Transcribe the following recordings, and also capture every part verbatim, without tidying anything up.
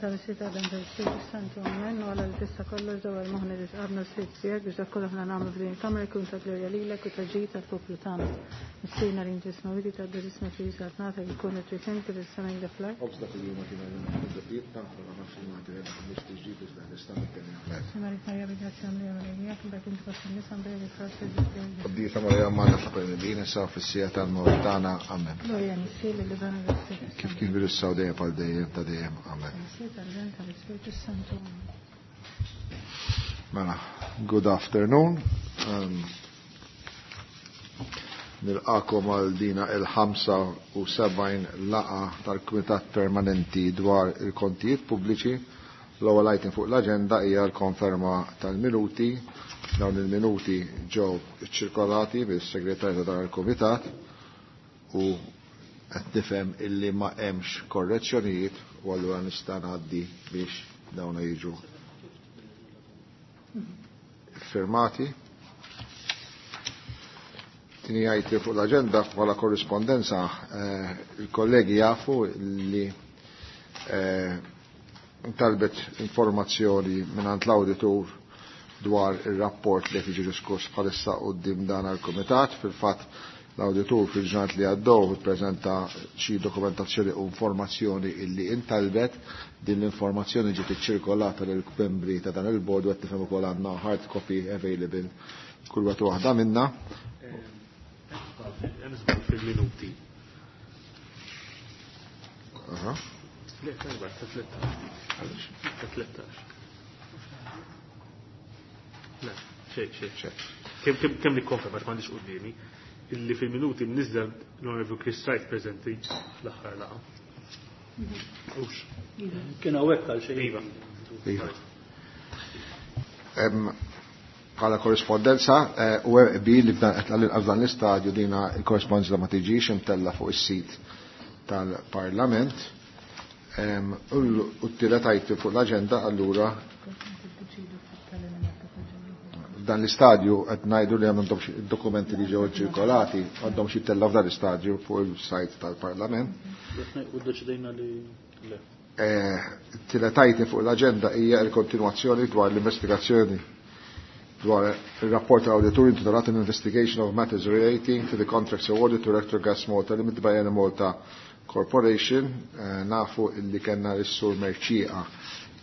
Tal-Missier tal-Iben tal-Ispirtu Santu, amen. U Alla li tista' kollox dawwar moħħna li tqabna s-sit tiegħek biex dak kollu aħna nagħmlu f'din il-kamra jkun ta' glorja lilek u ta' ġid tal-poplu tagħna. Missierna li inti smawiti tgħaddi ismek li saltnatek ikun it-trid kif is-sema jinda fl-art. Obs dak il-jum għatina l-ħobza taħna ma nafx li għati għedha mhux tiġġib iżda nista' nitkellem. Marik Marija bi-grazzja mlija Marija, mbagħad inti fost in-nisa mbagħad il-frott ta' Qaddisa Marija Madre ta' issa fis-siegħa tal-mewt tagħna. Amen. Glorja Missier lill-Iben u l-Ispirtu Kif kien bil-issa u dejjem għal dejjem ta' dejjem. Amen. Missier tal-Iben tal-Ispirtu Santu. Amen. Mela, good afternoon. Um, Nilqakom għal dina il-ħamsa u sebgħin laqgħa tal-Kumitat Permanenti dwar il-kontijiet pubbliċi. L-ewwel item fuq l-aġenda hija l-konferma tal-minuti. Dawn il-minuti ġew iċċirkolati bis-segretarju ta' dan il-Kumitat u qed nifhem illi ma hemmx korrezzjonijiet u allura nista' ngħaddi biex dawn jiġu firmati. Tini għajti fuq l-agenda bħala korrispondenza, eh, il-kollegi jafu li eh, talbet informazzjoni mingħand l-auditur dwar il-rapport li qed jiġi diskuss bħalissa quddiem dan għal-kumitat. Fil-fatt l-auditur fil-ġurnat li għaddew ippreżenta xi dokumentazzjoni u informazzjoni illi intalbet. Din l-informazzjoni ġiet iċċirkolata lil membri ta' dan il-bord u qed nifhem ukoll għandna hard copy available kull wieħed waħda minna. Hemm żball fil-minuti. Aha. Le, tajba, ta' tlettax. Ta' tlettax. Le, xejn, xejn. Xejn. Kemm kemm kemm nikkonferma għax m'għandix quddiemi illi fil-minuti mniżżel l-Honorable Chris Wright preżenti fl-aħħar laqgħa. Ux. Kien hawnhekk għal xejn. Iva. Iva. Em, Bħala korrispondenza, eh, u hemm qbil li f'dan f'dan l-istadju dina il-korrispondenza ma tiġix imtella fuq is-sit tal-Parlament. Em, U l- u t-tielet item fuq l-aġenda allura f'dan l-istadju qed ngħidu li għandhom xi dokumenti li ġew ċirkolati għandhom xi tella f'dan l-istadju fuq il-sajt tal-Parlament. U ddeċidejna li le. Eh, Tielet item fuq l-aġenda hija l-kontinwazzjoni dwar l-investigazzjoni dwar il-rapport tal-auditur intitolat an Investigation of Matters Relating to the Contracts Awarded to Electrogas Malta Limited by Enemalta Corporation. Eh, nafu illi kellna l-sur Mercieca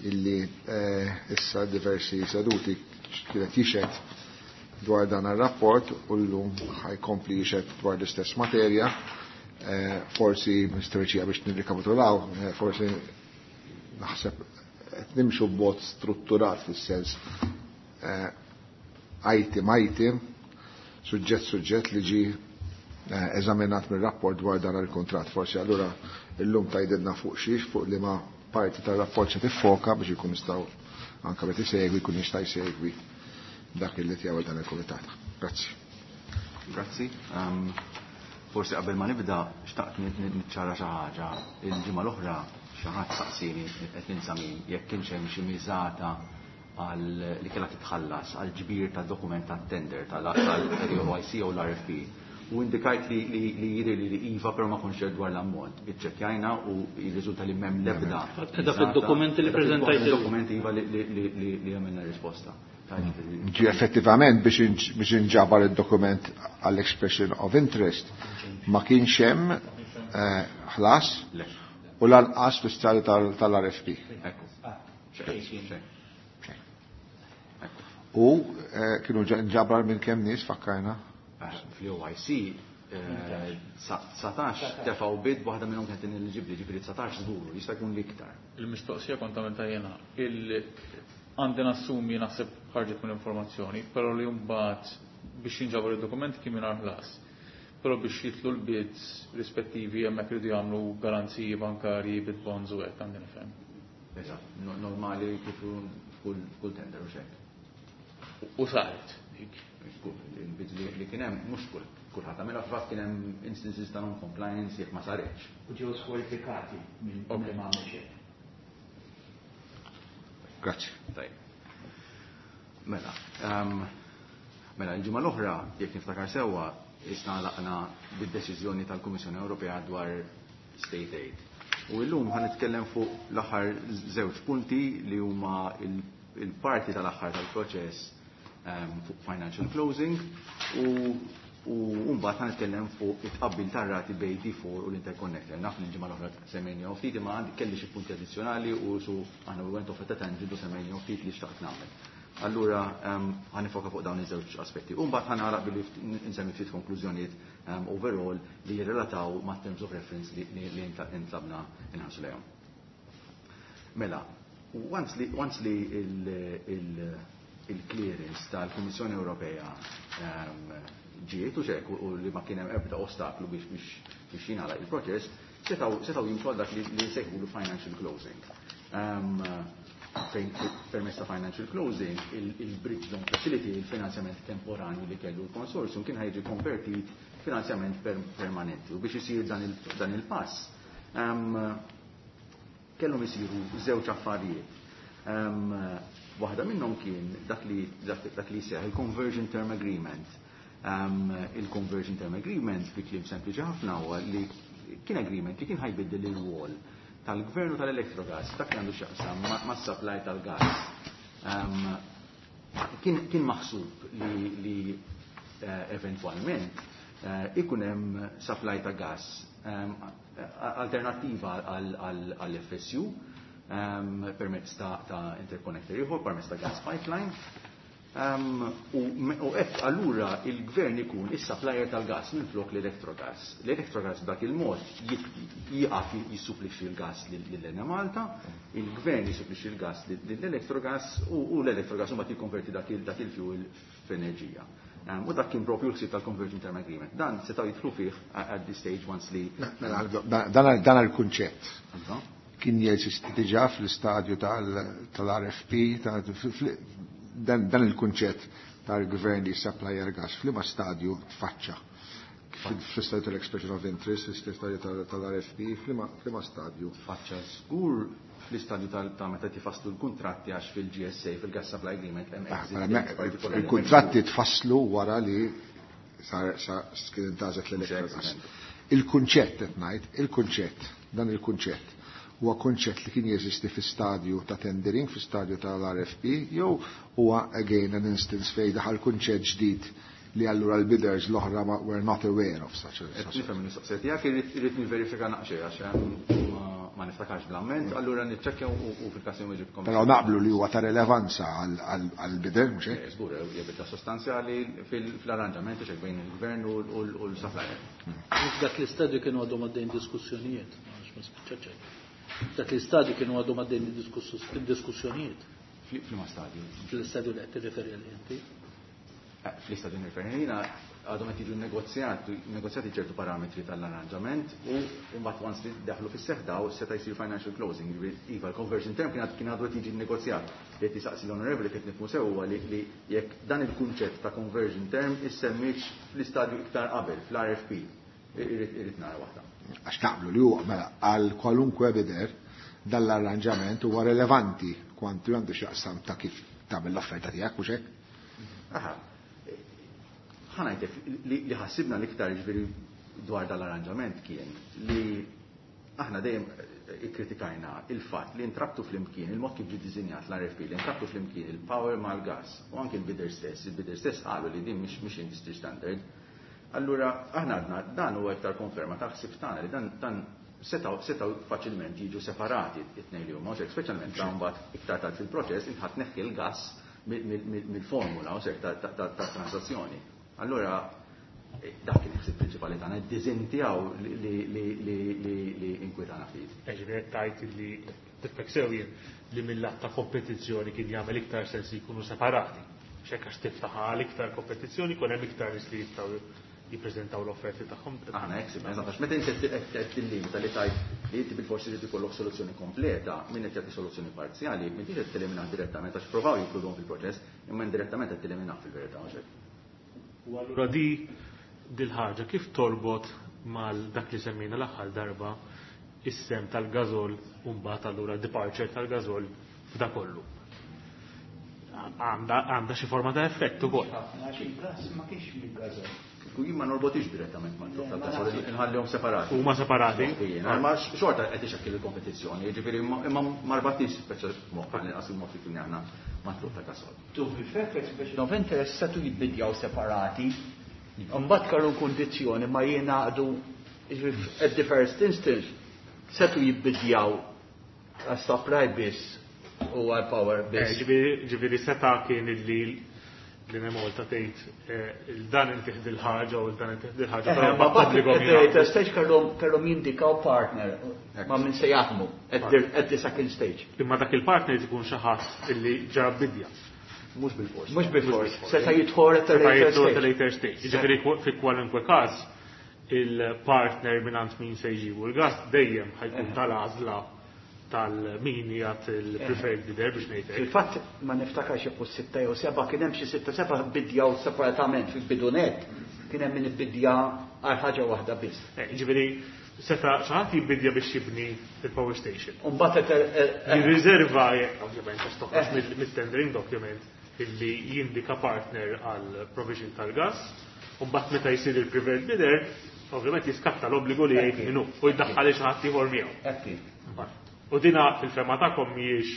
illi eh, issa diversi seduti kienet jixhed dwar dan il-rapport u l-lum ħa jkompli jixhed dwar l-istess materja. Eh, forsi Mister Mercieca biex nirrikapitulaw, eh, forsi naħseb qed nimxu b'mod strutturat fis-sens eh, item item, suġġett suġġett li ġi eh, eżaminat mir-rapport dwar dan il-kontrat. Forsi allura illum tgħidilna fuq xiex, fuq li ma parti tal-rapport se tiffoka biex ikun jistgħu anke meta isegwi jkun jista' jsegwi dak li tiegħu dan il-kumitat. Grazzi. Grazzi. Um, forsi qabel ma nibda xtaqt niċċara xi ħaġa. Il-ġimgħa l-oħra xi ħadd saqsini qed ninsa min jekk kienx hemm xi miżata għal li kellha titħallas għal ġbir ta' dokument ta' tender tal-O I C u l-R F P. U indikajt li li li jidher li li iva, però ma kontx dwar l-ammont. Iċċekkjajna u jirriżulta li m'hemm l-ebda. Edha fid-dokumenti li preżentajt. Fid-dokumenti iva li li li li għamilna risposta. Ġi effettivament biex inġ- biex inġabar il-dokument għall-expression of interest ma kienx hemm eh, ħlas Le. u lanqas fl-istadju tal- tal-R F P. Ekku. Xejn, xejn. U eh, kienu ġa- nġabrar minn kemm nies, fakkarna? Fl-O I C dsatax tefgħu bid, waħda minnhom kienet ineliġibbli, ġifieri dsatax żgur, jista' jkun l-iktar. Il-mistoqsija kont għamilta jena. Il għandi nassumi, naħseb ħarġet mill-informazzjoni, però li mbagħad biex jinġabru id-dokumenti kien mingħajr ħlas. Però biex jitlu l-bids rispettivi hemmhekk iridu jagħmlu garanziji bankarji, bid bonds u hekk, għandi nifhem. Eżatt, no- normali kif kull kull tender u xek. U saret dik. Il-bids li li kien hemm mhux kull kulħadd għamilha, fil-fatt kien hemm instances ta' non-compliance jekk ma saritx. U ġew skwalifikati minn Ok. minn ma għamlu xejn. Grazzi. Tajb. Mela, um, mela, il-ġimgħa l-oħra, jekk niftakar sewwa, isna laqna bid-deċiżjoni tal-Kummissjoni Ewropea dwar state aid. U illum ħa nitkellem fuq l-aħħar żewġ punti li huma il-parti tal-aħħar tal-proċess ehm, fuq financial closing u u mbagħad ħa nitkellem fuq it-tqabbil tar-rati bejn D four u l-interconnector. Naf li l-ġimgħa l-oħra semmejnihom ftit imma għandi kelli xi punti addizzjonali u su aħna we went off at a tangent u semmejnihom ftit li xtaqt nagħmel. Allura ehm, ħa nifoka fuq dawn iż-żewġ aspetti. U mbagħad ħa nagħlaq billi nsemmi ftit konklużjonijiet ehm, overall li jirrelataw ma' terms of reference li, li, li intlabna inħarsu lejhom. Mela, once li, once li il-clearance tal-Kummissjoni Ewropea ehm, ġiet u xek u li ma kien hemm ebda ostaklu biex biex biex jingħalaq il-proċess, setgħu setgħu jimxu għal dak li, li jsejħulu financial closing. Um, fejn permezz ta' financial closing, il-bridge loan facility, il-finanzjament temporanju li kellu l-konsorzjum kien ħa jiġi konvertit finanzjament per permanenti. U biex isir dan il, il-pass, um, kellhom isiru żewġ affarijiet. Um, waħda minnhom kien dak li dak li seħ il-conversion term agreement. Um, il-conversion term agreement fi kliem sempliċi ħafna huwa li kien agreement li kien ħa jbiddel il-rwol tal-gvernu tal-Electrogas, dak li għandu x'jaqsam mas-supply tal-gas. Um, kien, kien maħsub li, li uh, eventwalment uh, ikun hemm supply ta' gas um, alternattiva għall-F S U um, permezz ta', ta interconnector ieħor, permezz ta' gas pipeline. Um, u hekk allura il-gvern ikun is-supplier tal-gas minn flok l-Electrogas. L-Electrogas b'dak il-mod jieqaf jissupplixxi l-gas lill-Enemalta, il-gvern jissupplixxi l-gas lill-Electrogas u l-Electrogas mbagħad jikkonverti dak il-fuel f'enerġija. Um, u dak kien propju l-ħsieb tal-Conversion Term Agreement. Dan setgħu jidħlu fih at this stage once li. Dan il-kunċett kien jeżisti diġà fl-istadju tal-R F P, dan il-kunċett tal-gvern li supplier gas, f'liema stadju tfaċċa? Fl-istadju tal-expression of interest, fl-istadju tal-R F P, f'liema stadju? Tfaċċa żgur fl-istadju ta' meta tifasslu l-kontratti, għax fil-G S A, fil-Gas Supply Agreement, hemm ah, Il-kontratti tfasslu wara li sar kien intgħażlet l-Electrogas. Il-kunċett qed ngħid, il-kunċett, dan il-kunċett huwa kunċett li kien jeżisti fi stadju ta' tendering, fi stadju tal-R F P, jew huwa again an instance fejn daħal kunċett ġdid li allura l-bidders l-oħra ma were not aware of such a Nifhem il-mistoqsija tiegħek, irrid niverifika naqxej għax ma niftakarx bl-amment, allura niċċekkja u fil-każ inweġibkom. Però naqblu li huwa ta' relevanza għall-bidder, mhux hekk? Żgur, hija bidla sostanzjali fil-arranġamenti xek bejn il-gvern u l-supplier. Dak l-istadju kienu għadhom għaddejn diskussjonijiet, ma spiċċaċ. Dak l-istadju kienu għadhom għaddejn diskussjonijiet. F'liema stadju? Fl-istadju li qed tirreferi għal inti. Eh, fl-istadju nirreferi jiena għadhom qed jiġu negozjati negozjati ċertu parametri tal-arranġament u mbagħad once li daħlu fis-seħħ daw seta' jsir financial closing. Iva, l-conversion term kien kien għadu qed jiġi negozjat. Li qed jisaqsi l-onorevoli, kif nifhmu sew, huwa li jekk dan il-kunċett ta' conversion term issemmix fl-istadju iktar qabel, fl-R F P. Irrid nara waħda. Għax naqblu li huwa mela għal kwalunkwe bidder dan l-arranġament huwa relevanti kwantu għandu x'jaqsam ta' kif tagħmel l-offerta tiegħek, mhux hekk? Aha. Ħa ngħidlek li ħassibna l-iktar ġifieri dwar dal-arranġament kien li aħna dejjem ikkritikajna il-fatt li intrabtu flimkien, il-mod kif ġie dizinjat l-R F P, li intrabtu flimkien il-power mal-gas u anke il-bidder stess, il-bidder stess qalu li din mhix mhix industry standard. Allura aħna għadna dan huwa iktar konferma ta' ħsib tagħna li dan dan setgħu setgħu faċilment jiġu separati it-tnejn li huma, speċjalment ta' mbagħad iktar tard fil-proċess int ħa tneħħi l-gas mill-formula u ta' transazzjoni. Allura dak kien il-ħsieb prinċipali tagħna, id-diżinn tiegħu li inkwitana ftit. Ġifieri tajt li tifhmek sew li mill-lat ta' kompetizzjoni kien jagħmel iktar sens li jkunu separati. X'hekk għax tiftaħ għal iktar kompetizzjoni, kun hemm iktar nies li jistgħu jippreżentaw l-offerti tagħhom. Aħna hekk sibna, eżatt, għax meta inti qed tillimita li tajt li inti bil-forsi trid ikollok soluzzjoni kompleta, min qed jagħti soluzzjoni parzjali, m'intix qed teliminah direttament għax provaw jinkluduhom fil-proċess, imma indirettament qed teliminah fil-verità, mhux hekk. U allura di dil-ħaġa kif torbot mal dak li semmejna l-aħħar darba, is-sehem tal-Gasol u mbagħad allura departure tal-Gasol f'da kollu? Għandha xi forma ta' effett ukoll. Għax il-gas ma kienx mill-Gasol. Jien ma norbotix direttament ma' tal-gasol, inħallihom separati. Huma separati? Ma xorta qed ixekkil il-kompetizzjoni, jiġifieri imma ma rbatniex speċjal moħħ għal il-mod li kien aħna mat-tluq ta' gasol. To be fair, expression of interest setgħu jibbidjaw separati. Mbagħad kellu kundizzjoni ma jingħaqdu at the first instance setgħu jibbidjaw għas-supply biss u għal-power biss. Ġifieri seta' kien illi l-Enemalta tgħid il-dan intih dil-ħaġa u l-dan intih dil-ħaġa. Ma bat stage kellhom jindikaw partner ma' min se jaħdmu at the second stage. Imma dak il-partner ikun xi ħadd illi ġa bidja. Mhux bil-fors. Mhux bil-fors. Seta' jidħol at the later stage. Jiġifieri fi kwalunkwe każ il-partner mingħand min se jġibu l-gas dejjem ħa jkun tal-għażla tal-min jgħat il-preferred bidder biex ngħidlek. Fil-fatt ma niftakarx jekk sitta jew seba' kien hemm xi sitta seba' bidjaw separatament fil-bidunet kien hemm min ibbidja għal ħaġa waħda biss. Ġifieri seta' xi ħadd jibbidja biex jibni il-power station. U mbagħad jirriserva ovvjament għax toħroġ mit-tendering document illi jindika partner għal provision tal-gas, u mbagħad meta jsir il-preferred bidder, ovvjament jiskatta l-obbligu li jgħid minnu u jdaħħal xi ħadd ieħor miegħu. U dina fil-fema tagħkom mhijiex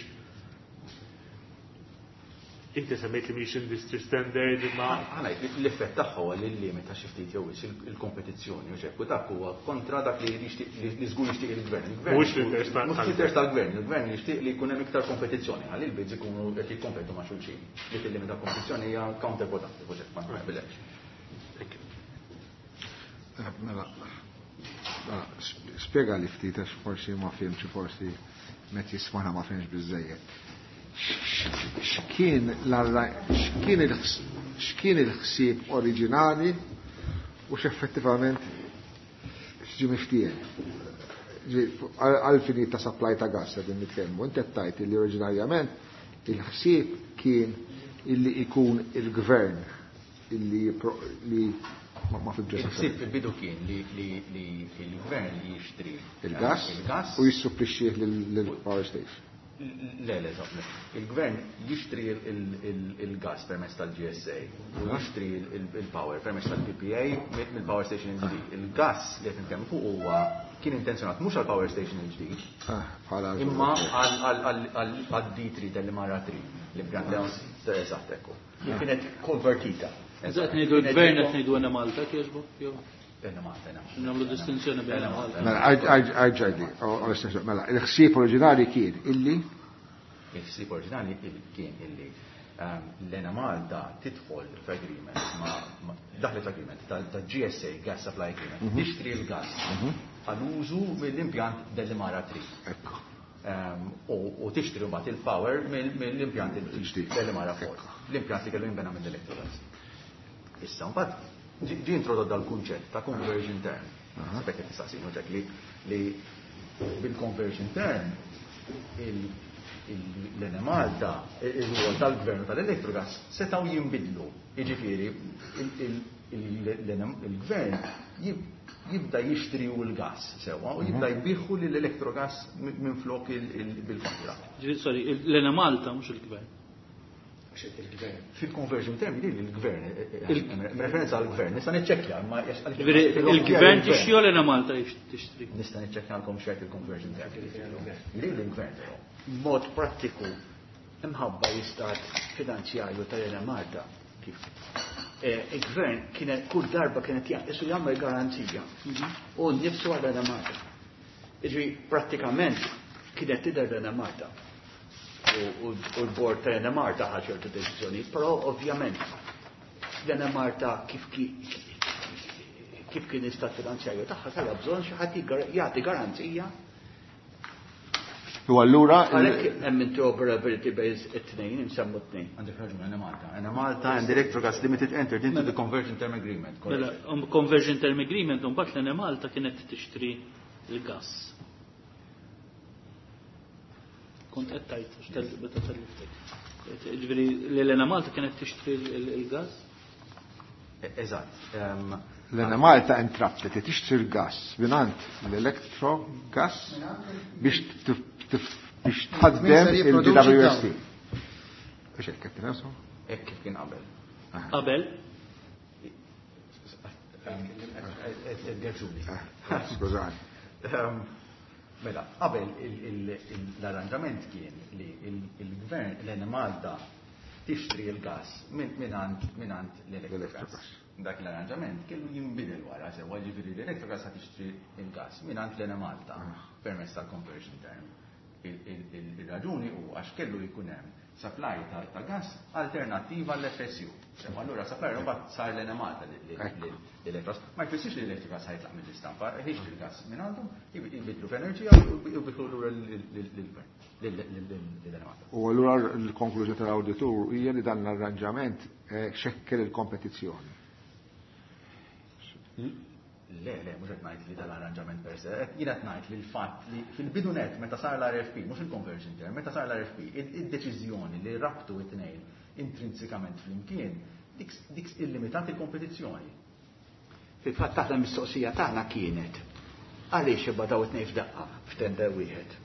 inti semmejt li mhijiex industry standard imma l-effett tagħha huwa li limita xi ftit jew il-kompetizzjoni u xekk u dak huwa kontra dak li li żgur jixtieq il-gvern. Mhux l-interess tal-gvern, il-gvern jixtieq li jkun hemm iktar kompetizzjoni ħalli l-bids ikunu qed jikkompetu ma' xulxin. Li tillimita kompetizzjoni hija counterproductive u xekk ma naqbilx. Mela, spjega li ftit għax forsi ma fhimx, forsi met jismana ma fhimx biżejjed. X'kien x'kien il-ħsieb oriġinali u x'effettivament x'ġie miftiehem. Għal fini ta' supply ta' gas qegħdin nitkellmu, inti qed tgħid li oriġinarjament il-ħsieb kien illi ikun il-gvern illi li ma fimx. Il-ħsieb fil-bidu kien li l-gvern jixtri il-gas u jissupplixxih lill-power station. Le, le, le. Il-gvern jixtri il-gas permezz tal-G S A u jixtri il-power permezz tal-P P A mill-power station il-ġdid. Il-gas li qed nitkellmu fuq huwa kien intenzjonat mhux għall-power station il-ġdid, imma għal D three Delimara three, l-impjant eżatt ekku. Li kienet konvertita. Eżatt, ngħidu l-gvern, qed ngħidu Enemalta kieġbu? Enemalta. Nagħmlu distinzjoni bejn Malta. Mela, għajġajdi, mela, il-ħsieb oriġinali kien illi Il-ħsieb oriġinali kien illi l-Enemalta tidħol f'agreement ma' daħlet agreement ta' G S A, Gas Supply Agreement, tixtri l-gas għal-użu mill-impjant Delimara three. Ekku. U tixtri mbagħad il-power mill-impjant il-ġdid Delimara four. L-impjant li kellu jinbena mill-Electrogas. Issa mbagħad ġi introdott dal-kunċett ta' conversion term. Sabek qed tistaqsinu ġek li li bil-conversion term l-Enemalta, il-rwol tal-gvern tal-Electrogas setgħu jinbidlu. Jiġifieri il-gvern jibda jixtri u l-gas sewa u jibda jbigħu l-Electrogas minn flok bil-kontra. Sorry, l-Enemalta mhux il-gvern. Fil-conversion term li l-gvern, referenza għal-gvern, nista' niċċekkja, ma Il-gvern tixtri u l-Enemalta tixtri? Nista' niċċekkja għalkom xert il-conversion term. Li l-gvern però. Mod prattiku, imħabba l-istat finanzjarju tal-Enemalta kif il-gvern kienet kull darba kienet jaqqisu jagħmel garanzija u nnifsu għal Enemalta. Iġri prattikament kienet tidher l-Enemalta. U l-bord tal-Enemalta ħa ċertu deċiżjoni, però ovvjament l-Enemalta kif kif kien istat finanzjarju tagħha kellha bżonn xi ħadd jagħti garanzija. U allura Għalhekk hemm interoperability bejn it-tnejn, insemmu t-tnejn. Għandek raġun, Enemalta. Enemalta and Electrogas Limited entered into the conversion term agreement. Mela, conversion term agreement, mbagħad l-Enemalta kienet tixtri l-gas. Kont qed tgħid x'tel meta telliftek. Ġifieri l-Enemalta kienet tixtri l-gas? Eżatt. L-Enemalta intrabtet li tixtri l-gas mingħand l-Electrogas biex biex tħaddem il-B W S T. Biex hekk qed tifhem? Hekk kif kien qabel. Qabel? Skużani. Mela, qabel l-arranġament kien li il-gvern l-Enemalta tixtri l-gas mingħand l-Electrogas. Dak l-arranġament kellu jinbidel wara sewa, ġifieri l-Electrogas ħa tixtri l-gas mingħand l-Enemalta permezz tal-conversion term. Il-raġuni hu għax kellu jkun hemm supply ta' gas alternattiva l-F S U. Sewa, allura supplier mbagħad sar l-Enemalta l-Electrogas. Ma jfissirx li l-Electrogas ħa jitlaq mill-istampa, jixtri l-gas minn għandhom, jibidlu f'enerġija u jibidlu lura lill-gvern, lill-Enemalta. U allura l-konklużjoni tal-awditur hija li dan l-arranġament xekkel il-kompetizzjoni. Le, le, mhux qed ngħid li dal-arranġament per se, jien qed ngħid li l-fatt li fil-bidu net meta sar l-R F P, mhux il-conversion term, meta sar l-R F P, id-deċiżjoni li rabtu it-tnejn intrinsikament flimkien, dik dik illimitat il-kompetizzjoni. Fil-fatt aħna mistoqsija tagħna kienet għaliex ibadaw it-tnejn f'daqqa f'tender wieħed.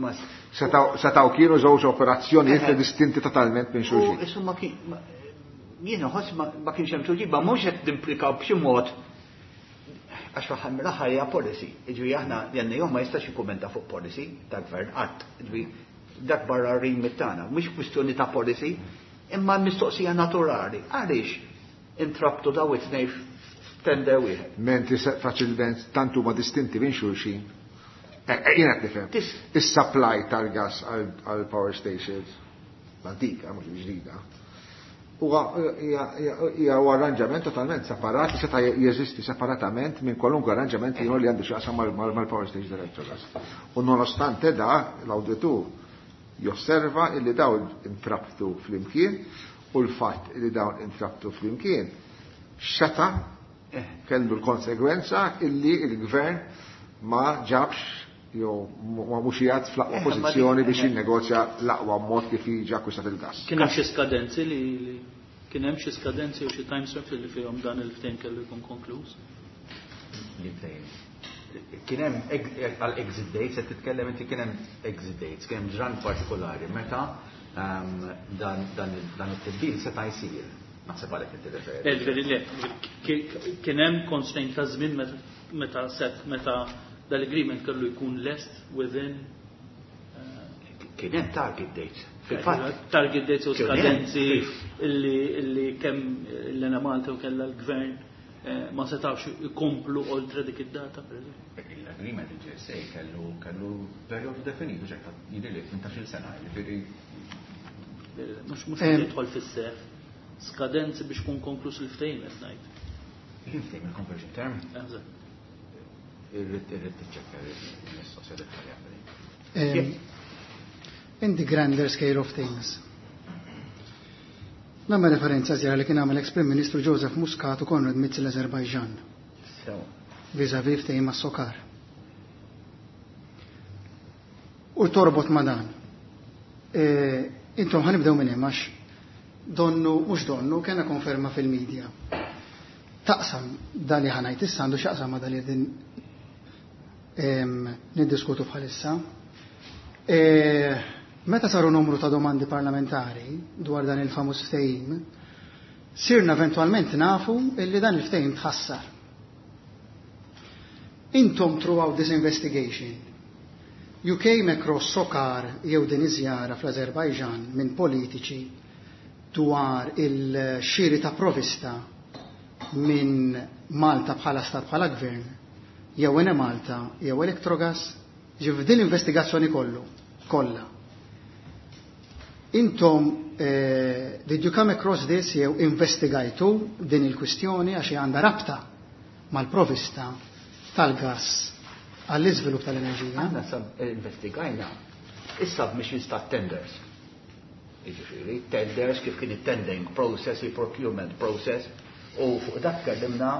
Ma Setgħu kienu żewġ operazzjonijiet li distinti totalment minn U xulxin. Insomma kien ma- jien nħoss ma ma kienx hemm tweġiba, mhux qed nimplikaw b'xi mod għax fl-aħħar mill-aħħar hija policy. Jiġifieri aħna l-N A O ma jistax jikkumenta fuq policy ta' gvern qatt. Jiġifieri dak barra remit tagħna, mhux kwistjoni ta' policy, imma mistoqsija naturali. Għaliex intrabtu daw it-tnejn f'tender wieħed? Mentri se- faċilment tant huma distinti minn xulxin. Eh, eh, Jien qed nifhem. Tis- Is-supply tal-gas għal power stations l-antika, mhux il-ġdida, huwa hija- hija hija huwa arranġament totalment separat li seta' jeżisti separatament minn kwalunkwe arranġament ieħor li għandu x'jaqsam mal- mal- mal-power station tal-Electrogas. U nonostante da, l-awditur josserva illi dawn intrabtu flimkien u l-fatt illi dawn intrabtu flimkien xeta kellu l-konsegwenza illi il-gvern ma ġabx jew ma mhux qiegħed fl-aqwa Eh, ma pożizzjoni dik- biex eh. jinnegozja l-aqwa mod kif jiġi akkwistat il-gas. Kien hemm xi skadenzi li li- kien hemm xi skadenzi u xi time frames li fihom dan il-ftehim kellu jkun konkluż? Li ftehim. Kien hemm għal exit dates, qed titkellem inti, kien hemm exit dates, kien hemm ġran partikolari meta ehm, dan dan dan it-tibdil seta' jsir. Naħseb għalhekk inti referi. Le, ġifieri le, ki- kien hemm constraint ta' żmien meta meta set meta dal-agreement kellu jkun lest within Kien hemm target dates. Fil-fatt target dates u Kien hemm, skadenzi illi illi kemm l-Enemalta u kella l-gvern eh, ma setawx ikomplu oltre dik id-data, per eżempju. L-agreement il-G S A kellu kellu perjodu definitu ġekta jidher li tmintax-il sena, jiġifieri Mhux mhux Em. jidħol fis-seħħ. Skadenzi biex kun konkluż il-ftehim qed ngħid. Il-ftehim, il-conversion term, Eżatt. irrid irrid tiċċekkja il-mistoqsija dettaljata. Um, in the grander scale of things. Nagħmel referenza żjara li kien għamel ex-Prim Ministru Joseph Muscat u Konrad Mizzi l-Azerbajġan sew. vis-a-vis ftehim ma' Sokar. U torbot ma' dan. E, intom ħa nibdew minn hemm għax donnu, mhux donnu, kena konferma fil-medja. Taqsam dan li ħa ngħid issa għandu x'jaqsam ma' dan li din em, niddiskutu bħalissa. E, meta saru numru ta' domandi parlamentari dwar dan il-famuż ftehim, sirna eventualment nafu illi dan il-ftehim tħassar. Intom throughout this investigation, you came across Sokar jew din iż-żjara fl-Azerbajġan minn politiċi dwar il-xiri ta' provista minn Malta bħala stat, bħala gvern, jew Enemalta jew Electrogas, ġif din l-investigazzjoni kollu, kollha. Intom, eh, did you come across this jew investigajtu din il-kwistjoni għax għandha rabta mal-provista tal-gas għall-iżvilupp tal-enerġija? Aħna sab investigajna is-submissions ta' tenders. Jiġifieri, tenders kif kien it-tendering process, il-procurement process, u fuq dak tkellimna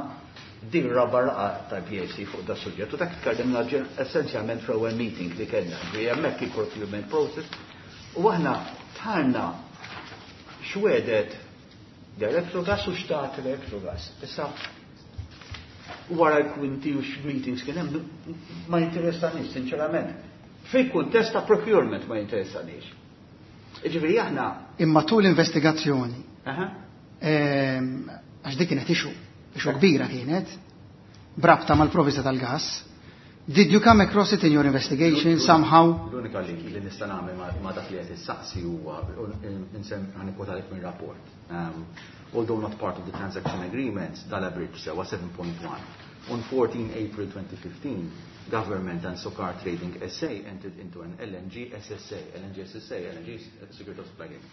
din raba laqgħa tal-P A C fuq da suġġett, u dak tkellimna ġen- essenzjalment fl-ewwel meeting li kellna, ġifieri hemmhekk il-procurement process, u aħna tħarna x'wegħdet l-Electrogas u x'tat l-Electrogas. Issa wara l-kwinti u x-meetings kien hemm ma jinteressanix, sinċerament. Fil-kuntest ta' procurement ma jinteressanix. Ġifieri aħna Imma tul l-investigazzjoni, Aha. ehm, għax dik kienet issue, Issue kbira kienet, b'rabta mal-provvista tal-gas. Did you come across it in your investigation somehow? L-unika li li nista' nagħmel ma- ma dak li qed issaqsi huwa insem ħa nikkwotalek minn rapport. Um, although not part of the transaction agreements, Dala Bridge sewa seven point one. On fourteen April twenty fifteen, government and Socar Trading S A entered into an L N G S S A, L N G S S A, L N G Security of Supply Agreement.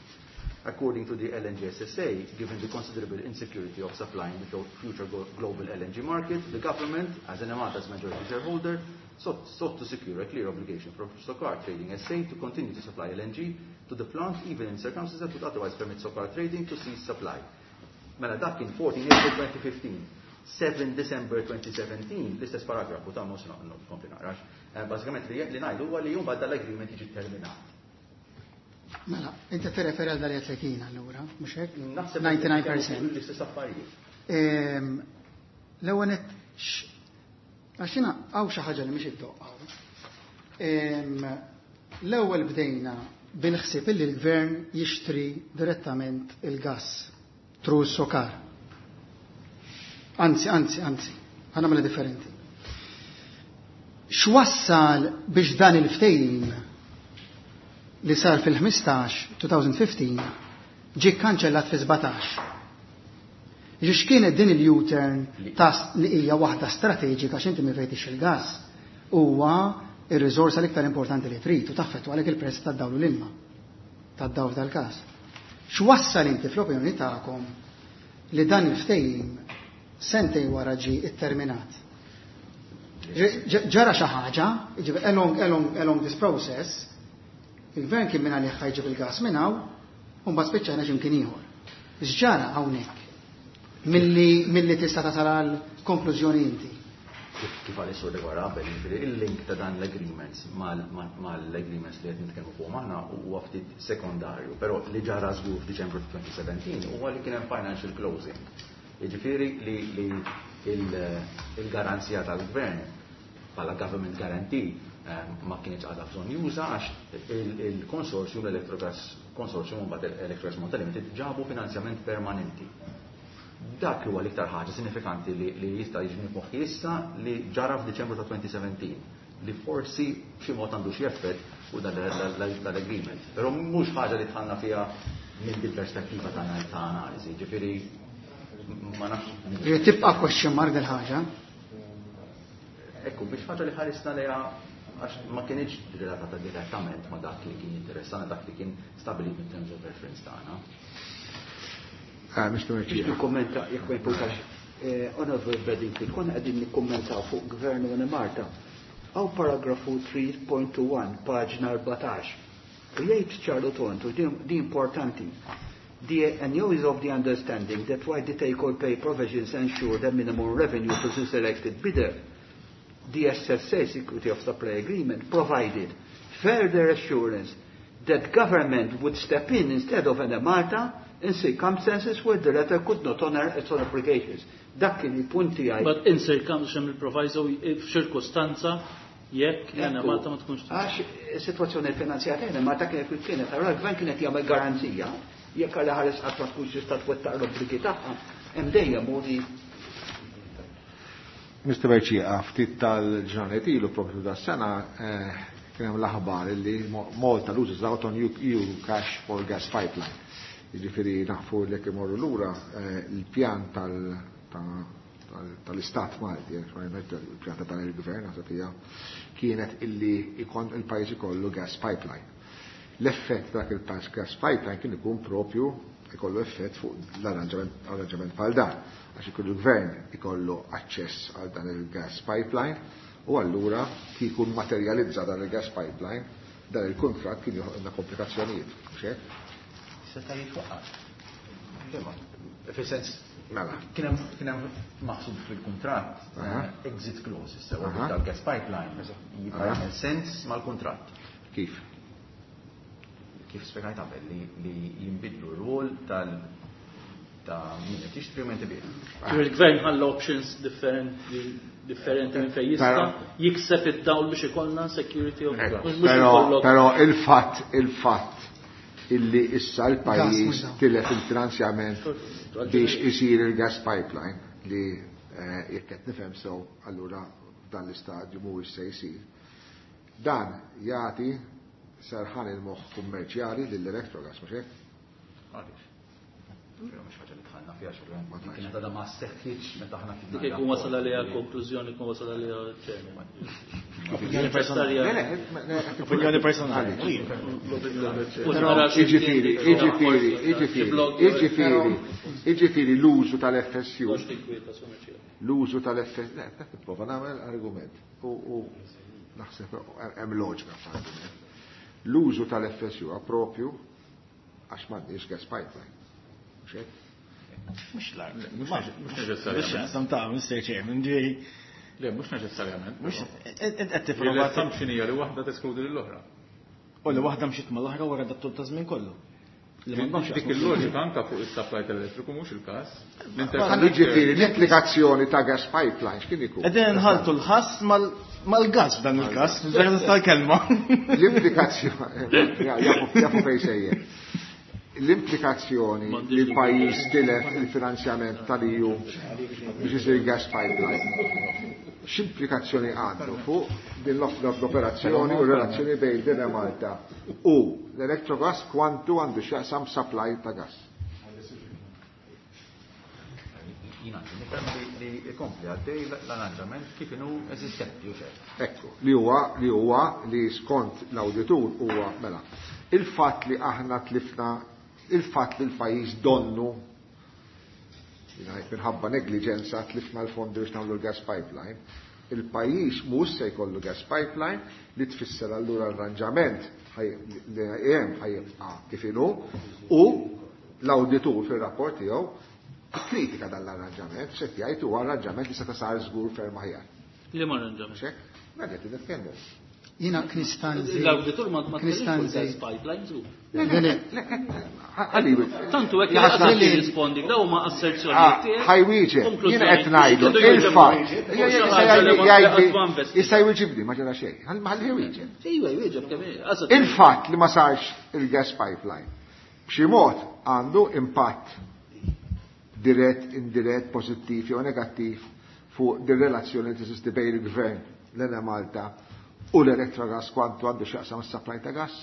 According to the L N G S S A, given the considerable insecurity of supply in the future global L N G market, the government, as Enemalta's majority shareholder, sought, sought to secure a clear obligation from Socar Trading S A to continue to supply L N G to the plant even in circumstances that would otherwise permit Socar Trading to cease supply. Mela dak kien fourteen April twenty fifteen. seven December twenty seventeen, l-istess paragrafu ta' mhux nkompli naqrax. Eh, bażikament li li ngħidu huwa li jum bad dal-agreement jiġi terminat. Mela, inti tirreferi għal dal li allura, mhux hekk? Naħseb disgħa u disgħin fil-mija. L-istess affarijiet. Ehm, l-ewwel nett, għax jiena hawn xi ħaġa li mhix iddoqq. Ehm, l-ewwel bdejna bil-ħsieb illi l-gvern jixtri direttament il-gas through Socar. Anzi, anzi, anzi, ħa nagħmilha differenti. X'wassal biex dan il-ftehim li sar fil-ħmistax elfejn u ħmistax ġie kanċellat fi sbatax? Ġiex kienet din il-U-turn ta' li hija waħda strateġika x'inti mi fejtix il-gas huwa ir-riżorsa l-iktar importanti li trid u taffettwa għalek il-prezz tad-dawl u l-ilma tad-dawl tal-każ. X'wassal inti fl-opinjoni tagħkom li dan il-ftehim sentej wara ġi itterminat? Ġara xi ħaġa, jiġifieri along, along, along this process, il-gvern kien minn għalih ħa jġib il-gas minn hawn, u mbagħad spiċċajna x'imkien ieħor. X'ġara hawnhekk? Milli milli tista' tasal għal konklużjoni inti. Kif għal is-sur li wara qabel, jiġifieri il-link ta' dan l-agreements mal-agreements li qed nitkellmu fuq aħna huwa ftit sekondarju, però li ġara żgur f'Diċembru elfejn u sbatax huwa li kien hemm financial closing. Jiġifieri li il-garanzija tal-gvern bħala government guarantee eh, ma kienx għadha bżonn juża għax il-consortium, l-Electrogas Consortium u mbagħad Electrogas Malta Limited ġabu finanzjament permanenti. Dak huwa l-iktar ħaġa sinifikanti li jista' jiġi moħħi issa li ġara f'Diċembru ta' elfejn u sbatax li forsi b'xi mod għandu xi effett u dal-agreement. Però mhux ħaġa li dħalna fiha minn din perspettiva ta' analiżi, ġifieri ma nafx. Tibqa' question mark del ħaġa. Ekku, biex ħaġa li ħarisna lejha għax ma kienx relatata direttament ma dak li kien interessana, dak li kien stabilit mit terms of reference tagħna. Ah, Mister Biex nikkommenta, jekk ma jimpurtax, eh, Honorable Bedingfield, konna qegħdin nikkommentaw fuq Gvern u Malta. Hawn paragrafu tlieta punt wieħed, paġna erbatax. U jgħid ċar u tond, u din din importanti. The N U is of the understanding that while the take-or-pay provisions ensure the minimum revenue to the selected bidder, the S S A Security of Supply Agreement provided further assurance that government would step in instead of Enemalta in circumstances where the latter could not honor its own obligations. Dak kien il-punt tiegħi. But in circumstances, il-proviso f'ċirkostanza jekk Enemalta ma tkunx. Għax is-sitwazzjoni finanzjarja Enemalta kienet kif kienet, allura l-gvern kienet jagħmel garanzija jekk għal ħares qatt ma tkunx tista' twettaq l-obbligi tagħha, hemm dejjem modi. Mister Berċieqa, ftit tal-ġranet ilu propju da sena eh, kien hemm l-aħbar li Malta loses out on E U cash for gas pipeline. Jiġifieri nafu li jekk imorru lura eh, il-pjan tal-Istat Malti, eh, il-pjan ta' dan il-gvern naħseb hija kienet illi ikon il-pajjiż ikollu gas pipeline. L-effett dak il-gas pipeline kien ikun propju ikollu effett fuq l-arranġament bħal dan għax ikun il-gvern ikollu aċċess għal dan il-gas pipeline u allura kieku materializza dan il-gas pipeline dan il-kontrat kien joħolqna komplikazzjonijiet, mhux hekk? Seta' jitwaqqaf. Fis-sens Mela. kien hemm kien hemm maħsub fil-kuntratt Aha. eh, exit clause, sewa Aha. tal-gas pipeline jibqa' Aha. jagħmel sens mal-kuntratt. Kif? Kif spjegajt qabel li, li jinbidlu r-rol tal ta' min qed jixtri u min qed ibigħ. Il-gvern ħalla options differenti differenti minn fejn jista' Però- jikseb id-dawl biex ikollna security of Ecco, mhux Però, ikollok però il-fatt, il-fatt illi issa Gas, l-pajjiż mhux dawl. tilef il-finanzjament biex isir il-gas pipeline li jekk qed nifhem sew allura f'dan l-istadju mhuwiex se jsir. Dan jagħti serħan il-moħħ kummerċjali lill-Electrogas, mhux hekk? Għaliex? Mhux ħaġa li dħalna fiha xogħol. Kienet għadha ma seħħitx meta aħna kien. Dik ikun wasal għaliha konklużjoni jkun wasal għaliha chairman. Opinjoni personali. Opinjoni personali. Jiġifieri, jiġifieri, jiġifieri, jiġifieri, jiġifieri l-użu tal-F S U. L-użu tal-F S U, ne, nipprova nagħmel argument. U naħseb hemm loġika f'argument. L-użu tal-F S U propju għax m'għandniex gas pipeline. Mux l-art. Mux neċessarjament. Ta' Mister Chairman, ġifieri. Le, mux neċessarjament. Mux, qed tipprova. L-assumption hija li waħda teskludi lill-oħra. U li waħda mxiet mal-oħra wara dat-tul ta' żmien kollu. Dik il-loġika anka fuq is-supply tal-elettriku mhux il-każ. Jiġifieri l-implikazzjoni ta' gas pipeline x'kien ikun? Qegħdin nħaltu l-ħass mal-gas f'dan il-każ, f'dan tal-kelma. L-implikazzjoni, jafu fejn sejjer. L-implikazzjoni li l-pajjiż tilef il-finanzjament tal-E U biex isir gas pipeline. X'implikazzjoni għandu fuq din l-operazzjoni u relazzjoni bejn din Malta u l-Electrogas kwantu għandu x'jaqsam supply ta' gas? Jien għandi nifhem li jkompli għaddej l-arranġament kif inhu eżistenti u xejn. Ekku, li huwa li huwa li skont l-awditur huwa mela. Il-fatt li aħna tlifna, il-fatt li l-pajjiż donnu minħabba negliġenza tlifna l-fondi biex nagħmlu l-gas pipeline, il-pajjiż mhux se jkollu gas pipeline li tfisser allura l-arranġament li hemm ħajibqa' kif inhu u l-awditur fir-rapport tiegħu kritika dan l-arranġament, x'qed jgħid huwa arranġament li seta' sar żgur ferm aħjar. Liema arranġament? Mela qed nitkellmu. Jina knistan zejt. L-awditur ma Knistan zejt. Pipeline żgur. Tantu hekk li jirrispondi, daw huma asserzjonijiet tiegħek. Ħajwieġeb, jiena qed ngħidu il-fatt. Issa jwieġibni ma ġara xejn. Ħalli jwieġeb. Ejwa jwieġeb kemm Il-fatt li ma sarx il-gas pipeline b'xi mod għandu impatt dirett, indirett, pożittiv jew negattiv fuq din relazzjoni li teżisti bejn il-gvern l-Ena Malta u l-Electrogas kwantu għandu x'jaqsam is-supply ta' gas.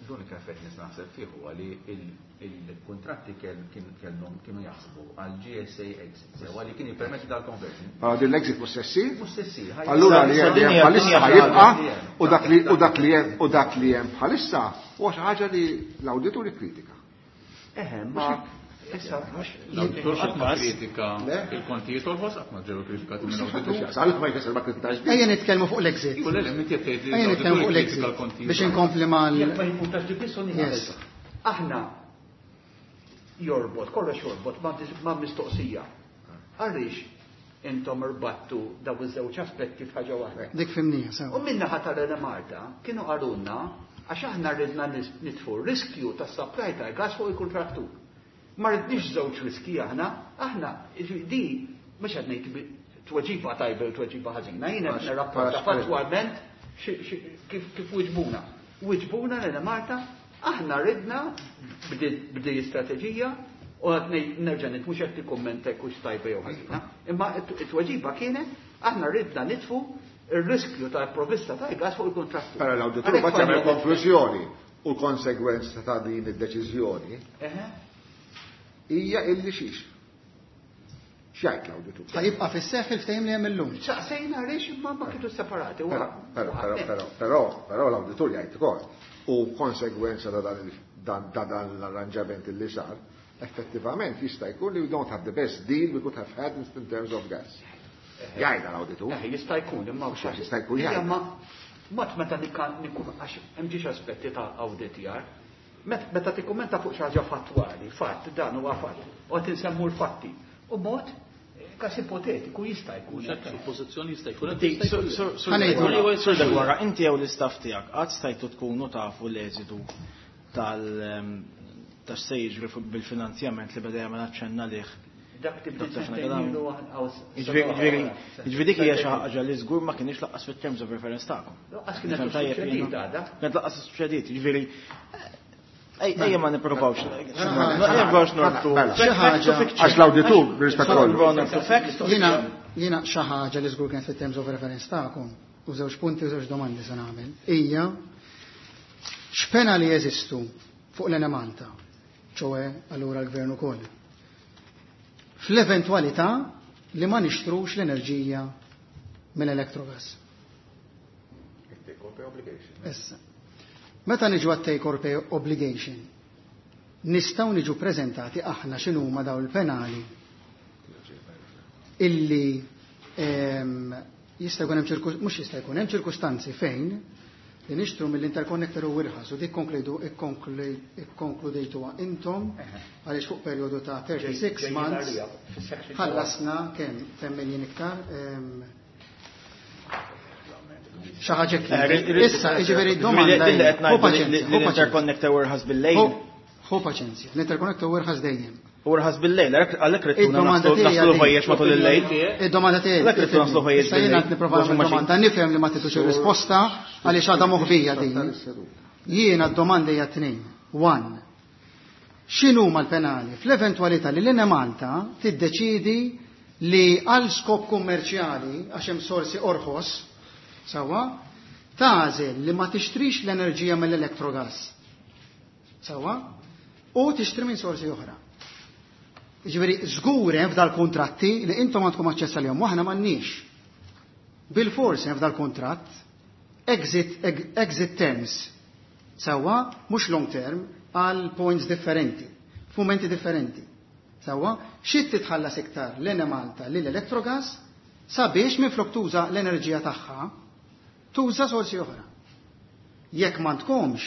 L-unika effett li naħseb fih huwa li il-kuntratti kellhom kienu jaħsbu għal G S A exit, sewa li kien jippermetti dal-conversion. Allora din l-exit mhux se ssir? Mhux se ssir. Allura li hemm bħalissa ħajibqa' u dak li u dak li hemm u dak li hemm bħalissa huwa xi ħaġa li l-awditur ikkritika. Eħe, ma issa mhux l-awditur qatt ma kritika il-kontijiet orħos qatt ma ġew kritikati minn awditur. Għalhekk ma jfisser ma kritikax. Ejja nitkellmu fuq l-exit. Le, le, inti qed tgħid li Ejja nitkellmu fuq l-exit biex inkompli mal Jekk ma jimpuntax li biss Yes. Aħna jorbot, kollox jorbot ma' mistoqsija. Għaliex intom irbattu daw iż-żewġ aspetti f'ħaġa waħda. Dik fimnija, sewa. U minnaħa tal-Ena Malta kienu qalulna għax aħna ridna nitfu riskju tas-supply tal-gas fuq il-kuntrattur. Ma ridniex żewġ riski aħna, aħna di mhux qed ngħid tweġiba tajba u tweġiba ħażina, jiena qed nirrapporta fattwalment kif wiġbuna. Wiġbuna l-Ena Malta, aħna ridna b'di strateġija u qed nerġa' ngħid mhux qed tikkummenta jekk hux tajba jew ħażina, imma t-tweġiba kienet aħna ridna nitfu ir-riskju tal-provvista tal-gas fuq il-kuntrattur. Però l-awditur ma jagħmel konklużjoni u l-konsegwenza ta' din id-deċiżjoni hija illi xiex. X'jgħid l-awditur? Ħajibqa' fis-seħħ il-ftehim li hemm illum. Saqsejna għaliex imma ma kienu separati. Però, però, però, però, però l-awditur jgħid ukoll u konsegwenza ta' dan ta' dan l-arranġament li sar, effettivament jista' jkun li we don't have the best deal we could have had in terms of gas. Jgħidha l-awditur. Eh, jista' jkun, imma mhux għax jista' jkun jgħid. Imma mat meta nikun għax hemm ġiex aspetti ta' awditjar. Meta tikkummenta fuq xi ħaġa fattwali, fatt, dan huwa fatt, u qed insemmu l-fatti. U mod każ ipotetiku jista' jkun. Suppożizzjoni jista' jkun. Sur Degwara, inti jew l-istaff tiegħek qatt stajtu tkunu tafu l-eżidu tal tax se jiġri bil-finanzjament li beda jagħmel aċċenna lih. Dak tibda sentejn Jiġifieri dik hija xi ħaġa li żgur ma kienx laqqas fit-terms of reference tagħkom. Laqqas kienet suċċediet għadha. Kienet laqqas suċċediet, jiġifieri Ejja ma nipprovawx. Ma nipprovawx norbtu. Xi ħaġa. Għax l-awditur b'rispett kollu. Jiena jiena xi ħaġa li żgur kienet fit-terms of reference tagħkom u żewġ punti u żewġ domandi se nagħmel. Hija x'penali jeżistu fuq l-Enemalta, ċoe allura l-gvern ukoll. Fl-eventwalità li ma nixtrux l-enerġija mill-Electrogas. Issa. Meta niġu għat take or pay obligation, nistgħu niġu preżentati aħna x'inhuma daw il-penali illi ehm, jista' jkun hemm ċirku mhux jista' jkun hemm ċirkustanzi fejn li nixtru mill-interconnector u irħas u dik konkludu ikkonkludejtuha intom għaliex fuq perjodu ta' thirty-six months ħallasna kemm ten million iktar ehm, xi ħaġa kien. Issa, jiġifieri d-domanda Din li qed hu ngħidu li paċenzja, hu paċenzja. l-interconnector irħas bil-lejl. Hu paċenzja, l-interconnector irħas dejjem. U rħas bil-lejl, għalhekk ridtuna Id-domanda tiegħi naslu għadin. ħwejjeġ matul il-lejl. Id-domanda tiegħi. Għalhekk ridtuna naslu ħwejjeġ Issa jiena bil-lejl. qed nipprova nagħmel domanda, nifhem li ma titux ir-risposta għaliex għadha moħbija din. Jiena d-domanda hija tnejn. One. X'inhuma l-penali fl-eventwalità li l-Enemalta tiddeċidi li għal skop kummerċjali għax hemm sorsi orħos, sewwa, tagħżel li ma tixtrix l-enerġija mill-Electrogas. Sewwa, u tixtri minn sorsi oħra. Jiġifieri żgur hemm f'dal-kuntratti li intom għandkom aċċess għalihom u aħna m'għandniex. Bil-fors hemm f'dal-kuntratt exit, exit terms. Sewwa, mhux long term, għal points differenti, f'mumenti differenti. Sewwa, xi titħallas iktar l-Enemalta lil Electrogas sabiex minflok tuża l-enerġija tagħha, tuża sorsi oħra. Jekk m'għandkomx,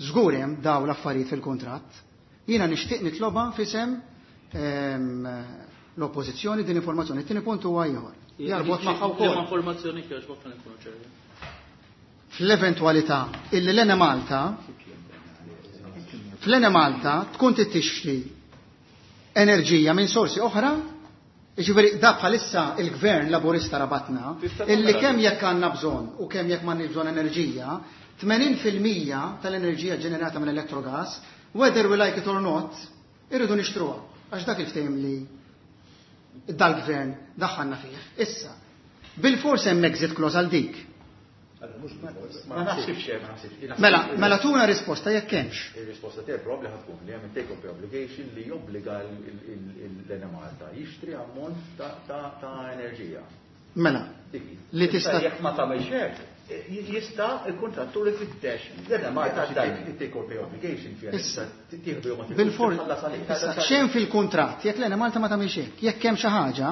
żgur hemm daw l-affarijiet fil-kuntratt, jiena nixtieq nitloba fisem, ehm, l-oppożizzjoni din informazzjoni. It-tieni punt huwa ieħor. Jarbot magħha wkoll. Liema informazzjoni kif ħa nkunu ċerti. Fl-eventwalità illi l-Enemalta fl-Enemalta tkun tixtri enerġija minn sorsi oħra, jiġifieri da bħalissa il-gvern laburista rabatna, illi kemm jekk għandna bżonn u kemm jekk m'għandniex bżonn enerġija, tmenin fil-mija tal-enerġija ġenerata minn Electrogas, whether we like it or not, irridu nixtruha. Għax dak il-ftehim li dal-gvern daħħalna fih. Issa, bil-fors hemm exit clause għal dik. Ma naħsibx hemm, ma naħsibx. Mela, mela tuna risposta jekk hemmx. Ir-risposta tiegħek probabbli ħa tkun li hemm take or pay obligation li jobbliga l-Enemalta jixtri ammont ta' enerġija. Mela, li tista' Jekk ma tagħmelx hekk, jista' il-kontrattur ifittex. L-Enemalta Take or pay obligation fiha Issa. tieħdu jew ma tieħdux, Bil-for- tħallas għalih. Issa, xejn fil-kuntratt, jekk l-Enemalta ma tagħmilx hekk, jekk hemm xi ħaġa,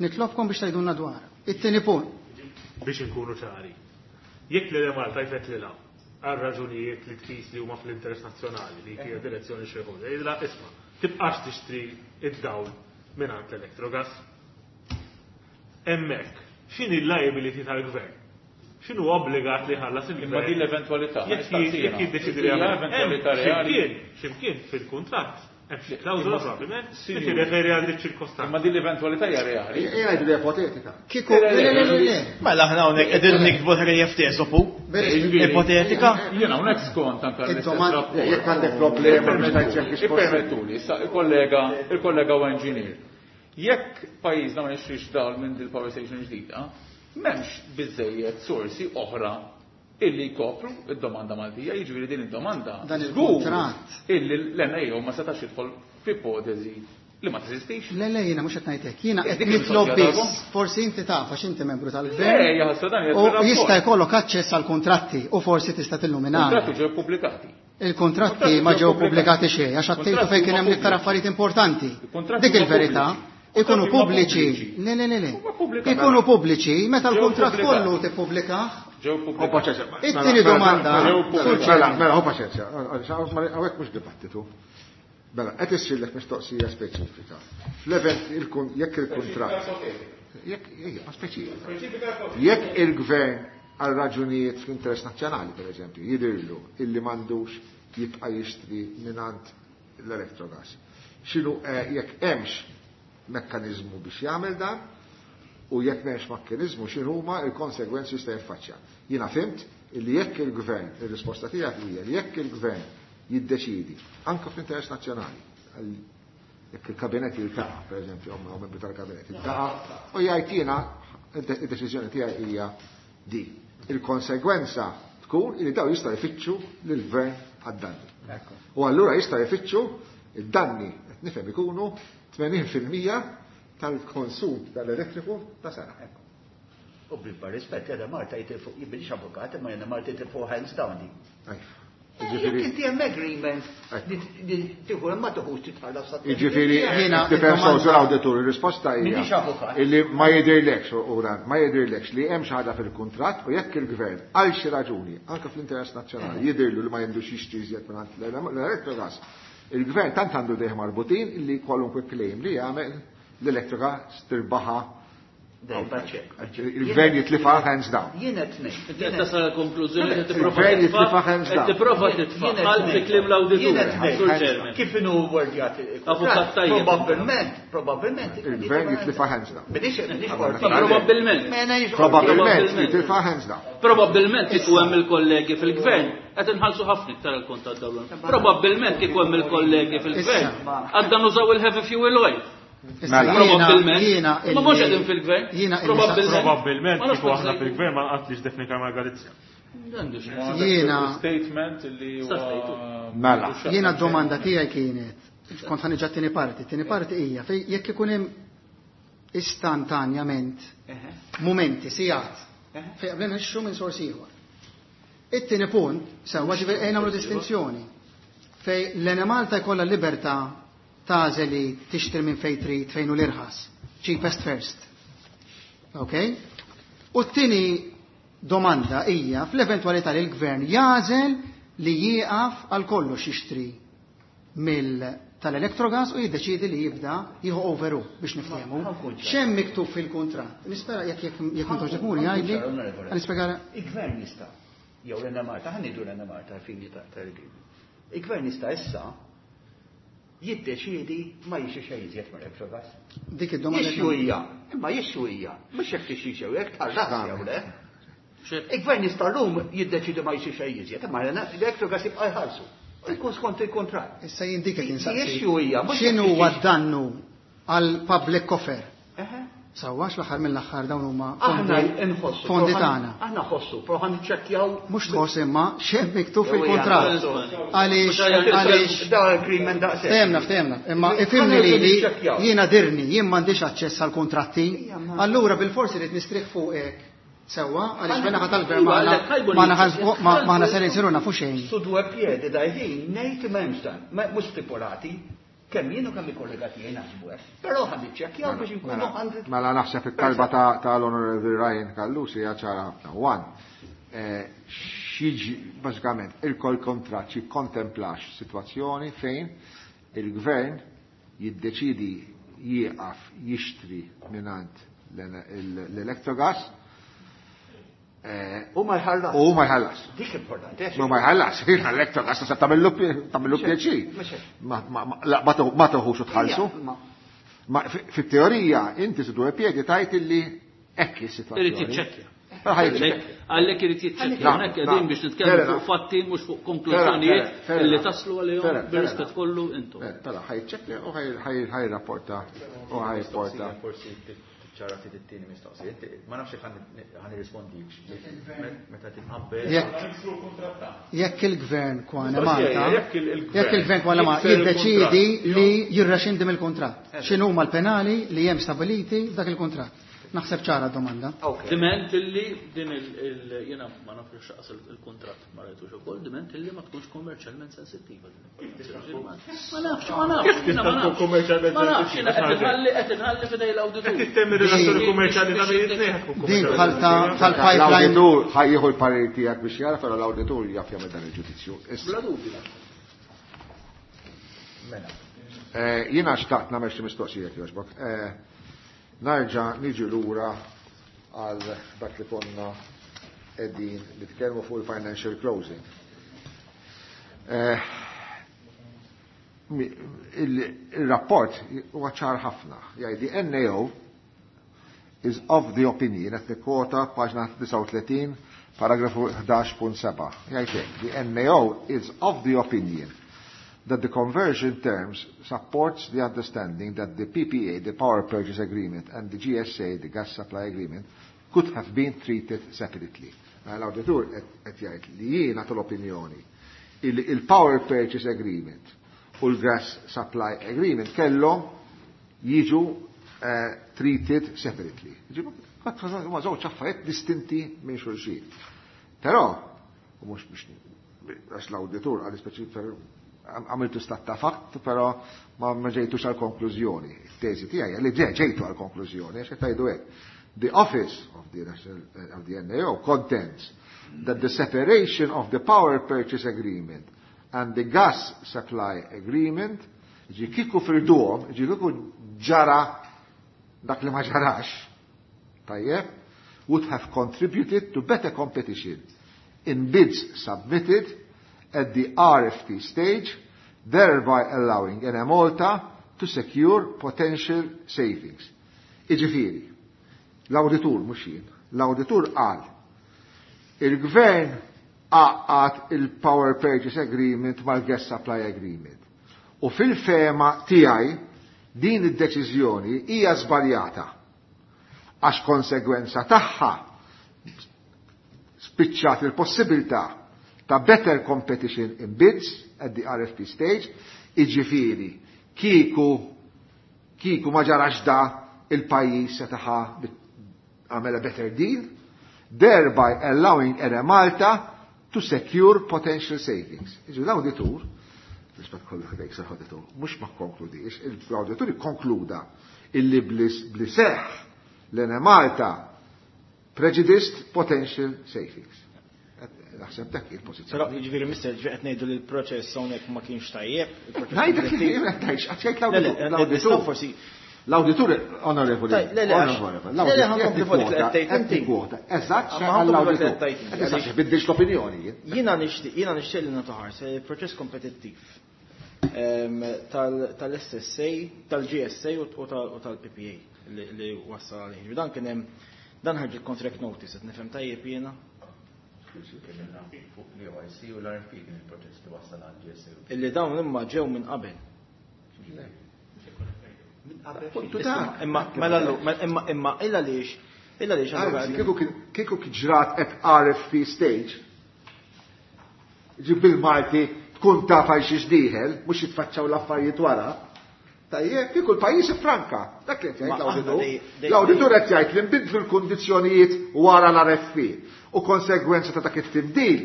nitlobkom biex tgħidulna dwar. It-tieni punt. Biex inkunu ċari. Jekk l-Enemalta jfettlilha għal raġunijiet li tqis li huma fl-interess nazzjonali li hija direzzjoni xi ħoġa, jgħidilha isma' tibqax tixtri id-dawl mingħand l-Electrogas. Hemmhekk, x'inhi l-liability tal-gvern? X'inhu obbligat li ħallas il-gvern? Imma din l-eventwalità, Jekk nistaqsina. jekk jiddeċidi li Hija jagħmel. eventwalità reali. X'imkien, x'imkien fil-kuntratt, hemm xi klawżola probabbilment li Sinjur. tirreferi għal dik ċirkostanza. Imma din l-eventwalità hija reali. Ejja ngħidu li ipotetika. Kieku, le, le, le, le, le. Mela aħna hawnhekk qegħdin nikbu ħrejjef tesopu. Ipotetika. Jiena hawnhekk skont anke l-istess Id-domanda- rapport. Jekk għandek problema biex tgħid jekk hix possibbli. Ippermettuli, issa il-kollega, il-kollega huwa engineer. Jekk pajjiżna ma jixtrix dawl minn dil power station ġdida, m'hemmx biżejjed sorsi oħra illi jkopru id-domanda Maltija, jiġifieri din id-domanda Dan żgur il-kuntratt. illi l-N A O ma setax jidħol f'ipotezi li ma teżistix. Le, le, jiena mhux qed ngħidlek. Jiena qed Dik nitlob il-mistoqsija biss. tagħkom? Forsi inti taf għax inti membru tal-gvern. Le, jaħasra dan qiegħed U fir-rapport. jista' jkollok aċċess għal kontratti u forsi tista' tilluminana. Kontratti ġew pubblikati. Il-kontratti ma ġew pubblikati xejn għax għattejtu fejn kien hemm l-iktar affarijiet importanti. Il-kontratti Dik huma il-verità. pubbliċi. Ikunu Kontratti huma pubbliċi. pubbliċi. Le, le, le, le. Huma pubblikati. Ikunu pubbliċi meta Ġew l-kuntratt pubblikati. kollu tippubblikah. Ġew Ho pubblikati. paċenzja. It-tieni domanda. Mela, mela, ho paċenzja. Hawnhekk mhux dibattitu. Mela, qed issirlek mistoqsija speċifika. Fl-event jekk il-kuntratt. Jekk ejja, ma speċifika. Jekk il-gvern għal raġunijiet fl-interess nazzjonali, per eżempju, jidhirlu illi m'għandux jibqa' jixtri mingħand l-Electrogas. X'inhu, eh, jekk hemmx mekkaniżmu biex jagħmel dan, u jekk m'hemmx mekkaniżmu x'inhuma l-konsegwenzi jista' jiffaċċja. Jiena fimt Illi jekk il-gvern, ir-risposta tiegħek hija li jekk il-gvern jiddeċidi anke fl-interess nazzjonali, jekk il-kabinet jiltaqa', pereżempju, jew membru tal-kabinet jiltaqa' u jgħid jiena id-deċiżjoni tiegħi hija di. Il-konsegwenza tkun li daw jista' jfittxu lill-gvern għad-danni. U allura jista' jfittxu id-danni qed nifhem ikunu tmenin fil-mija tal-konsum tal-elettriku ta' sena. U bil-bar rispett, jena Marta jitilfu, jibbilix avukat, imma jena Marta jitilfu hands down di. Jekk inti hemm agreement li tieħu ma tieħux titħallas sa. Jiġifieri tifhem sew l-awditur, ir-risposta hija illi ma jidhirlekx u dan, ma jidhirlekx li hemm xi ħaġa fil-kuntratt u jekk il-gvern għal xi raġuni, anke fl-interess nazzjonali, jidhirlu li ma jindux jixtri iżjed mingħand l-Electrogas, il-gvern tant għandu dejjem marbutin illi kwalunkwe claim li jagħmel l-elettrika stirbaħa. Il-gvern jitlifa hands down. Jien qed ngħid. Qed tasal konklużjoni li tipprova Il-gvern jitlifa hands down. Qed tipprova titfa' għal fi kliem l-awditur. Kif inhu wordjat Avukat tajjeb. Probabbilment, probabbilment. Il-gvern jitlifa hands down. Minix minix Probabbilment. Probabbilment jitlifa hands down. Probabbilment kieku hemm il-kollegi fil-gvern qed inħallsu ħafna iktar il-kont tad-dawl. Probabbilment kieku hemm il-kollegi fil-gvern għadda nużaw il-heavy fuel oil. Probabbilment. Ma mhux qegħdin fil-gvern. Probabbilment kieku aħna fil-gvern ma nqatlix Daphne Caruana Galizia. Jiena statement li huwa Mela. Jiena d-domanda tiegħi kienet, kont ħaniġa t-tieni parti, t-tieni parti hija fejn jekk ikun hemm istantanjament mumenti sigħat fejn qabel nixxu minn sors ieħor. It-tieni punt sewwa ġifieri ejja nagħmlu distinzjoni fejn l-Enemalta jkollha libertà tagħżel li tixtri minn fejn trid fejn hu l-irħas, cheapest first. Ok? U t-tieni domanda hija fl-eventwalità li l-gvern jażel li jieqaf għal kollox jixtri mill tal-Electrogas u jiddeċidi li jibda jieħu overu biex niftehmu. X'hemm miktub fil-kuntratt? Nispera jekk jekk jekk m'intux tifhmuni jgħidli, nispjega. Il-gvern jista' jew l-Enemalta, ħa ngħidu l-Enemalta fini tal-agreement. Il-gvern jista' issa jiddeċiedi ma jixi xejn iżjed mill-Electrogas. Dik id-domanda. Jixxu hija, imma jixxu hija, mhux jekk tixxi xew jekk tħallas jew le. Il-gvern jista' llum jiddeċiedi ma jixxi xejn iżjed, imma l-Electrogas jibqa' jħallsu. U jkun skont il-kuntratt. Issa jien dik qed insaqsi. Jixxu hija, mhux X'inhu huwa d-dannu għal public coffer? Eħe. Sewwa l-aħħar mill-aħħar dawn huma Aħna nħossu. fondi tagħna. Aħna ħossu, però ħan niċċekkjaw. Mhux tħoss imma x'hemm miktub fil-kuntratt. Għaliex għaliex Dawn agreement daqshekk. Ftehemna, ftehemna. Imma ifhimni li li jiena dirni, jien m'għandix aċċess għal kuntratti. Allura bil-forsi rrid nistrieħ fuqek. Sewwa, għaliex bena ħadd tal-gvern ma ma aħna ser insiru nafu xejn. Su due piedi dajħin ngħid m'hemmx dan, mhux stipulati. Kemm jien u kemm il-kollega tiegħi naħsbu hekk. Però ħa niċċekkjaw biex inkunu hundred Mela naħseb it-talba tal-Onorevoli Ryan Callus hija ċara ħafna. One, x'jiġi bażikament il-kol kontratt jikkontemplax sitwazzjoni fejn il-gvern jiddeċidi jieqaf jixtri mingħand l-Electrogas U ma jħallas. U ma jħallas. Dik importanti. U ma jħallas. L-Electrogas tista' tagħmillu pjaċir. Ma toħux u tħallsu. Ma fit-teorija inti su due piedi tajt illi hekk is-sitwazzjoni. Irid jiċċekkja. Għalhekk irid jiċċekkja. Hawnhekk qegħdin biex nitkellmu fuq fatti mhux fuq konklużjonijiet illi taslu għalihom bir-rispett kollu intom. Mela ħajċekkja u ħajrapporta u ħajporta. Ċara ftit it-tieni mistoqsija. Ma nafx jekk ħa nirrispondikx. Meta titqabbel. Jekk il-gvern kwana Malta, jekk il-gvern kwana Malta jiddeċiedi li jirrexxindi mill-kuntratt. X'inhuma l-penali li hemm stabiliti f'dak il-kuntratt? Naħseb ċara d-domanda. Diment illi din il jiena ma nafx x'aqas il-kuntratt ma rajtux ukoll, diment illi ma tkunx kommerċjalment sensittiva. Ma nafx, ma nafx. Tista' tkun kummerċjalment Ma nafx, jiena qed inħalli qed inħalli f'idej l-awditur. Qed tittemmi relazzjoni kummerċjali ta' bejn it-tnejn tkun Din bħal bħal pipeline. L-awditur ħajjieħu l-parir tiegħek biex jara, però l-awditur jaf jagħmel dan il-ġudizzju. Bla dubju. Mela. Jiena xtaqt nagħmel xi mistoqsija jogħġbok. Narġa' niġi lura għal dak li konna qegħdin nitkellmu fuq il-financial closing. Il-rapport huwa ċar ħafna. Jgħid N A O is of the opinion, qed nikkwota paġna disgħa u tletin, paragrafu ħdax punt seba'. Jgħid hekk, the N A O is of the opinion that the conversion terms supports the understanding that the P P A, the Power Purchase Agreement, and the G S A, the Gas Supply Agreement, could have been treated separately. Mela l-awditur qed jgħid li jiena tal-opinjoni illi il-Power Purchase Agreement u l-Gas Supply Agreement kellhom jiġu eh, treated separately. Huma żewġ affarijiet distinti minn xulxin. Però, u mhux biex għax l-awditur għal speċi għamiltu stat ta' fatt, però ma ġejtux għal konklużjoni. Il-teżi tiegħi li ġejtu għal konklużjoni, għax qed tgħidu hekk. The Office of the National, of the N A O contends that the separation of the Power Purchase Agreement and the Gas Supply Agreement, ġi kiku firduhom, ġi kiku ġara dak li ma ġarax, tajjeb, would have contributed to better competition in bids submitted at the R F P stage, thereby allowing Enemalta to secure potential savings. Iġifieri, l-awditur mhux jien, l-awditur qal il-gvern għaqqad il-Power Purchase Agreement mal-Gas Supply Agreement. U fil-fema tiegħi din id-deċiżjoni hija żbaljata għax konsegwenza tagħha spiċċat il-possibilità ta' better competition in bids at the R F P stage, iġifieri kieku, kieku ma ġarax da il-pajjiż se taħa għamel a better deal, thereby allowing Enemalta to secure potential savings. Iġu l-awditur, rispett kollu ħdejk sar awditur, mhux ma konkludix, l-awditur ikkonkluda illi bli seħħ l-Enemalta prejudiced potential savings. Naħseb dak il-pożizzjoni. Però jiġifieri mister, ġifieri qed ngħidu li l-proċess hawnhekk ma kienx tajjeb, il-proċess Ngħidlek kompetittiv. li qed ngħid, għax jgħid Le, le, l-awditur, l-awditur. nistgħu forsi L-awditur, onorevoli, Taj, le, le, għax- onorevoli, le, le, l-awditur ħankompli qed fuq dik li qed tgħid qed inti. tikkwota. Eżatt, Ma x'qal ħankompli fuq dik li l-awditur. qed tgħid inti. Qed issa biddilx l-opinjoni jien. Jiena nixtieq, jiena nixtieq li nagħtu ħarsa li l-proċess kompetittiv, ehm, tal-, tal-S S A, tal-G S A u tal-, u tal-P P A li, li wassal għalih. Dan kien hemm, dan ħarġet contract notice, qed nifhem tajjeb jiena. Fuq l O I C u l-R F P kien il-proċess li wassal għal G S A. Illi dawn imma ġew minn qabel. Puntu ta' Imma, mela allu, mela, imma, imma, illa għaliex, illa għaliex allura Anzi, kieku kien, kieku kien ġrat at R F P stage, ġib bil-Malti tkun taf għal xiex dieħel, mhux jitfaċċaw l-affarijiet wara. Tajjeb, kieku l-pajjiż ifranka. Dak li qed jgħid Ma aħna l-awditur. dej-, dej-, L-awditur qed jgħid li nbidlu l-kundizzjonijiet wara l-R F P. U konsegwenza ta' dak it-tibdil,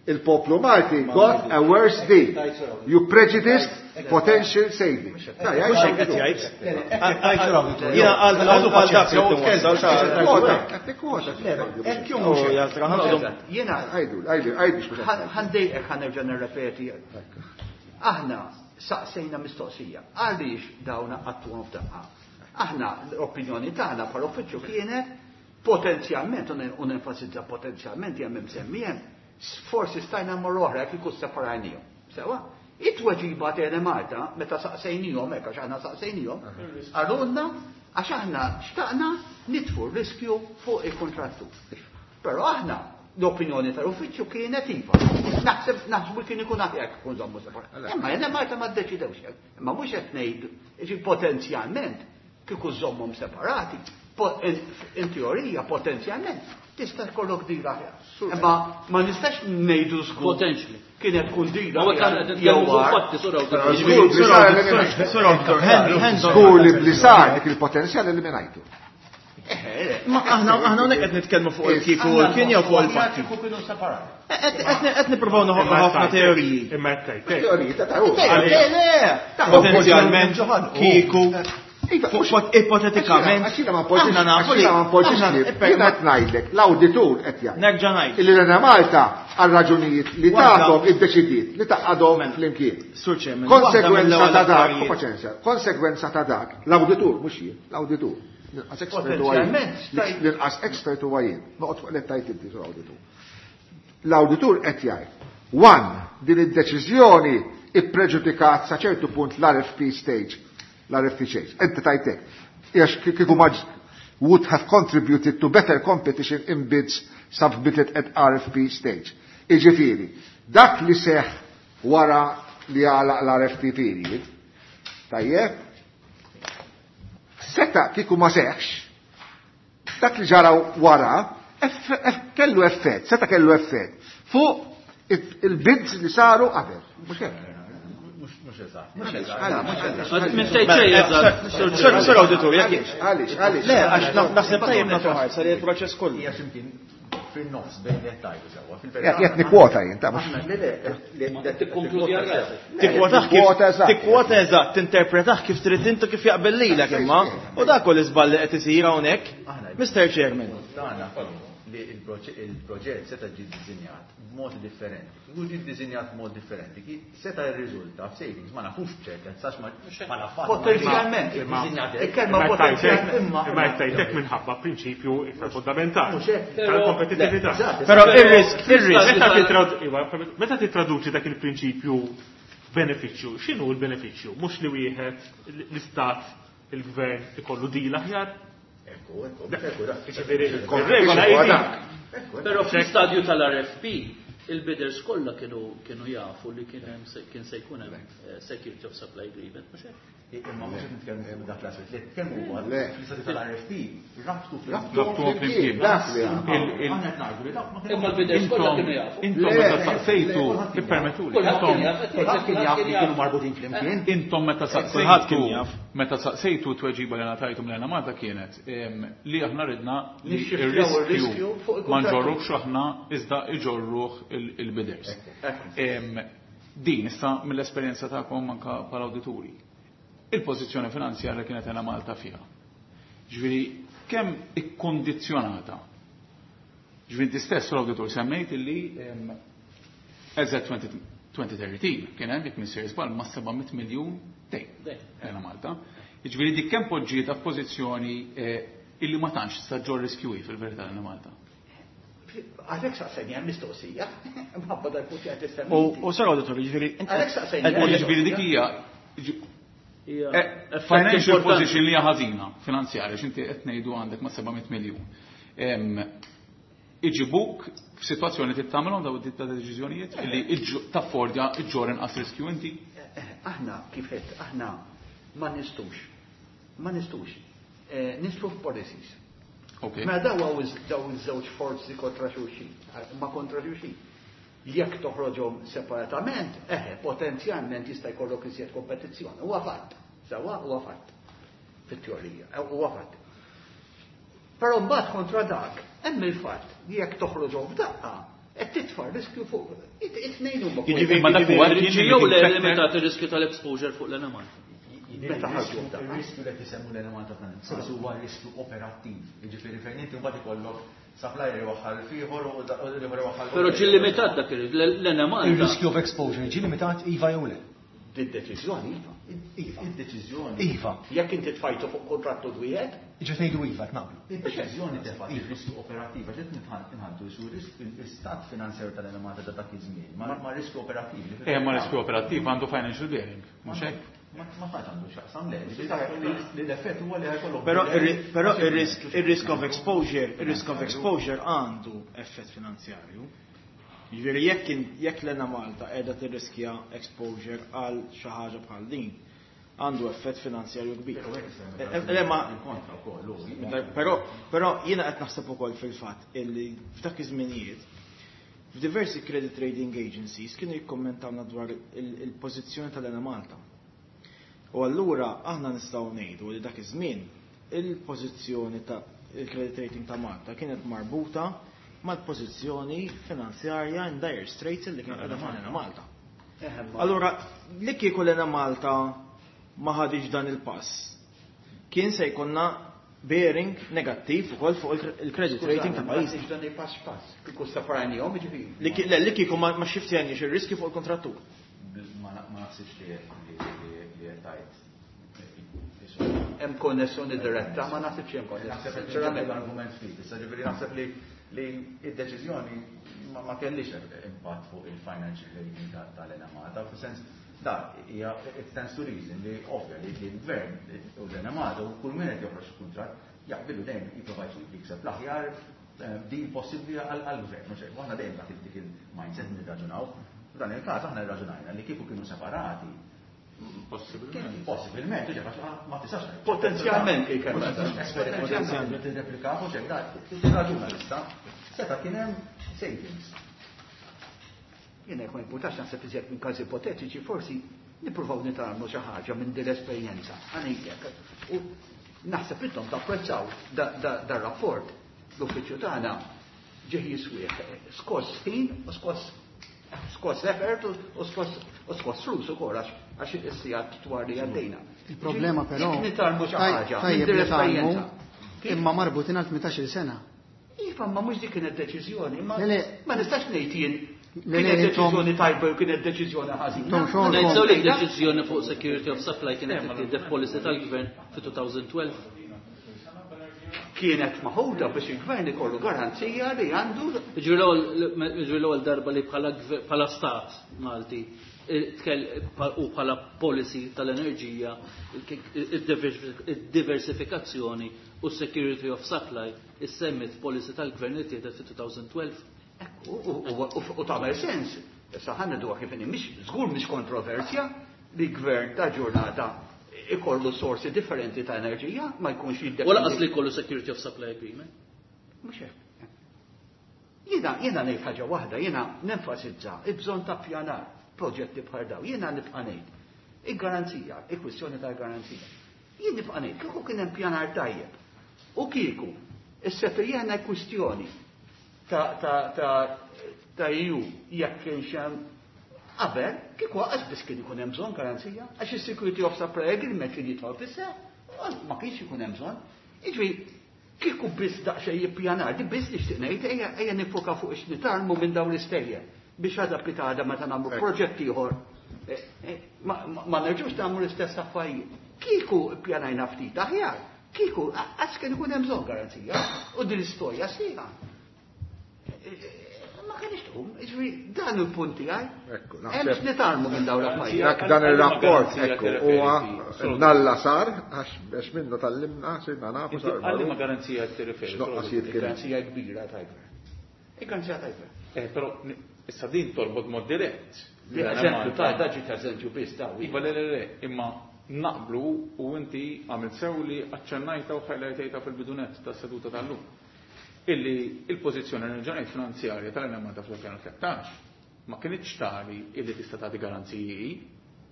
il-poplu Malti Ma got ngħidux. a worse deal. You prejudiced potential savings. Da, jgħid Mhux hekk qed l-awditur. jgħid. Jiena għal għal għal dak li tinwassal xa- Kwota, qed tikkwota. Hekk jew Oh, mhux hekk. jaltra, ħanqodu. Jiena Għajdu, għajdu, għajdu x'mhux hekk. ħandejqek ħanerġa' nirrepeti. Aħna saqsejna mistoqsija. Għaliex dawna qattuhom f'daqqa? Aħna l-opinjoni tagħna bħala uffiċċju kienet potenzjalment, u nenfasizza potenzjalment hemm imsemmijem, forsi stajna mmorru oħra jekk ikun separajnihom. Sewa? It-tweġiba ta' Malta, meta saqsejnihom hekk għax aħna saqsejnihom, qalulna għax aħna xtaqna nitfu r-riskju fuq il-kontrattur. Però aħna l-opinjoni tal-uffiċċju kienet iva. Naħseb naħsbu kien ikun aħjar kif ikun żommu separat. Imma jena Malta ma ddeċidewx hekk. Imma mhux qed ngħidu, jiġi potenzjalment kieku żommhom separati, po-, in, in teorija potenzjalment tista' jkollok dira aħjar. Imma ma nistax ngħidu żgur. Potentially. Kienet tkun dira Ma aħjar qed nitkellmu jew fuq agħar. fatti, sura awditur. Żgur li sar eliminajtu. Sura awditur, hand, hands on. Żgur li bli sar dik il-potenzjal eliminajtu. Ma aħna, aħna hawnhekk qed nitkellmu fuq il-kieku u l-kien jew fuq il-fatti. Kieku kienu separati. Qed nippruvaw noħolqu ħafna teoriji. Imma qed tgħid hekk. Teoriji ta' ta' Le, le, Potenzjalment kieku Iva, fuq mhux- ipotetikament. Għax jiena ma npoġġix- Aħna nafu għax li jiena ma npoġġix aħna li- iper- jiena qed ngħidlek, l-awditur qed jgħid. Nerġa' ngħid. Illi l-Ena Malta għal raġunijiet li Waħda- tagħhom iddeċidiet li taqgħadhom Mela, flimkien. Sur Chairman, waħda Konsegwenza mill-ewwel ta' dak, affarijiet. u paċenzja, konsegwenza ta' dak, l-awditur mhux jien, l-awditur. L-inqas expert huwa jien. Potenzjalment, stajt- L-inqas expert huwa jien. Noqgħod fuq li tajt inti sur awditur. L-awditur qed jgħid, one, din id-deċiżjoni ippreġudikat sa ċertu punt l-R F P stage, l-R F P stage. Inti tajtek. Għax kieku ma ġ-, would have contributed to better competition in bids submitted at R F P stage. Iġifieri, dak li seħ wara li għalaq l-R F P period, tajjeb, seta kieku ma seħx, dak li ġara wara, kellu effett, seta kellu effett, fuq il-bids li saru qabel. Mhux hekk? Mhux eżatt. Mhux eżatt. Minn tgħid xejn eżatt. Sur Awditur, jekk. Għaliex, għaliex. Le, għax naħseb tajjeb nagħtu ħarsa li l-proċess kollu. Hija x'imkien fin-nofs bejn li qed tgħidu sewwa. Fil-verità. Jekk nikkwota jien, ta' Aħna le le le Tikkonkludi għal rasek. Tikkwotah kif Tikkwota eżatt. Tikkwota eżatt, tinterpretah kif trid intu, kif jaqbel lilek imma. U dak kull iżball li qed isir hawnhekk. Mister Chairman. Tagħna li il-proġett seta' ġie ddisinjat b'mod differenti. Kieku ġie ddisinjat b'mod differenti, ki seta' jirriżulta f'savings, ma nafux b'ċertezza għax ma ma nafx. Potenzjalment. Imma- Il-kelma Imma potenzjalment. Imma Imma jtajtek minħabba prinċipju iktar fundamentali. Mhux hekk. Tal-kompetitività. Eżatt, Però ir-risk, ir-risk. Meta titrad- iva, meta titraduċi dak il-prinċipju benefiċċju, x'inhu l-benefiċċju? Mhux li wieħed l-istat, il-gvern ikollu deal aħjar? Ekku, ekku, ekku, dak. Jiġifieri, Il-competition ir-regola huwa hi dak. Però fl-istadju tal-R F P, il-bidders kollha kienu kienu jafu li kien hemm se- kien se jkun hemm eh, security of supply agreement, mhux hekk? Imma mhux qed nitkellmu fuq dak l-aspett, li nitkellmu huwa Le. fl-istadju tal-R F P, rabtu Rabtu Rabtu flimkien. Dak li għamlu. Il- il- Aħna qed ngħidu li dak ma kienx Imma l-bidders kollha kienu jafu. Intom Le, meta saqsejtu, le, ippermettuli, Kulħadd intom kien jaf, Kulħadd kien jaf li kienu marbutin flimkien. Intom meta Kulħadd kien saqsejtu, jaf. Meta saqsejtu, tweġiba li ngħatajtu mill Malta kienet em, li aħna ridna li Nixxifjaw ir-riskju ir-riskju fuq ma il-kontrattur. nġorruhx aħna iżda iġorruh il- il-bidders. Em, Din issa mill-esperjenza tagħkom anka bħala awdituri. Il-pożizzjoni finanzjarja kienet għena Malta fiha. Ġifieri kemm ikkondizzjonata. Ġifieri inti stess l-awditur semmejt illi em, eżatt elfejn u tlettax kien hemm, jekk m'iniex żball, ma' seba' mitt miljun dejn Dejn. Ena Malta. Jiġifieri dik kemm poġġieta f'pożizzjoni eh, illi ma tantx sa ġor riskju fil-verità l Malta. Għalhekk saqsejni għal mistoqsija, mħabba dal-punt li qed U issemmi. u Sur Awditur, jiġifieri inti Għalhekk saqsejni. U jiġifieri dik hija Hija eh, effett financial importanti. position li hija ħażina finanzjarja, x'inti qed ngħidu għandek ma' seba' mitt miljun. Em, Iġibuk f'sitwazzjoni li tagħmelhom daw id ta' deċiżjonijiet illi iġġ- taffordja iġġor inqas riskju inti. Aħna, kif qed, aħna ma nistux, ma nistux, eh, nidħlu f'policies. Ok. Ma daw għaw daw iż-żewġ forzi kontra xulxin, ma kontra xulxin. Jekk toħroġhom separatament, eħe, potenzjalment jista' jkollok iżjed kompetizzjoni. Huwa fatt. Sewwa, huwa fatt. Fit-teorija, eh, huwa fatt. Però mbagħad kontra dak, hemm il-fatt li jekk toħroġhom f'daqqa, qed titfa' riskju fuq it-tnejn huma. Jiġifieri- Ma dak huwa Ġi jew le limitat ir-riskju tal-exposure fuq l-Enemalta. Meta ħarġu f'daqqa. Il-riskju li qed isemmu l-Enemalta f'dan il-każ huwa riskju operattiv. Jiġifieri fejn inti mbagħad ikollok supplier iwaħħal f'ieħor u da- u l-ieħor iwaħħal. Però ġi limitat dak l-Enemalta. Il-riskju of exposure ġi limitat, iva jew le? Did-deċiżjoni, iva. Iva. Id-deċiżjoni. Iva. Jekk inti tfajtu fuq kontrattu wieħed, Ġa tgħidu iva, naqblu. Id-deċiżjoni tefgħet il-riskju operattiv, għax qed nħaddu su l-istat finanzjarju tal-Enemalta ta' dak iż-żmien, ma ma riskju operattiv. li Eh, ma riskju operattiv għandu financial bearing, mhux hekk? Ma ma tantx għandu x'jaqsam, le, ġifieri l-effett huwa li ħajkollok. Però ir- però ir-risk ir-risk of exposure, ir-risk of exposure għandu effett finanzjarju. Jiġifieri jekk in- jekk l-Enemalta qiegħda tirriskja exposure għal xi ħaġa bħal din, għandu effett finanzjarju kbir. Eh, eh, Le ma kontra wkoll hu. Però però jiena qed naħseb ukoll fil-fatt illi f'dak iż-żminijiet f'diversi credit rating agencies kienu jikkommentawna dwar il- il-pożizzjoni tal-Enemalta. U allura aħna nistgħu ngħidu li dak iż-żmien il-pożizzjoni ta' il-credit rating ta' Malta kienet marbuta mal-pożizzjoni finanzjarja in dire straits li kien qiegħda f'Ena Malta. Allura, li kieku l-Enemalta ma ħadix dan il-pass, kien se jkollna bearing negattiv ukoll fuq il-credit rating ta' pajjiż. Dan il-pass pass. Kieku separajnihom, jiġifieri. Li ki- le, li kieku ma ma xiftjanix ir-riski fuq il-kontrattur. Ma ma naħsibx li li li qed tgħid. Hemm konnessjoni diretta, ma naħsibx hemm konnessjoni. Naħseb li Sinċerament. l-argument ftit, issa ġifieri naħseb li li id-deċiżjoni ma ma kellix impatt fuq il-financial rating tal-Enemalta, fis-sens da hija it stands to reason li ovvja li li l-gvern u l-Enemalta u kull min qed joħroġ kuntratt Jaqbillu dejjem jipprova jikseb l-aħjar deal possibbli għall-gvern, mhux hekk. Aħna dejjem dak dik il-mindset nirraġunaw. F'dan il-każ aħna rraġunajna li kieku kienu separati. Possibilment. Possibilment, ma tistax. Potenzjalment kien. Potenzjalment tirreplika mhux hekk, tirraġuna issa. Seta' kien hemm savings. Jiena jekk ma jimpurtax naħseb iżjed minn każi ipotetiċi, forsi nippruvaw nitgħallmu xi ħaġa minn din l-esperjenza. Ħa ngħidlek. U naħseb intom tapprezzaw dar-rapport. L-uffiċċju tagħna ġieħ jiswieħ skoss ħin u skoss skoss effort u skoss u skoss flus ukoll għax is-sigħat twal li għaddejna. Il-problema però Jekk nitgħallmu xi ħaġa minn tajjeb din li tgħallmu l-esperjenza. imma marbutin għal tmintax-il sena. Iva, ma mhux dik kienet deċiżjoni, ma Le, le. ma nistax ngħid jien Le, le, kienet intom- deċiżjoni tajba u kienet deċiżjoni ħażina. Intom xogħolkom- Ngħid sew li deċiżjoni fuq security of supply kienet ittieħdet policy tal-gvern fi elfejn u tnax. Kienet maħuda biex il-gvern ikollu garanzija li għandu. Ġifieri l-ewwel darba li bħala bħala stat Malti u bħala policy tal-enerġija id-diversifikazzjoni u security of supply issemmit policy tal-gvern li tieħdet fi elfejn u tnax. U tagħmel sens. Issa ħa ngħidu kif inhi, mhix żgur mhix kontroversja li gvern ta' ġurnata ikollu sorsi differenti ta' enerġija, ma jkunx jiddependi. U lanqas li jkollu security of supply agreement. Mhux hekk. Jiena jiena ngħid ħaġa waħda, jiena nenfasizza il-bżonn ta' pjanar proġetti bħal daw. Jiena nibqa' ngħid. Il-garanzija, il-kwistjoni tal-garanzija. Jien nibqa' ngħid kieku kien hemm pjanar tajjeb. U kieku issettlijana kwistjoni ta' ta' ta' ta' E U jekk kienx hemm qabel, kieku għax biss kien ikun hemm bżonn garanzija, għax is-security of supply agreement kien jidħol fis-seħħ, ma kienx ikun hemm bżonn. Jiġifieri kieku biss daqsxejn jippjanar, di biss nixtieq ngħid ejja ejja nifoka fuq x'nitgħallmu minn dawn l-istejjer biex għada pitgħada meta nagħmlu proġett ieħor ma, ma nerġgħux nagħmlu l-istess affarijiet. Kieku ppjanajna ftit aħjar, kieku għax kien ikun hemm bżonn garanzija u din l-istorja sħiħa. Ma kienx tqum, jiġifieri dan il-punt tiegħi. Ekku, Hemm naħseb x'nitgħallmu minn dawn l-affarijiet. Dak dan ir-rapport, Garanzija ekku, tirreferi huwa solo- nalla sar, għax għax minnu tgħallimna, sirna nafu Inti sar għalli ma magħruf. garanzija tirreferi. X'noqqasijiet kien. Garanzija kbira tal-gvern. Il-garanzija tal-gvern. Eh, però ni- issa din torbot mod dirett. Li eżempju ta' da ġiet eżempju biss ta' Iva le le le, imma naqblu u inti għamilt sew li aċċennajta u highlightejta fil-bidunet tas-seduta tal-lum. Illi il-pożizzjoni nerġa' finanzjarja tal-Enemalta fl-elfejn u tlettax ma kienitx tali illi tista' tagħti garanziji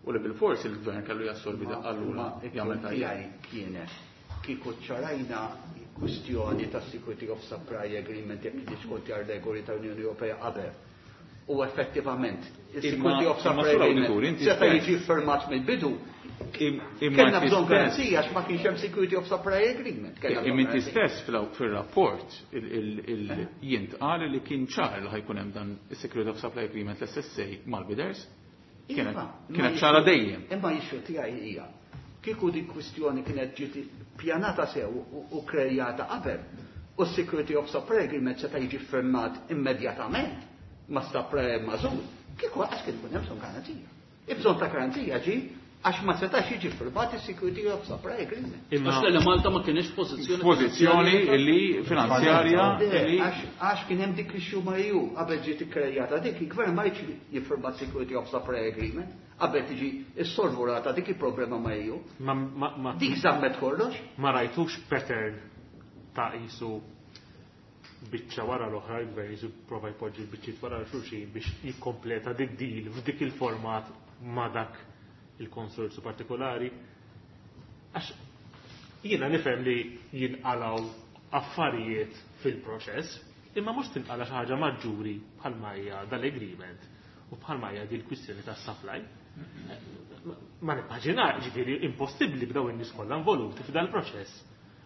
u li bil-fors il-gvern kellu jassorbi allura jagħmel tajjeb. Tiegħi kienet kieku ċarajna kwistjoni ta' Security of Supply Agreement jekk diskonti għal regoli tal-Unjoni Ewropea qabel. U effettivament, il-Security of imma Supply sur Agreement awditur, inti seta' stess. jiġi firmat mill-bidu. Im- Imma Kellna inti bżonn stess- garanzija għax ma kienx hemm Security of Supply Agreement. Kellna bżonn Imma inti garanzija. stess fil- fil-rapport jintqal li kien ċar li ħa jkun hemm dan is-Security of Supply Agreement l-S S A mal-bidders. Kienet Iva, kienet imma ċara jixxu- dejjem. Imma issue tiegħi hija kieku di kwistjoni kienet ġiet pjanata sew u- u krejata qabel u s-Security of Supply Agreement seta' jiġi firmat immedjatament ma' supply magħżul, kieku għax kien ikun hemm bżonn garanzija. Il-bżonn ta' garanzija ġi għax ma setax jiġi firmat is-Security of Supply Agreement. Imma Għax li Malta ma kienx pożizzjoni Pożizzjoni li finanzjarja Le, li Għax għax kien hemm dik issue ma' E U qabel ġiet ikkrejata dik il-gvern ma jridx jiffirma Security of Supply Agreement qabel tiġi issolvurata dik il-problema ma' E U. ma, ma, ma, Dik żammet kollox. ma rajtux pattern ta' jisu biċċa wara l-oħra, il-gvern jisu prova jpoġġi l-biċċiet wara l-xulxin biex jikkompleta dik deal f'dik il-format ma' dak il-konsorzju partikolari. Għax jiena nifhem li jinqalaw affarijiet fil-proċess, imma mhux tinqala xi ħaġa maġġuri bħalma hija dal-agreement u bħalma hija dil kwistjoni tas-supply. Ma nimmaġina, ġifieri impossibbli b'daw in-nies kollha involuti f'dal-proċess.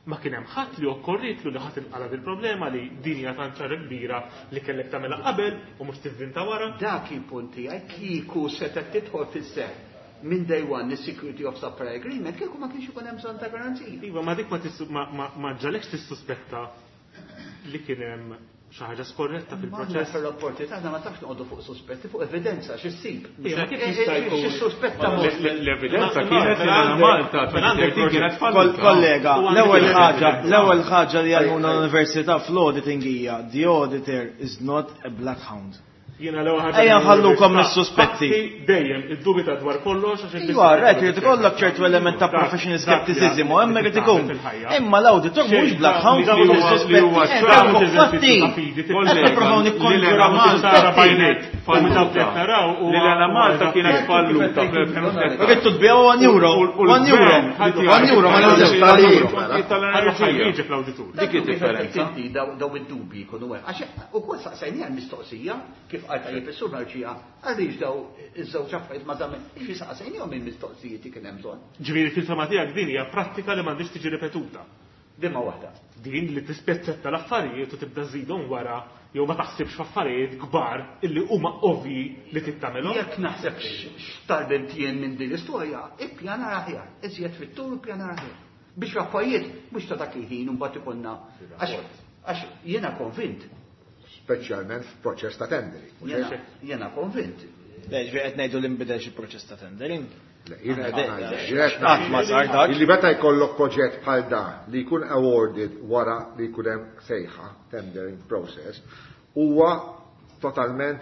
Ma kien hemm ħadd li okkorritlu li ħadd inqala dil-problema li din hija tant ċara kbira li kellek tagħmilha qabel u mhux tivvinta wara. Dak il-punt tiegħi kieku setgħet tidħol fis-seħħ minn day one is-Security of Supply Agreement kieku ma kienx ikun hemm bżonn ta' garanzija. Iva, ma dik ma tissu- ma ma ma ġalekx tissuspetta li kien hemm xi ħaġa skorretta fil-proċess. Fil-rapporti tagħna ma tafx noqogħdu fuq suspetti, fuq evidenza xi ssib. Kif jista' jkun? Xi suspetta L-evidenza kienet li Malta kienet falluta. Kollega, l-ewwel ħaġa, l-ewwel ħaġa li għallmuna l-università fl-auditing hija the auditor is not a black hound. Jiena l-ewwel ħaġa. Ejja nħallukom mis-suspetti. Dejjem iddubita dwar kollox għax Iva, rett irid ikollok ċertu element ta' professional skepticism u hemm irid ikun. Imma l-awditur mhux black hound li huwa li huwa fatti. Qed nippruvaw nikkonġuraw Li l Malta kienet falluta fl-elfejn u tlettax. Rittu tbiegħu one euro, one euro, one euro ma niżilx. Tal-enerġija fl-awditur. Dik id-differenza. Daw id-dubji jkunu hemm. Għax ukoll saqsejniha l-mistoqsija kif qal tajjeb is-sur Marċija għaliex daw iż-żewġ affarijiet ma żamm jiġi saqsejnihom il-mistoqsijiet li kien hemm bżonn. Ġifieri fil-fema tiegħek din hija prattika li m'għandix tiġi ripetuta. Dimma waħda. Din li tispezzetta l-affarijiet u tibda żidhom wara jew ma taħsibx f'affarijiet kbar illi huma ovvji li tittamilhom. Jekk naħseb x'tgħallimt jien minn din l-istorja, ippjanar aħjar, iżjed fit-tul ippjanar aħjar. Biex affarijiet mhux ta' dak il-ħin u mbagħad ikollna għax jiena konvint. Speċjalment f'proċess ta' tendering. Jiena konvint. Le, ġifieri qed ngħidu li nbidel xi proċess ta' tendering. Le, jiena qed ngħid. Illi meta jkollok proġett bħal da li jkun awarded wara li jkun hemm sejħa, tendering process, huwa totalment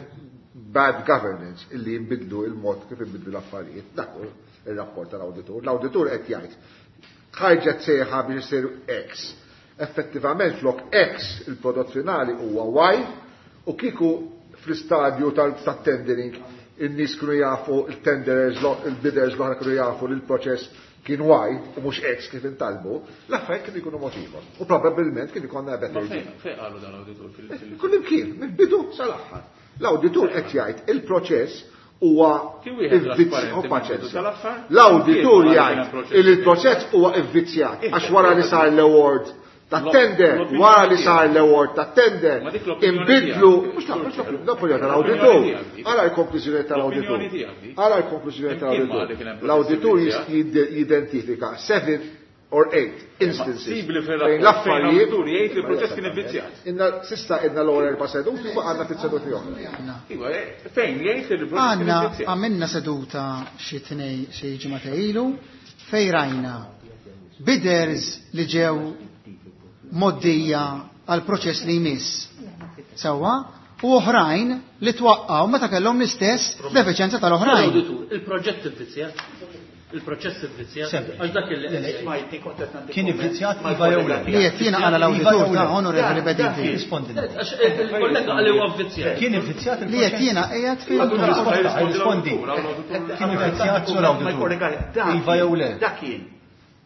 bad governance illi jinbidlu il-mod kif inbidlu l-affarijiet. Dak hu ir-rapport tal-awditur. L-awditur qed jgħid ħarġet sejħa biex isir X. Effettivament flok X il-prodott finali huwa Y u kieku fl-istadju tat-tendering in-nies kienu jafu il-tenderers, il-bidders l-oħra kienu jafu li l-proċess kien Y u mhux X kif intalbu, l-affarijiet kienu jkunu mod ieħor. U probabbilment kien ikollna better deal. Fejn qalu dan l-awditur fil- Kull imkien, mill-bidu sal-aħħar. L-awditur qed jgħid il-proċess huwa L-awditur jgħid il il-proċess huwa ivvizzjat għax wara li sar l-award ta' tender, wara li sar l-award ta' tender, inbidlu, mhux l-opinjoni tal-awditur, ara l-konklużjoni tal-awditur, ara l-konklużjoni tal-awditur. L-awditur jidentifika seven or eight instances fejn l-affarijiet jgħid li l-proċess kien ivvizzjat. Inna sista inna l-ewwel erba' seduti u għandna ftit seduti oħra. Iva, fejn jgħid li l-proċess kien ivvizzjat. Għamilna seduta xi tnej xi ġimgħa ilu fejn rajna bidders li ġew moddija għal proċess li jmiss. Sewwa, u oħrajn li twaqqgħu meta kellhom l-istess defiċenza tal-oħrajn. Il-proġett ivvizzjat. Il-proċess ivvizzjat. Għax dak il Kien ivvizzjat iva jew le. Li qed jiena qala l-awditur ta' onorevoli Bedinti. Rispondi. Għax il-kollega qal huwa vvizzjat. Kien ivvizzjat Li qed jiena qiegħed fil Rispondi. Kien ivvizzjat sur awditur. Iva jew le. Dak kien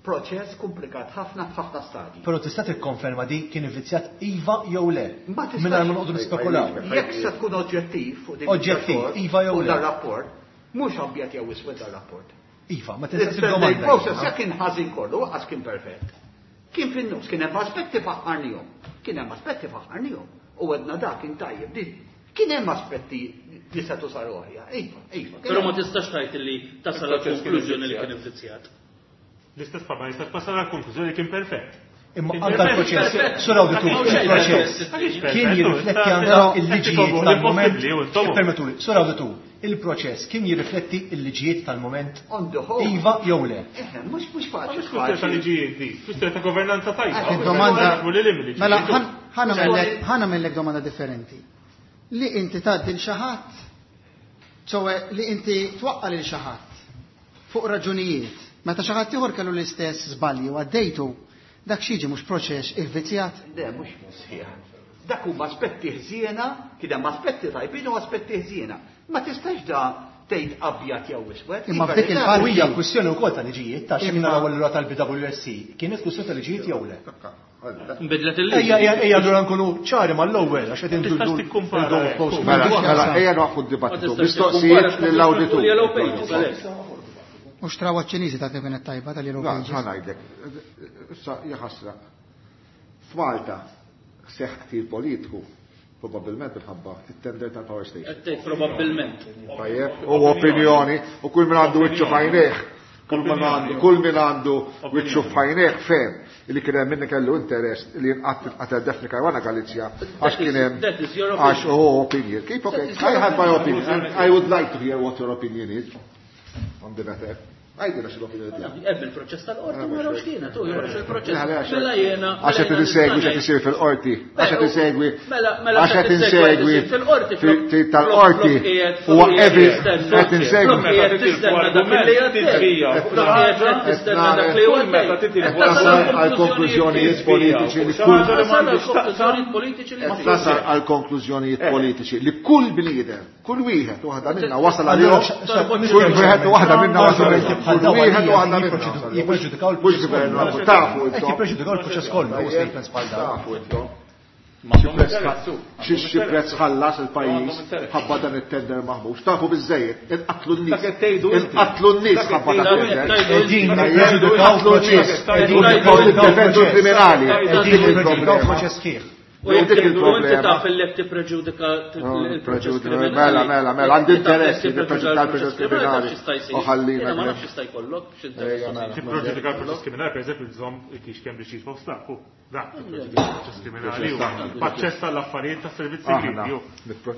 proċess komplikat ħafna f'ħafna stadji. Però tista' tikkonferma di kien ivvizzjat iva jew le. Mingħajr ma noqogħdu nispekulaw. Jekk se tkun oġġettiv fuq din Oġġettiv, iva jew le. dar-rapport, mhux abjad jew iswed dar-rapport. Iva, ma tistax domanda. Il-proċess jekk kien ħażin kollu, għax kien perfett. Kien fin-nofs, kien hemm aspetti faħħarnihom. Kien hemm aspetti faħħarnihom. U għedna dak kien tajjeb. Kien hemm aspetti li setgħu saru aħjar. Iva, iva. Però ma tistax tgħid li tasal għall-konklużjoni li kien ivvizzjat. L-istess ma jistax tasal għall-konklużjoni li kien perfett. Imma anka l-proċess, sur awditur, il-proċess kien jirrifletti anka il-liġijiet tal-moment. Permettuli, sur awditur, il-proċess kien jirrifletti il-liġijiet tal-moment. Iva jew le. Mhux mhux faċli. Mhux kwistjoni ta' liġijiet di, kwistjoni ta' governanza tajba. Domanda. Mela ħa nagħmellek domanda differenti. Li inti tgħaddi lil xi ħadd, ċowe li inti twaqqa' lil xi ħadd fuq raġunijiet, meta xi ħadd ieħor kellu l-istess żbalji u għaddejtu, dak xiġi mhux proċess ivvizzjat? Le, mhux sħiħ. Dak huma aspetti ħżiena, kien hemm aspetti tajbin u aspetti ħżiena. Ma tistax da tgħid abjad jew iswed. Imma f'dik il-parti hija kwistjoni wkoll ta' liġijiet ta' xi naraw allura tal-B W S C. Kienet kwistjoni ta' liġijiet jew le? Nbidlet il-liġi. Ejja, ejja, ejja, allura nkunu ċari mal-ewwel għax qed Tistax indur tikkumpara. Mela, mela, ejja noqgħu d-dibattitu. Mistoqsijiet lill-awditur. U xtrawa ċ-Ċiniżi ta' kienet tajba tal-Yellow Pages. Ħa ngħidlek. Issa hija ħasra. F'Malta seħħ ktir politiku probabbilment minħabba it-tender tal-power station. Qed tgħid probabbilment. Tajjeb, u opinjoni, u kull min għandu wiċċu f'għajnejh, Kull min għandu, kull min għandu wiċċu f'għajnejh fehem li kien hemm min kellu interess li jinqatel Daphne Caruana Galizia għax kien hemm għax oh opinion. Keep okay. I have my opinion and I would like to hear what your opinion is on the matter. Għajdilna x'l-opinjoni tiegħek. Hemm il-proċess tal-qorti ma rawx kienet, u joħroġ il-proċess. Mela jiena. Għax qed insegwi x'qed isir fil-qorti, għax qed insegwi. Mela Għax qed insegwi tal-qorti huwa evi qed insegwi. Tasal għal konklużjonijiet politiċi li kull tasal għal konklużjonijiet politiċi li kull bniedem, kull wieħed waħda minna wasal għalihom, kull wieħed waħda minna wasal għalihom. Kull wieħed waħda minna. Jippreġudikaw Mhux gvern, tafu intom. Jippreġudikaw il-proċess kollu, u statements bħal dawn. Tafu intom. Xi prezz ħallas il-pajjiż ħabba dan it-tender maħmux. Tafu biżejjed, inqatlu n-nies. Inqatlu n-nies ħabba dan it-tender. Qegħdin nippreġudikaw proċess. Qegħdin nippreġudikaw kriminali. Qegħdin nippreġudikaw proċess sħiħ. U inti taf li qed tippreġudika il-proċess kriminali. Mela, mela, mela, għandi interess li nippreġudika l-proċess kriminali. U ħallina. Ma nafx jista' jkollok x'interess. Tippreġudika l-proċess kriminali, pereżempju, tżomm kiex kemm biex jitfossaku. Dak tippreġudika l-proċess kriminali u b'aċċess għall-affarijiet tas-servizz Aħna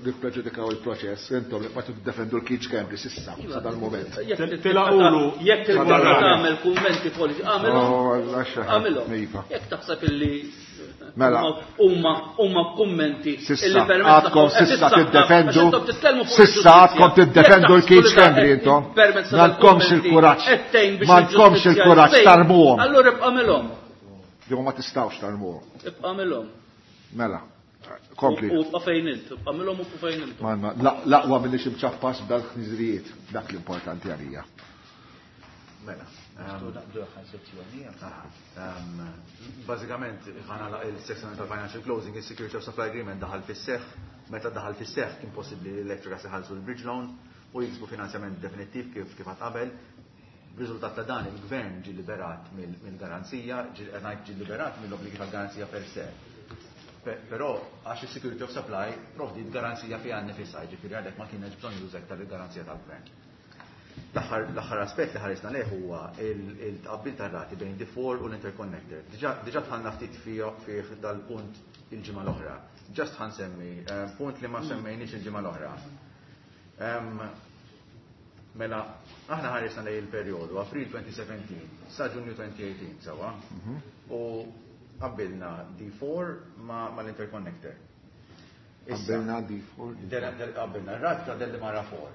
nippreġudikaw il-proċess, intom li qed tiddefendu l-Keith Schembri s'issa, sa dal-mument. Tilaqulu Jekk tagħmel kummenti politiċi, għamilhom. Għamilhom. Jekk taħseb illi Mela. Huma huma kummenti Sissa, għadkom sissa tiddefendu, sissa għadkom tiddefendu l-Keith Schembri intom. M'għandkomx il-kuraġġ. M'għandkomx il-kuraġġ tarmuhom. Allura ibqa' milhom. Jew ma tistgħux tarmuhom. Ibqa' milhom. Mela, kompli. U ibqa' fejn int, ibqa' milhom u fejn int. L-aqwa minni xi mċappas b'dal-ħniżrijiet, dak l-importanti għalija. Mela. Bażikament ħana il-sezzjoni tal-financial closing, il-security of supply agreement daħal fis-seħħ, meta daħal fis-seħħ kien possibbli li l-Electrogas iħallsu l-bridge loan u jiksbu finanzjament definittiv kif kif qabel. Riżultat ta' dan il-gvern ġie liberat mill-garanzija, ngħid ġie liberat mill-obbligi tal-garanzija per se. Però għax is-security of supply provdiet garanzija fiha nnifisha, jiġifieri għalhekk ma kienx bżonn juża iktar il-garanzija tal-gvern. L-aħħar aspett li ħarisna lejh huwa il-tqabbil tar-rati bejn D four u l-interconnector. Diġà dħalna ftit fih dal-punt il-ġimgħa l-oħra. Just ħansemmi punt li ma semmejniex il-ġimgħa l-oħra. Mela, aħna ħarisna lejn il-perjodu April twenty seventeen sa Ġunju twenty eighteen sewwa. U qabbilna D four ma' l-interconnector. Qabbilna D four. Qabbilna r-rata ta' Delimara four.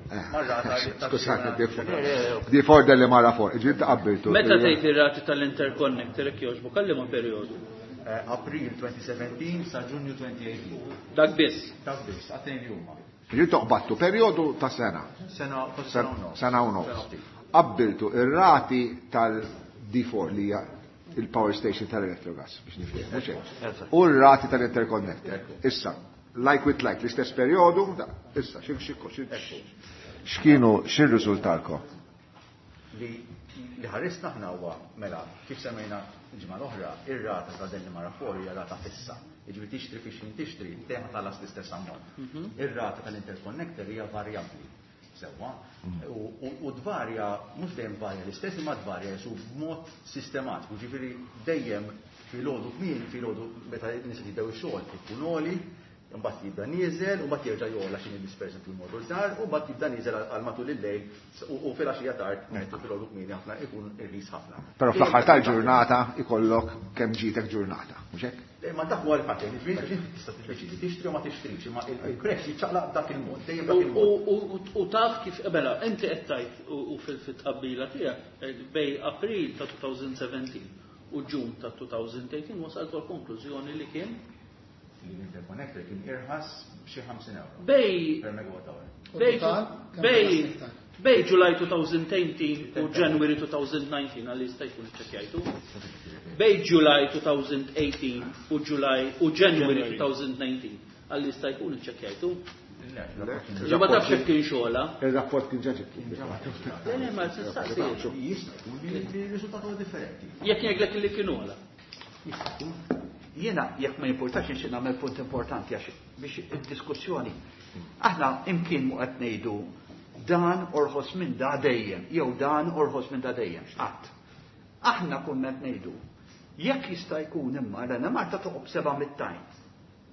Skużani, D four Delimara four. Ġiet qabbiltu. Meta tgħid ir-rati tal-interconnector jekk jogħġbu kalli ma' perjodu? April twenty seventeen sa Ġunju twenty eighteen. Dak biss. Dak biss, għatejn li huma. Ġiet toqbattu perjodu ta' sena. Sena u nofs. Sena u nofs. Qabbiltu ir-rati tal-D four li hija il-power station tal-Electrogas biex nifhem, mhux hekk. U r-rati tal-interconnector. Issa, like with like, l-istess perjodu, issa, xi xi x'kienu x'irriżultalkom? Li li ħarisna aħna huwa mela kif semmejna l-ġimgħa l-oħra, ir-rata ta' Delimara four hija rata fissa. Jiġifieri tixtri fix xejn tixtri, dejjem tħallas l-istess ammont. Ir-rata tal-interconnector hija varjabbli. Sewwa, u tvarja, mhux dejjem varja l-istess, imma tvarja jesu b'mod sistematiku. Ġifieri dejjem filgħodu kmieni, filgħodu meta n-nies jibdew ix-xogħol ikun għoli, imbagħad jibda nieżel, u mbagħad jerġa' jogħla xi nies pereżempju jmorru l-dar, u mbagħad jibda nieżel għal matul il-lejl u filgħaxija tard, ngħidu filgħodu kmieni ħafna ikun irħis ħafna. Però fl-aħħar tal-ġurnata ikollok kemm ġietek ġurnata, mhux hekk? Ma dak huwa l-pattern, jiġifieri tista' tiddeċidi tixtri u ma tixtrix, imma il-prezz jiċċaqlaq b'dak il-mod, dejjem b'dak il-mod. U taf kif mela inti qed tgħid u fil-tqabbila tiegħek bej April ta' twenty seventeen u Ġun ta' twenty eighteen wasalt għal konklużjoni li kien l-interconnector kien irħas b'xi ħamsin euro. Bej per megawatt hour. Bej bej July twenty eighteen u January twenty nineteen għalli jista' jkun iċċekkjajtu. Bej July twenty eighteen u July u January twenty nineteen għalli jista' jkun iċċekkjajtu. Ġo ma tafx kif kien xogħla. Ir-rapport kien ġa ġib. Le le ma tistaqsi. Jista' jkun li r-riżultat huwa differenti. Jekk jgħidlek li kien ogħla. Jista' jkun. Jiena jekk ma jimpurtax nixtieq nagħmel punt importanti għax biex id-diskussjoni. Aħna imkien mu qed ngħidu dan orħos minn da dejjem, jew dan orħos minn da dejjem. Qatt. Aħna kunna qed ngħidu, jekk jista' jkun imma l-Enemalta toqgħod seba' mit-tajn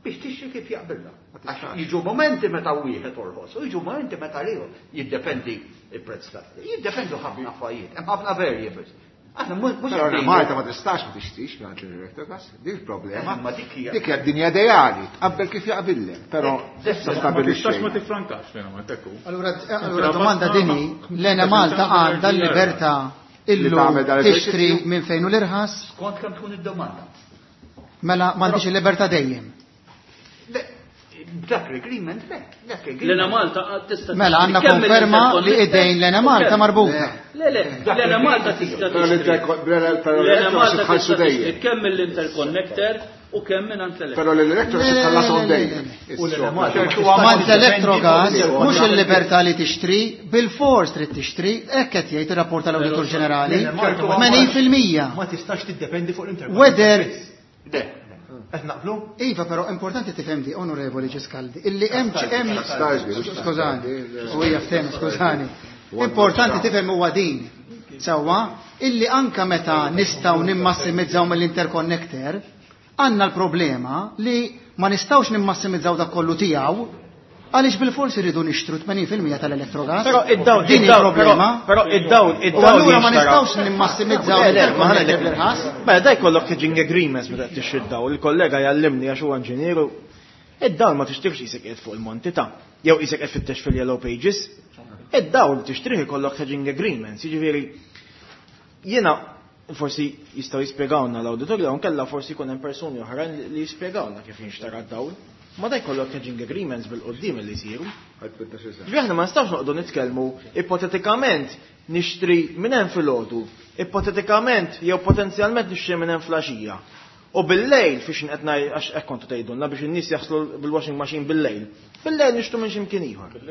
biex tixtri kif jaqbilha. Għax jiġu momenti meta wieħed orħos u jiġu momenti meta ieħor. Jiddependi il-prezz ta' jiddependu ħafna affarijiet, hemm ħafna variables. Aħna mhux Però Malta ma tistax ma tixtrix mingħand l-Electrogas, dik il-problema. Ma dik hija. Dik hija d-dinja ideali, tqabbel kif jaqbillek, però Ma tistax ma tifrankax lejna ma tekku. Allura, allura domanda dini, l-Enemalta għandha l-libertà Li illu tagħmel dan tixtri l-eżerċizzju? minn fejn u l-irħas, Skont kemm tkun id-domanda. mela m'għandix il-libertà dejjem. Le, Dak l-agreement, le, dak L-Ena l-agreement. Malta tista' Mela għandna kemm konferma li mill-interconnector idejn l-Enemalta u kemm- marbuta. Le, le, l-Enemalta tista' Però tixtri. l-Electrogas L-Enemalta tħallsu tista' tixtri dejjem. kemm mill-interconnector u kemm minn l Però l-Electrogas Le, le, tħallasom le, le, dejjem. U l-Enemalta ma U għamant tistax l-Electrogas, tiddependi mhux il-libertà li tixtri, bil-fors trid tixtri, hekk qed jgħid ir-rapport tal-Awditur Ġenerali, L-Enemalta ma- tmenin fil-mija. Ma tistax tiddependi fuq l-interconnector. Whether Le, Qed naqblu? Iva, però importanti tifhem di, onorevoli Giscaldi, illi hemm hemm Castaldi, mhux skużani, Castaldi. u hija ftehma, skużani. Importanti tifhem huwa din. Sewwa, illi anka meta nistgħu nimmassimizzaw mill-interconnector, għandna l-problema li ma nistgħux nimmassimizzaw dak kollu tiegħu għaliex bil-forsi rridu nixtru tmenin fil-mija tal-Electrogas. Però id-dawl, Din id-dawl, il-problema. però id-dawl, U id-dawl allura ma jinxtara. nistgħux nimmassimizzaw Le, le, ma ħana l-interconnector bl-irħas. Mela da jkollok hedging agreements meta tixtri d-dawl, il-kollega jallimni għax huwa inġinieru. Id-dawl ma tixtrix isek qiegħed fuq il-monti ta' jew isek qed fittex fil-yellow pages. Id-dawl tixtrih ikollok hedging agreements, jiġifieri jiena forsi jistgħu jispjegawna l-awditorju jew nkella forsi jkun hemm persuni oħrajn li- li jispjegawna kif jinxtara d-dawl. Ma da jkollok hedging agreements bil-qoddim li jsiru. Ġifieri aħna ma nistgħux noqogħdu nitkellmu ipotetikament nixtri minn hemm filgħodu, ipotetikament jew potenzjalment nixtri minn hemm flaxija. U bil-lejl fiex qed ngħid għax hekk kontu tgħidulna biex in-nies jaħslu bil-washing machine bil-lejl. Bil-lejl nixtru minn x'imkien ieħor.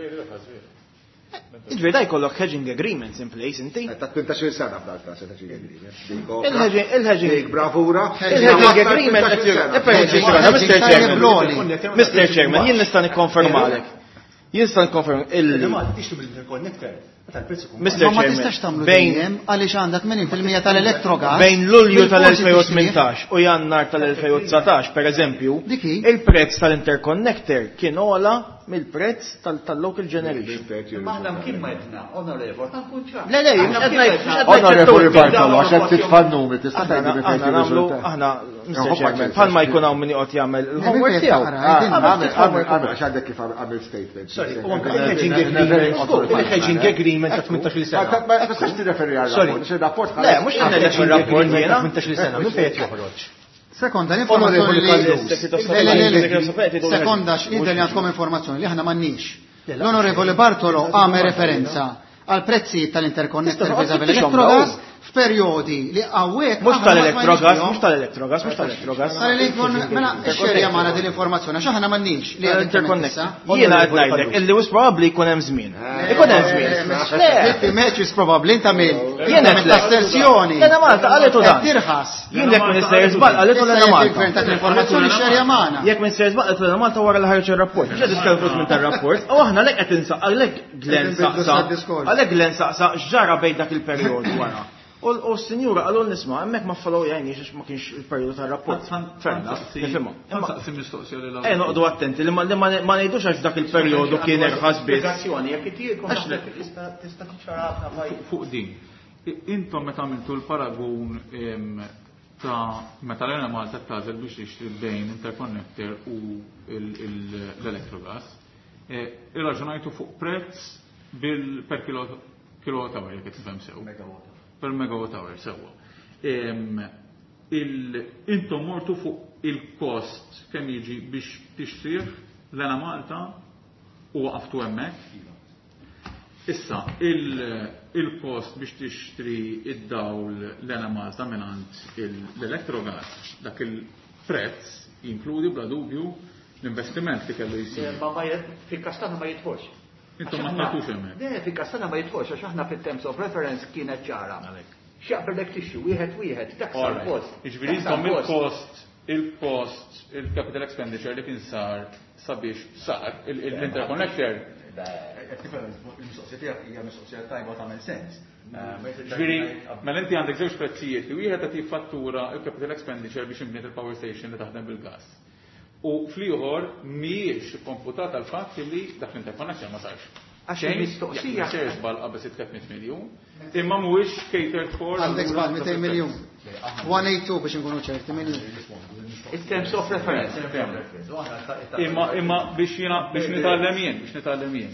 Ġifieri da jkollok hedging agreements in place inti. Ta' tmintax-il sena f'dal każ il-hedging agreement. Il-hedging il-hedging Dik bravura. Il-hedging agreement qed jur- Eh, Mister Chairman, Mister Chairman, jien nista' nikkonfermalek. Jien nista' nikkonferm illi L-Enemalta tixtri mill-interconnector. Meta l-prezz ikun Mister Ma ma Chairman, tistax tagħmlu bejn dejjem għaliex għandek tmenin fil-mija tal-Electrogas. bejn Lulju bil-forsi tal-elfejn u tixtrih. tmintax u Jannar tal-elfejn u dsatax, per eżempju, Dik hi. il-prezz tal-interconnector kien ogħla mill-prezz tal- tal-local generation. Imma aħna mkien ma jedna, onorevol, ta' nkun ċar. Le, le, Aħna mhux qed mkien ngħid- ma mhux qed jedna. Onorevoli ngħid Bartolo, għax qed titfa' n-numri, tista' Aħna tgħidli minn fejn aħna nagħmlu jirriżulta. aħna Mister Nħobb Chairman, għax- bħalma jkun hawn min joqgħod jagħmel il-homework Minn fejn tiegħu. taqra, Ah, din. Għamil, għamil, għamil, għax għandek kif għamil statement. Sorry, u anke il-hedging agreement, il-hedging agreement ta' tmintax-il sena. Ma tistax tirreferi għal Sorry. rapport, il-rapport Le, mhux qed ngħidlek Hedging ir-rapport agreement ta' jiena. tmintax-il sena, minn fejn qed joħroġ? Sekonda, l-informazzjoni li. Onorevoli Le, le, le, le. Kallus. Sekonda, x'idher li għandkom informazzjoni li aħna m'għandniex. L-Onorevoli Bartolo għamel referenza għal prezzijiet tal-interconnector Tista' vis-à-vis tfittixhom l-Electrogas f'perjodi li hawnhekk Mhux aħna ma tal-Electrogas, smajniex mhux tal-Electrogas, mhux tal-Electrogas. Tal-Electron, mela xerja magħna din l-informazzjoni għax aħna m'għandniex li għad Interconnector. Jiena qed ngħidlek illi wis probabbli jkun hemm żmien. Ikun hemm żmien. Le, Fifty matches probabbli inta mill. Jiena Inta mill asserzjoni. Lena Malta qalitu dan. Qed tirħas. Jien jekk minn sejjer żball qalitu Issa Lena jekk Malta. il-gvern tat l-informazzjoni xerja magħna. Jekk minn sejjer żball qalitu Lena Malta wara li ħareġ ir-rapport. Mhux qed nitkellmu fuq minn tar-rapport. U aħna lek qed insaq għalhekk Glenn Qed inbidlu saqsa. sa diskors. Għalhekk Glenn saqsa x'ġara bejn dak il-perjodu wara. U u s-sinjura qalu nisma' hemmhekk ma follow jgħinix għax ma kienx il-perjodu tar-rapport. Fair enough, nifhimha. Imma Saqsi mistoqsija lil Ejja noqogħdu attenti li ma li ma ma ngħidux għax dak il-perjodu kien irħas biss. Spiegazzjoni, jekk itielkom Għax le. tista' tista' tiċċara ħafna affarijiet. Fuq din. I- Intom meta għamiltu l-paragun em, ta' meta l-Enemalta tagħżel biex tixtri bejn interconnector u il- il- l-Electrogas, eh, irraġunajtu fuq prezz bil per kilo kilowatt hour jekk qed nifhem sew. Per megawatt hour sewwa. Em, il- Intom mortu fuq il-kost kemm jiġi biex tixtrih l-Enemalta u waqaftu hemmhekk. Issa, il- il-kost biex tixtri id-dawl l-Enemalta mingħand l-Electrogas, dak il-prezz jinkludi bla dubju l-investiment li kellu jsir. Ma ma jed- fil-kastana ma jidħolx. Intom Għax ma aħna- tagħtux hemmhekk. Le, fil-kastana ma jidħolx għax aħna fit-terms of reference kienet ċara. X'jaqbellek tixtri wieħed wieħed, dak sar Alright. kost. Jiġifieri Dak sar intom kost. il-kost, il-kost, il-capital expenditure li kien sar sabiex sar il- il- l-interconnector Qed nifhem il-mistoqsija tiegħek hija mistoqsija tajba u tagħmel sens. Ġifieri, mela inti għandek żewġ prezzijiet li wieħed qed jiffattura l-capital expenditure biex inbniet il-power station li taħdem bil-gas. U fl-ieħor mhijiex komputata l-fatt li dak l-interconnection ma sarx. Għax il-mistoqsija. Xejn żball qabel tliet mitt miljun, imma mhuwiex catered for. Għandek żball mitejn miljun. one eight two biex inkunu ċerti miljun. In terms of reference. Imma imma biex jiena biex nitgħallem jien, biex nitgħallem jien.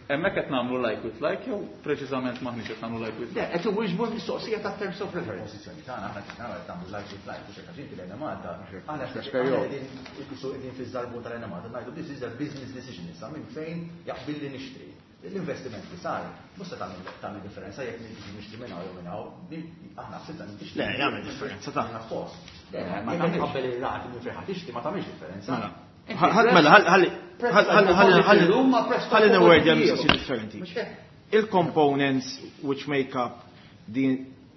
Hemmhekk qed nagħmlu like with like jew preċiżament m'aħniex qed nagħmlu like with like. Le, qed iwieġbu l-mistoqsija ta' terms of reference. Pożizzjoni tagħna aħna qed nagħmlu like with like biex hekk għax inti lejna Malta. Aħna qegħdin fiż-żarbun tal-Ena Malta ngħidu this is a business decision issa minn fejn jaqbilli nixtri. L-investiment li sar, mhux se tagħmel differenza jekk nixtri minn hawn jew minn hawn, aħna ħsibna nixtri. Le, jagħmel differenza ta' post. Le, ma tagħmel qabel ir-rati minn fejn tixtri ma tagħmilx differenza. Mela, ħalli ħalli ħalli newwerdja mistoqsija differenti. Il-components which make up the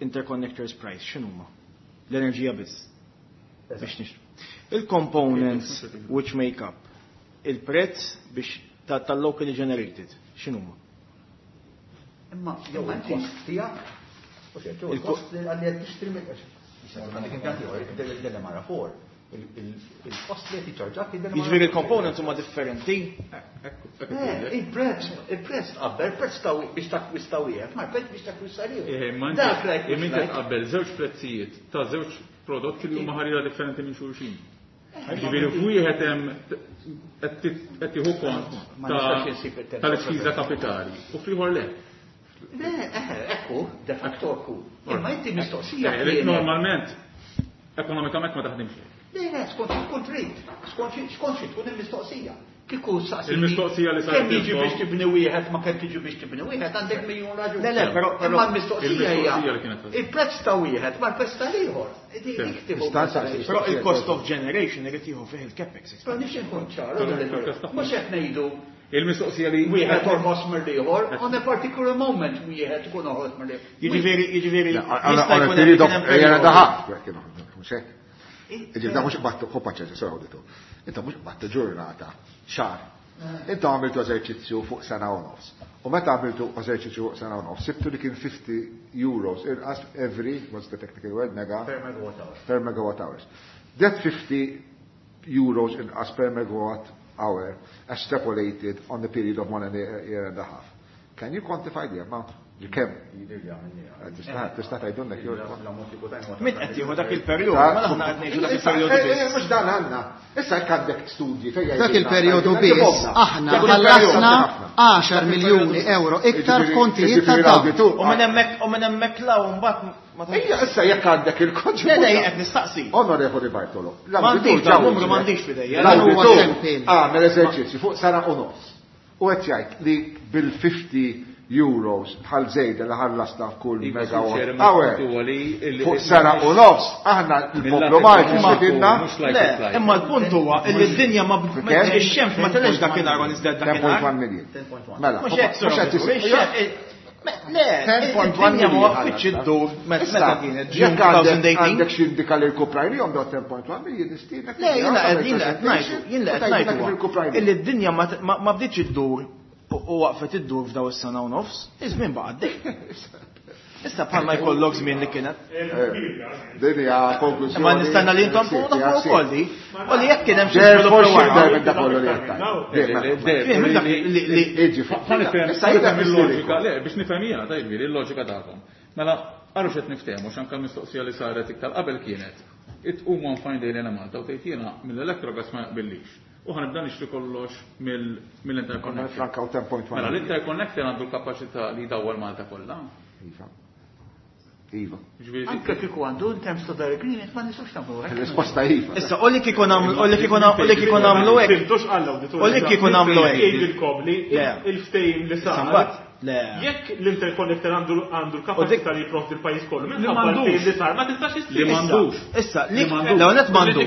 interconnectors price x'inhuma? L-enerġija biss. Biex nixtru. Il-components which make up il-prezz biex tal-locally generated, x'inhuma? Imma jew il-kost tiegħek, u xejn, jew il-kost li qed tixtri minn għandek impjanti ieħor, del-Mara four, il-kost li qed jiċċarġak Jiġifieri il-components huma differenti. Il-prezz, il-prezz tqabbel, il-prezz ta' biex takkwista wieħed, ma l-prezz biex takkwista ieħor. Dak inti tqabbel żewġ prezzijiet ta' żewġ prodotti li huma ħarira differenti minn xulxin. Ġifieri wieħed hemm qed tieħu kont tal-ispiża kapitali u fl-ieħor le. Le, ekku, de facto ekku. Imma inti mistoqsija. Normalment, ekonomikament ma taħdimx. Le, le, skont tkun trid, skont xi tkun il-mistoqsija. Kieku saqsi. Il-mistoqsija li kemm jiġi biex tibni wieħed ma kemm tiġi biex tibni wieħed għandek miljun raġun. Le, le, però imma l-mistoqsija hija il-prezz ta' wieħed ma l-prezz ta' ieħor. Però il-cost of generation irid jieħu fih il-capex. Però nixtieq nkun ċar, mhux qed ngħidu il-mistoqsija li wieħed orħos mill-ieħor, on a particular moment wieħed ikun orħos mill-ieħor. Jiġifieri, jiġifieri jista' jkun hemm daħaq, mhux hekk. Ġifieri mhux qbattu ħobba ċerta sura awditu. Inta mhux qbattu ġurnata, xahar. Inta għamiltu eżerċizzju fuq sena u nofs. U meta għamiltu eżerċizzju fuq sena u nofs, sibtu li kien fifty euros inqas every, what's the technical word, mega? Per megawatt hour. Per megawatt hours. That fifty euros inqas per megawatt hour extrapolated on the period of one and a year and a half. Can you quantify the amount? Kemm? Tista' tgħidulna jew Min qed jieħu dak il-perjodu? Ma aħna qed ngħidu dak il-perjodu biss. Mhux dan għandna. Issa jekk għandek studji fejn dak il-perjodu biss aħna ħallasna għaxar miljuni euro iktar f'kontijiet ta' dawn. U minn hemmhekk u minn hemmhekk law mbagħad Ejja, issa jekk għandek il-konġ. Le, le, qed nistaqsi. Onorevoli Bartolo. M'għandix numru m'għandix f'idejja. Għamel eżerċizzju fuq sena u nofs. U qed jgħid li bil-fifty euros bħal żejda li ħallasna f'kull megawatt hour. Fuq sena u nofs aħna l-poplu Malti xidilna. Le, imma l-punt huwa li d-dinja ma ix-xemx ma telgħex dakinhar u niżdet dakinhar. ten point one million. Mela, mhux hekk. Le, id-dinja ma waqfitx iddur meta kienet June twenty eighteen. Għandek xi indika li l-kuprajnihom daw ten point one million nistiednek. Le, jiena qed jiena qed ngħidu, jien qed ngħidu illi d-dinja ma bdietx iddur u waqfet iddur f'daw is-sena u nofs, iż-żmien baqa' għaddej. Issa bħalma jkollok żmien li kienet. Din hija konklużjoni. Ma nistenna li intom nafu wkoll li. U li jekk kien hemm xi żvilupp wara. Dak kollu li qed tgħid. Issa nifhem il-loġika, le biex nifhem jiena tajb il-loġika tagħkom. Mela għaru x'qed niftehmu x'anke l-mistoqsija li saret iktar qabel kienet. Itqum one fine day lejna Malta u tgħid jiena mill-Electrogas ma jaqbillix. U ħanibda nixtri kollox mill-interconnector. Franka u ten point one. Mela l-interconnector għandu l-kapaċità li jdawwar Malta kollha. Iva. Iva. Anke kieku għandu in terms of the agreement ma nistgħux nagħmlu hekk. Il-risposta iva. Issa u li kieku nagħmlu u li kieku nagħmlu u li kieku nagħmlu hekk. Fimtux għall-awditur. U li kieku nagħmlu hekk. Jgħidilkom li il-ftehim li sar. Le. Jekk l-interconnector għandu għandu l-kapaċità li jipprovdi l-pajjiż kollu, minħabba l-ftehim li sar ma tistax issir. Li m'għandux. Issa, li l-ewwel m'għandux.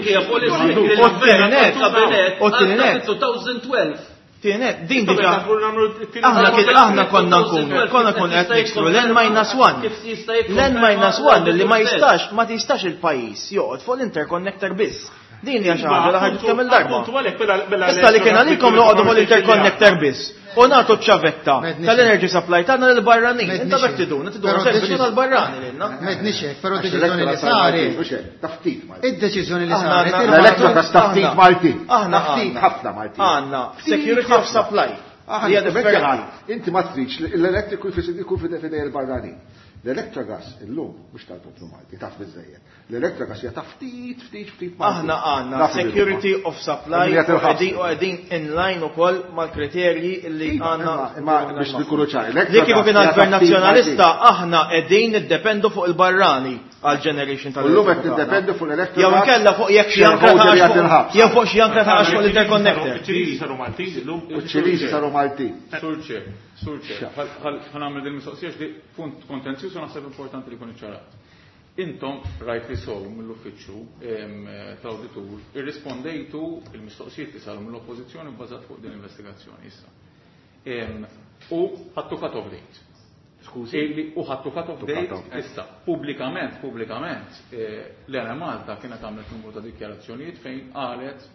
U t-tieni u t-tieni twelve. Tieni, din diġà. Aħna kien aħna konna nkunu, konna nkunu qed nixtru l-N minus one. L-N minus one li ma jistax, ma tistax il-pajjiż joqgħod fuq l-interconnector biss. Din hija xi ħaġa li ħarġet kemm il-darba. Issa li kien għalikom noqogħdu fuq l-interconnector biss. U nagħtu ċ-ċavetta tal-energy supply tagħna lill-barranin. Inta bek tiduna, tiduna servizzu tal-barrani lilna. M'għedniex hekk, però d-deċiżjoni li saret. Ta' ftit Maltin. Id-deċiżjoni li saret. L-Electrogas ta' ftit Maltin. Aħna ftit ħafna Maltin. Għandna security of supply. Inti ma tridx l-elettriku jkun f'idej il-barranin. L-Electrogas illum mhux tal-poplu Malti, taf biżejjed. L-Electrogas hija ta' ftit, ftit, ftit Malti. Aħna għandna security of supply u qegħdin in line ukoll mal-kriterji li għandna. Imma biex nkunu ċari. Li kieku kien għall-Gvern Nazzjonalista aħna qegħdin niddependu fuq il-barrani għal generation tal Illum qed niddependu fuq l-Electrogas. Jew inkella fuq jekk xi ankra ta' jew fuq xi ankra ta' fuq l-interconnector. Iċ-Ċiniżi saru Maltin illum. Iċ-Ċiniżi saru Maltin. Sur Chair. Sur Chair, ħa nagħmel din mistoqsija li punt kontenzjuż u naħseb importanti li jkun iċċarat. Intom, rightly so, mill-uffiċċju tal-awditur, irrispondejtu il-mistoqsijiet li saru mill-oppożizzjoni bbażat fuq din l-investigazzjoni issa. U ħadtu cut-off date. Skużi? U ħadtu cut-off date issa. Pubblikament, pubblikament, l-Enemalta kienet għamlet numru ta' dikjarazzjonijiet fejn qalet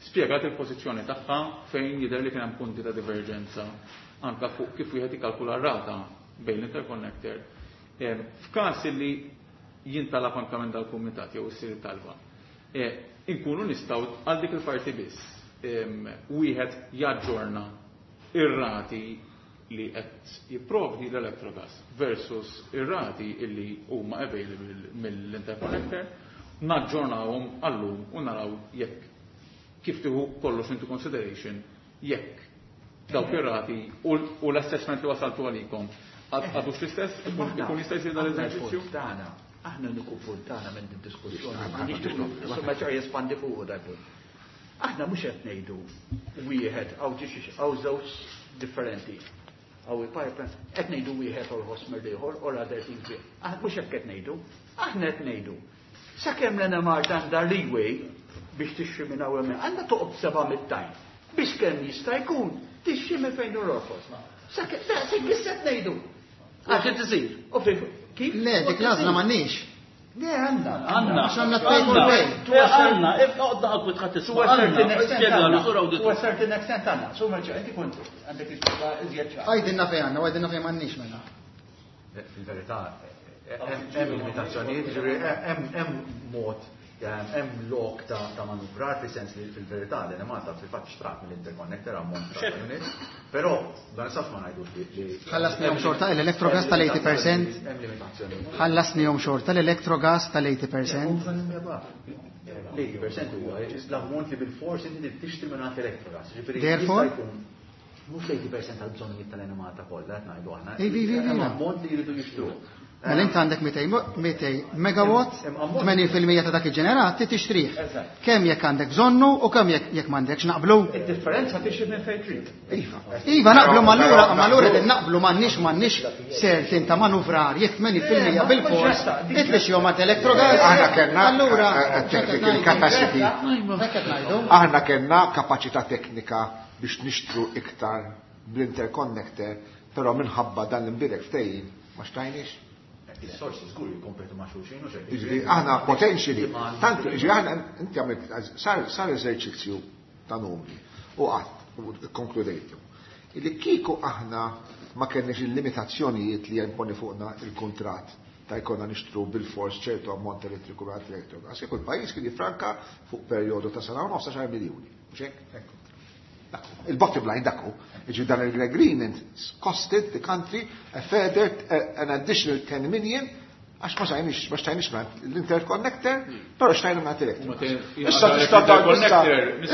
spjegat il-pożizzjoni tagħha fejn jidher li kien hemm punti ta' diverġenza anka fuq kif wieħed ikkalkula r-rata bejn l-interconnector. F'każ li jintalab anka minn dal-kumitat jew issir talba, inkunu nistgħu għal dik il-parti biss wieħed jaġġorna ir-rati li qed jipprovdi l-Electrogas versus ir-rati illi huma available mill-interconnector, naġġornawhom għallum u naraw jekk kif tieħu kollox into consideration jekk dawk ir-rati u l-assessment li wasaltu għalikom għadux l-istess, ikun jista' jsir dal-eżerċizzju? Aħna nuku punt tagħna minn din diskussjoni. Insomma ċar jespandi fuq dal-punt. Aħna mhux qed ngħidu wieħed hawn hawn żewġ differenti. Hawn il-pipeline qed ngħidu wieħed orħos mill-ieħor or other things. Aħna mhux hekk qed ngħidu. Aħna qed ngħidu. Sakemm l-Enemalta għandha leeway biex tixtri minn hawn hemm, għandha toqgħod seba' mit-tajn. Biex kemm jista' jkun tixtri minn fejn hu orħos. Sakemm daqshekk qed ngħidu. Għax qed isir. Kif? Le, dik l-għażla m'għandniex. Le, għandna. Għandna. Għax għandna take or pay. Għandna, oqgħod naqgħod tħadd tisma'. Spjegalu sur awditur. To a certain extent għandna. Su merġa' inti kont għandek l-ispjega iżjed ċar. Għajdilna fejn għandna, għajdilna fejn m'għandniex mela. Fil-verità, hemm limitazzjonijiet, jiġifieri hemm mod hemm lok ta' manuvrar fis-sens li fil-verità l-Enemalta fil-fatt xtrat mill-interconnector ammont ta' units, però dan saf ma ngħidux li Ħallasnihom xorta l-Electrogas tal-eighty percent. Hemm limitazzjonijiet. Ħallasnihom xorta l-Electrogas tal-eighty percent. L-eighty percent huwa l-ammont li bil-fors inti tixtri minn għand Electrogas. Ġifieri Therefore? mhux l-eighty percent tal-bżonnijiet tal-Enemalta kollha qed ngħidu aħna. Ivi, ivi, ivi. Hemm ammont li jridu jixtruh. Mela inti għandek mitej megawatt, tmenin fil-mija ta' dak iġġenerat tixtrih. Kemm jekk għandek bżonnu u kemm jekk jekk m'għandekx naqblu. Id-differenza tixtri minn fejn trid. Iva. Iva naqblu ma allura, ma allura qegħdin naqblu m'għandniex m'għandniex certain ta' manuvrar jekk tmenin fil-mija bil-fors titlix jew ma' Electrogas. Aħna kellna Allura, technical capacity. Hekk qed ngħidu. Aħna kellna kapaċità teknika biex nixtru iktar bl-interconnector, però minħabba dan l-imbirek ftehim ma xtajniex. Is-sorsi żgur jikkompetu ma' xulxin u xejn. Jiġifieri aħna potentially, tant jiġifieri aħna inti għamilt sar, sar eżerċizzju ta' numri u qatt u konkludejtu. Illi kieku aħna ma kellniex il-limitazzjonijiet li jimponi fuqna il-kuntratt ta' jkollna nixtru bil-fors ċertu ammont elettriku minn Electrogas, kieku l-pajjiż kien jiffranka fuq perjodu ta' sena u nofs għaxar miljuni. Mhux hekk? Il-bottom line dakku, jiġifieri dan il-agreement costed the country a further, an additional ten million għax ma xtajniex, ma xtajniex minn l-interconnector, però xtajna minn Electrogas. Issa tista'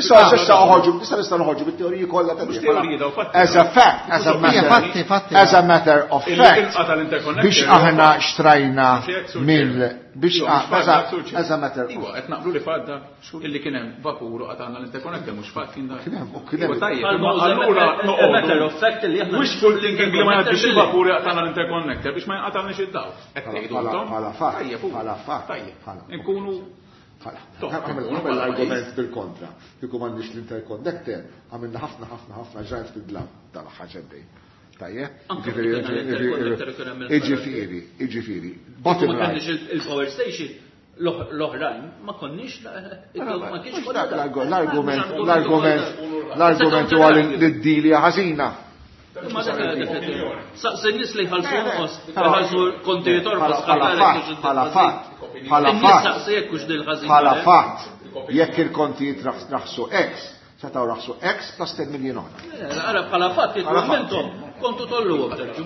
issa issa noħorġu, issa nistgħu noħorġu bit-teoriji kollha ta' Mhux teoriji daw fatti. As a fact, as a matter, Fatti, fatti. as a matter of fact, Il-qata l-interconnector biex aħna xtrajna Mhux hekk, Sur mill Chair. biex Iwa, mhux as a fatt, Sur Chair. as a matter of Iwa, qed naqblu li fadda illi kien hemm vapur u qatgħana l-interconnector, mhux fatt kien dak. Kien hemm, u kien hemm. Iwa, tajjeb, Għal imma ma allura a noqogħdu. matter of fact li aħna Wishful thinking li ma jgħaddix Billi. il-vapur jaqtana l-interconnector biex ma jinqatalniex id-dawl. Qed tgħidu Bħala- intom? bħala fatt, Tajjeb, u. bħala fatt, Tajjeb. bħala. Inkunu Bħala. Toh, Għamel inkunu għamel bħala l-argument pajjiż. bil-kontra. Kieku m'għandniex l-interconnector, għamilna ħafna, ħafna, ħafna ġrajt fid-dlam tal-aħħar sentejn. Tajjeb? Anke Jiġifieri, kien hemm jiġifieri, l-interconnector kien hemm jiġifieri, jiġifieri. Bottom Ma line. kellniex il-power station, L-oħrajn ma konniex ma kienx l-argument l-argument l-argument huwa li d-dilja ħażina. Ma Saqsi n-nies li jħallsu inqos, jħallsu kontijiet orħos bħala fatt, bħala fatt, bħala fatt. Saqsi jekk hux dil ħażina. Bħala fatt, jekk il-kontijiet raħsu X, setgħu raħsu X plus ten miljon oħra. Ara bħala fatt kieku intom kontu tolluhom terġu.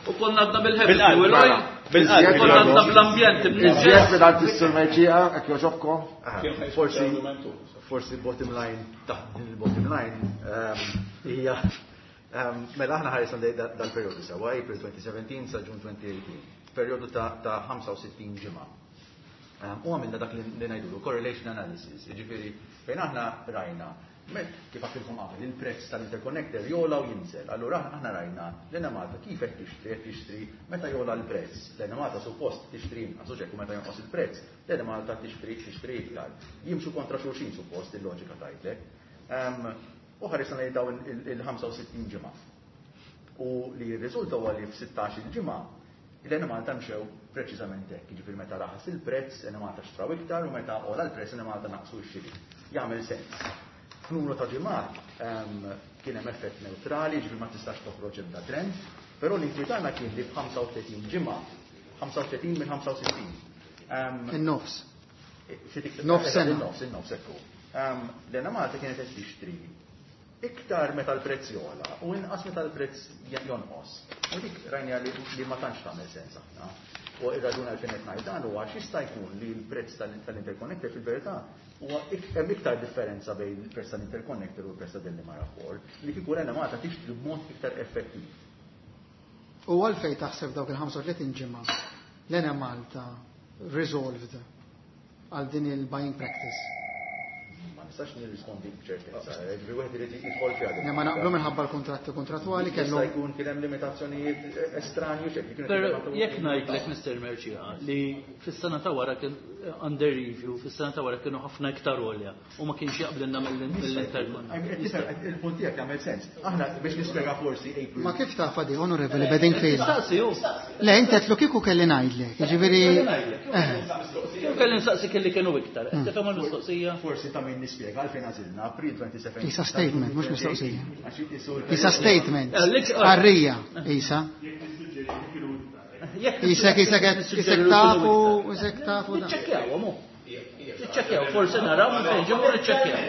U konna għadna bil-heavy fuel oil. Bil-qalb. Konna għadna bl-ambjent. Iżjed minn għand is-Sur Mercieca, hekk jogħġobkom. Forsi, forsi bottom line, taħt din il-bottom line, hija mela aħna ħarisna dal-perjodu sewwa, April twenty seventeen sa June twenty eighteen, perjodu ta' ħamsa u sittin ġimgħa. U għamilna dak li ngħidulu correlation analysis, jiġifieri fejn aħna rajna kif għedtilkom qabel, il-prezz tal-interconnector jola u jinżel. Allura aħna rajna l-Enemalta kif qed tixtri, qed tixtri meta jola l-prezz. L-Enemalta suppost tixtri inqas, u ċekku meta jonqos il-prezz, l-Enemalta tixtri tixtri iktar. Jimxu kontra xulxin suppost il-loġika tgħidlek. U ħarisna lejn dawn il-ħamsa u sittin ġimgħa. U li jirriżulta huwa li f'sittax il-ġimgħa l-Enemalta mxew preċiżament hekk, jiġifieri meta raħas il-prezz, Enemalta xtraw iktar u meta ola l-prezz Enemalta naqsu x-xiri. Jagħmel sens. F'numru ta' ġimgħat kien hemm effett neutrali, ġifieri ma tistax toħroġ ebda trend, però li tagħna kien li f'ħamsa u tletin ġimgħa, ħamsa u tletin minn ħamsa u sittin. In-nofs. Nofs sena. In-nofs, in-nofs ekku. L-Enemalta kienet qed tixtri iktar meta l-prezz jola u inqas meta l-prezz jonqos. U dik rajna li ma tantx tagħmel sens aħna. U ir-raġuni għalfejn qed ngħid dan huwa għax jista' jkun li l-prezz tal-interconnector fil-verità huwa hemm iktar differenza bejn il-prezz tal-interconnector u l-prezz ta' Delimara four li kieku l-Enemalta tixtri b'mod iktar effettiv. U għalfejn taħseb dawk il-ħamsa u tletin ġimgħa l-Enemalta resolved għal din il-buying practice? Ma nistax nirrispondi b'ċertezza, ġifieri wieħed irid jidħol fiha. Ne, ma naqblu minħabba l-kontratti kontrattwali Jista' kellhom. jkun kien hemm limitazzjonijiet estranji x'hekk, kienu Però jkunu jekk ngħidlek Mister Mercieca li fis-sena ta' wara kien under review, fis-sena ta' wara kienu ħafna iktar għolja u ma kienx jaqblilna mill-interconnector. Il-punt tiegħek jagħmel sens. Aħna biex nispjega forsi April. Ma kif taf di, Onorevoli Bedingfield? Nistaqsi hu. Le, inti qed kieku kelli ngħidlek, jiġifieri Kieku kelli nsaqsi kelli kienu iktar. Qed tifhem il-mistoqsija? Forsi ta' min nispjega għalfejn għażilna April twenty seventeen. Isa statement, mhux mistoqsija. Għax isu l- Isa statement. Eh, lik- Arrija, Isa. Jekk Isek, isek, isek tafu, isek tafu da. Niċċekkjaw, mu. Niċċekkjaw, forsi naraw minn fejn ġew niċċekkjaw.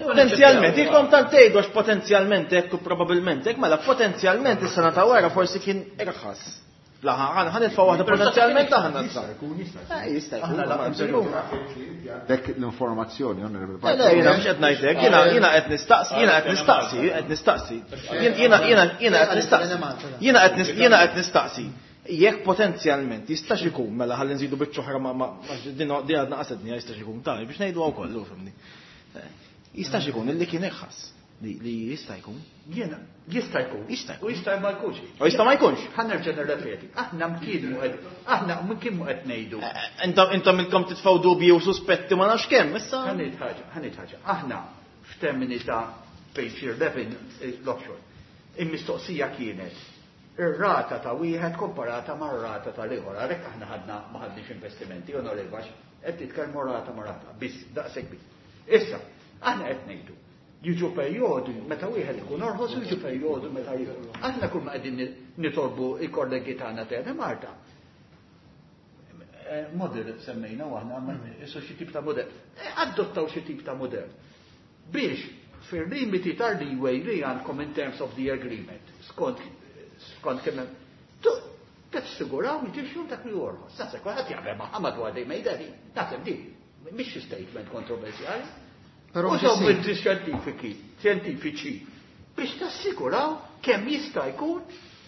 Potenzjalment, ilkom tant tgħidu għax potenzjalment hekk u probabbilment hekk, mela potenzjalment is-sena ta' wara forsi kien irħas. Fl-aħħar ħa nitfgħu waħda potenzjalment aħna Jista' jkun, jista' jkun. Eh, jista' jkun, Aħna ma la nżillum. Dek l-informazzjoni, onorevoli Le, Parker. le, jiena mhux qed ngħidlek, jiena, jiena qed nistaqsi, jiena qed nistaqsi, qed nistaqsi. Jien, jiena, jiena, jiena qed nistaqsi. Jiena qed nis-, jiena qed nistaqsi. Jekk potenzjalment jistax ikun, mela ħalli nżidu biċċa oħra ma, ma, ma, din, din għadna qasedni, jistax ikun tali biex ngħidu hawn kollu, fhimni. Eh, jistax ikun illi kien irħas. Li, li jista' jkun. Jiena, jista' jkun. Jista' jkun. U jista' ma jkunx. U jista' ma jkunx. Ħa nerġa' nirrepeti. Aħna mkien mu qed, aħna mkien mu qed ngħidu. Eh, intom, intom ilkom titfgħu dubji u suspetti ma nafx kemm, issa. Ħa ngħid ħaġa, ħa ngħid ħaġa. Aħna f'termini ta' page eleven l-offshore. Il-mistoqsija kienet ir-rata ta' wieħed komparata mar-rata tal-ieħor. Għalhekk aħna ħadna ma ħadniex investimenti, onorevoli, għax qed titkellmu rata ma' rata, biss daqshekk biss. Issa, aħna qed ngħidu jiġu perjodu meta wieħed ikun orħos u jiġu perjodu meta ieħor. Aħna kull ma qegħdin nitolbu l-kollegi tagħna ta' Malta. Eh, model semmejna u aħna isu xi tip ta' model. Eh, adottaw xi tip ta' model. Biex fil-limiti tal-leeway li għandkom in terms of the agreement, skont, skont kemm hemm, tu-, tassiguraw li tixtru dak li orħos. Naħseb kulħadd jaqbel ma' madwar dejjem jgħidha din. Naħseb din mhix xi statement kontroversjali. Però Użaw mhux issir. mezzi xjentifiki, xjentifiċi biex tassiguraw kemm jista' jkun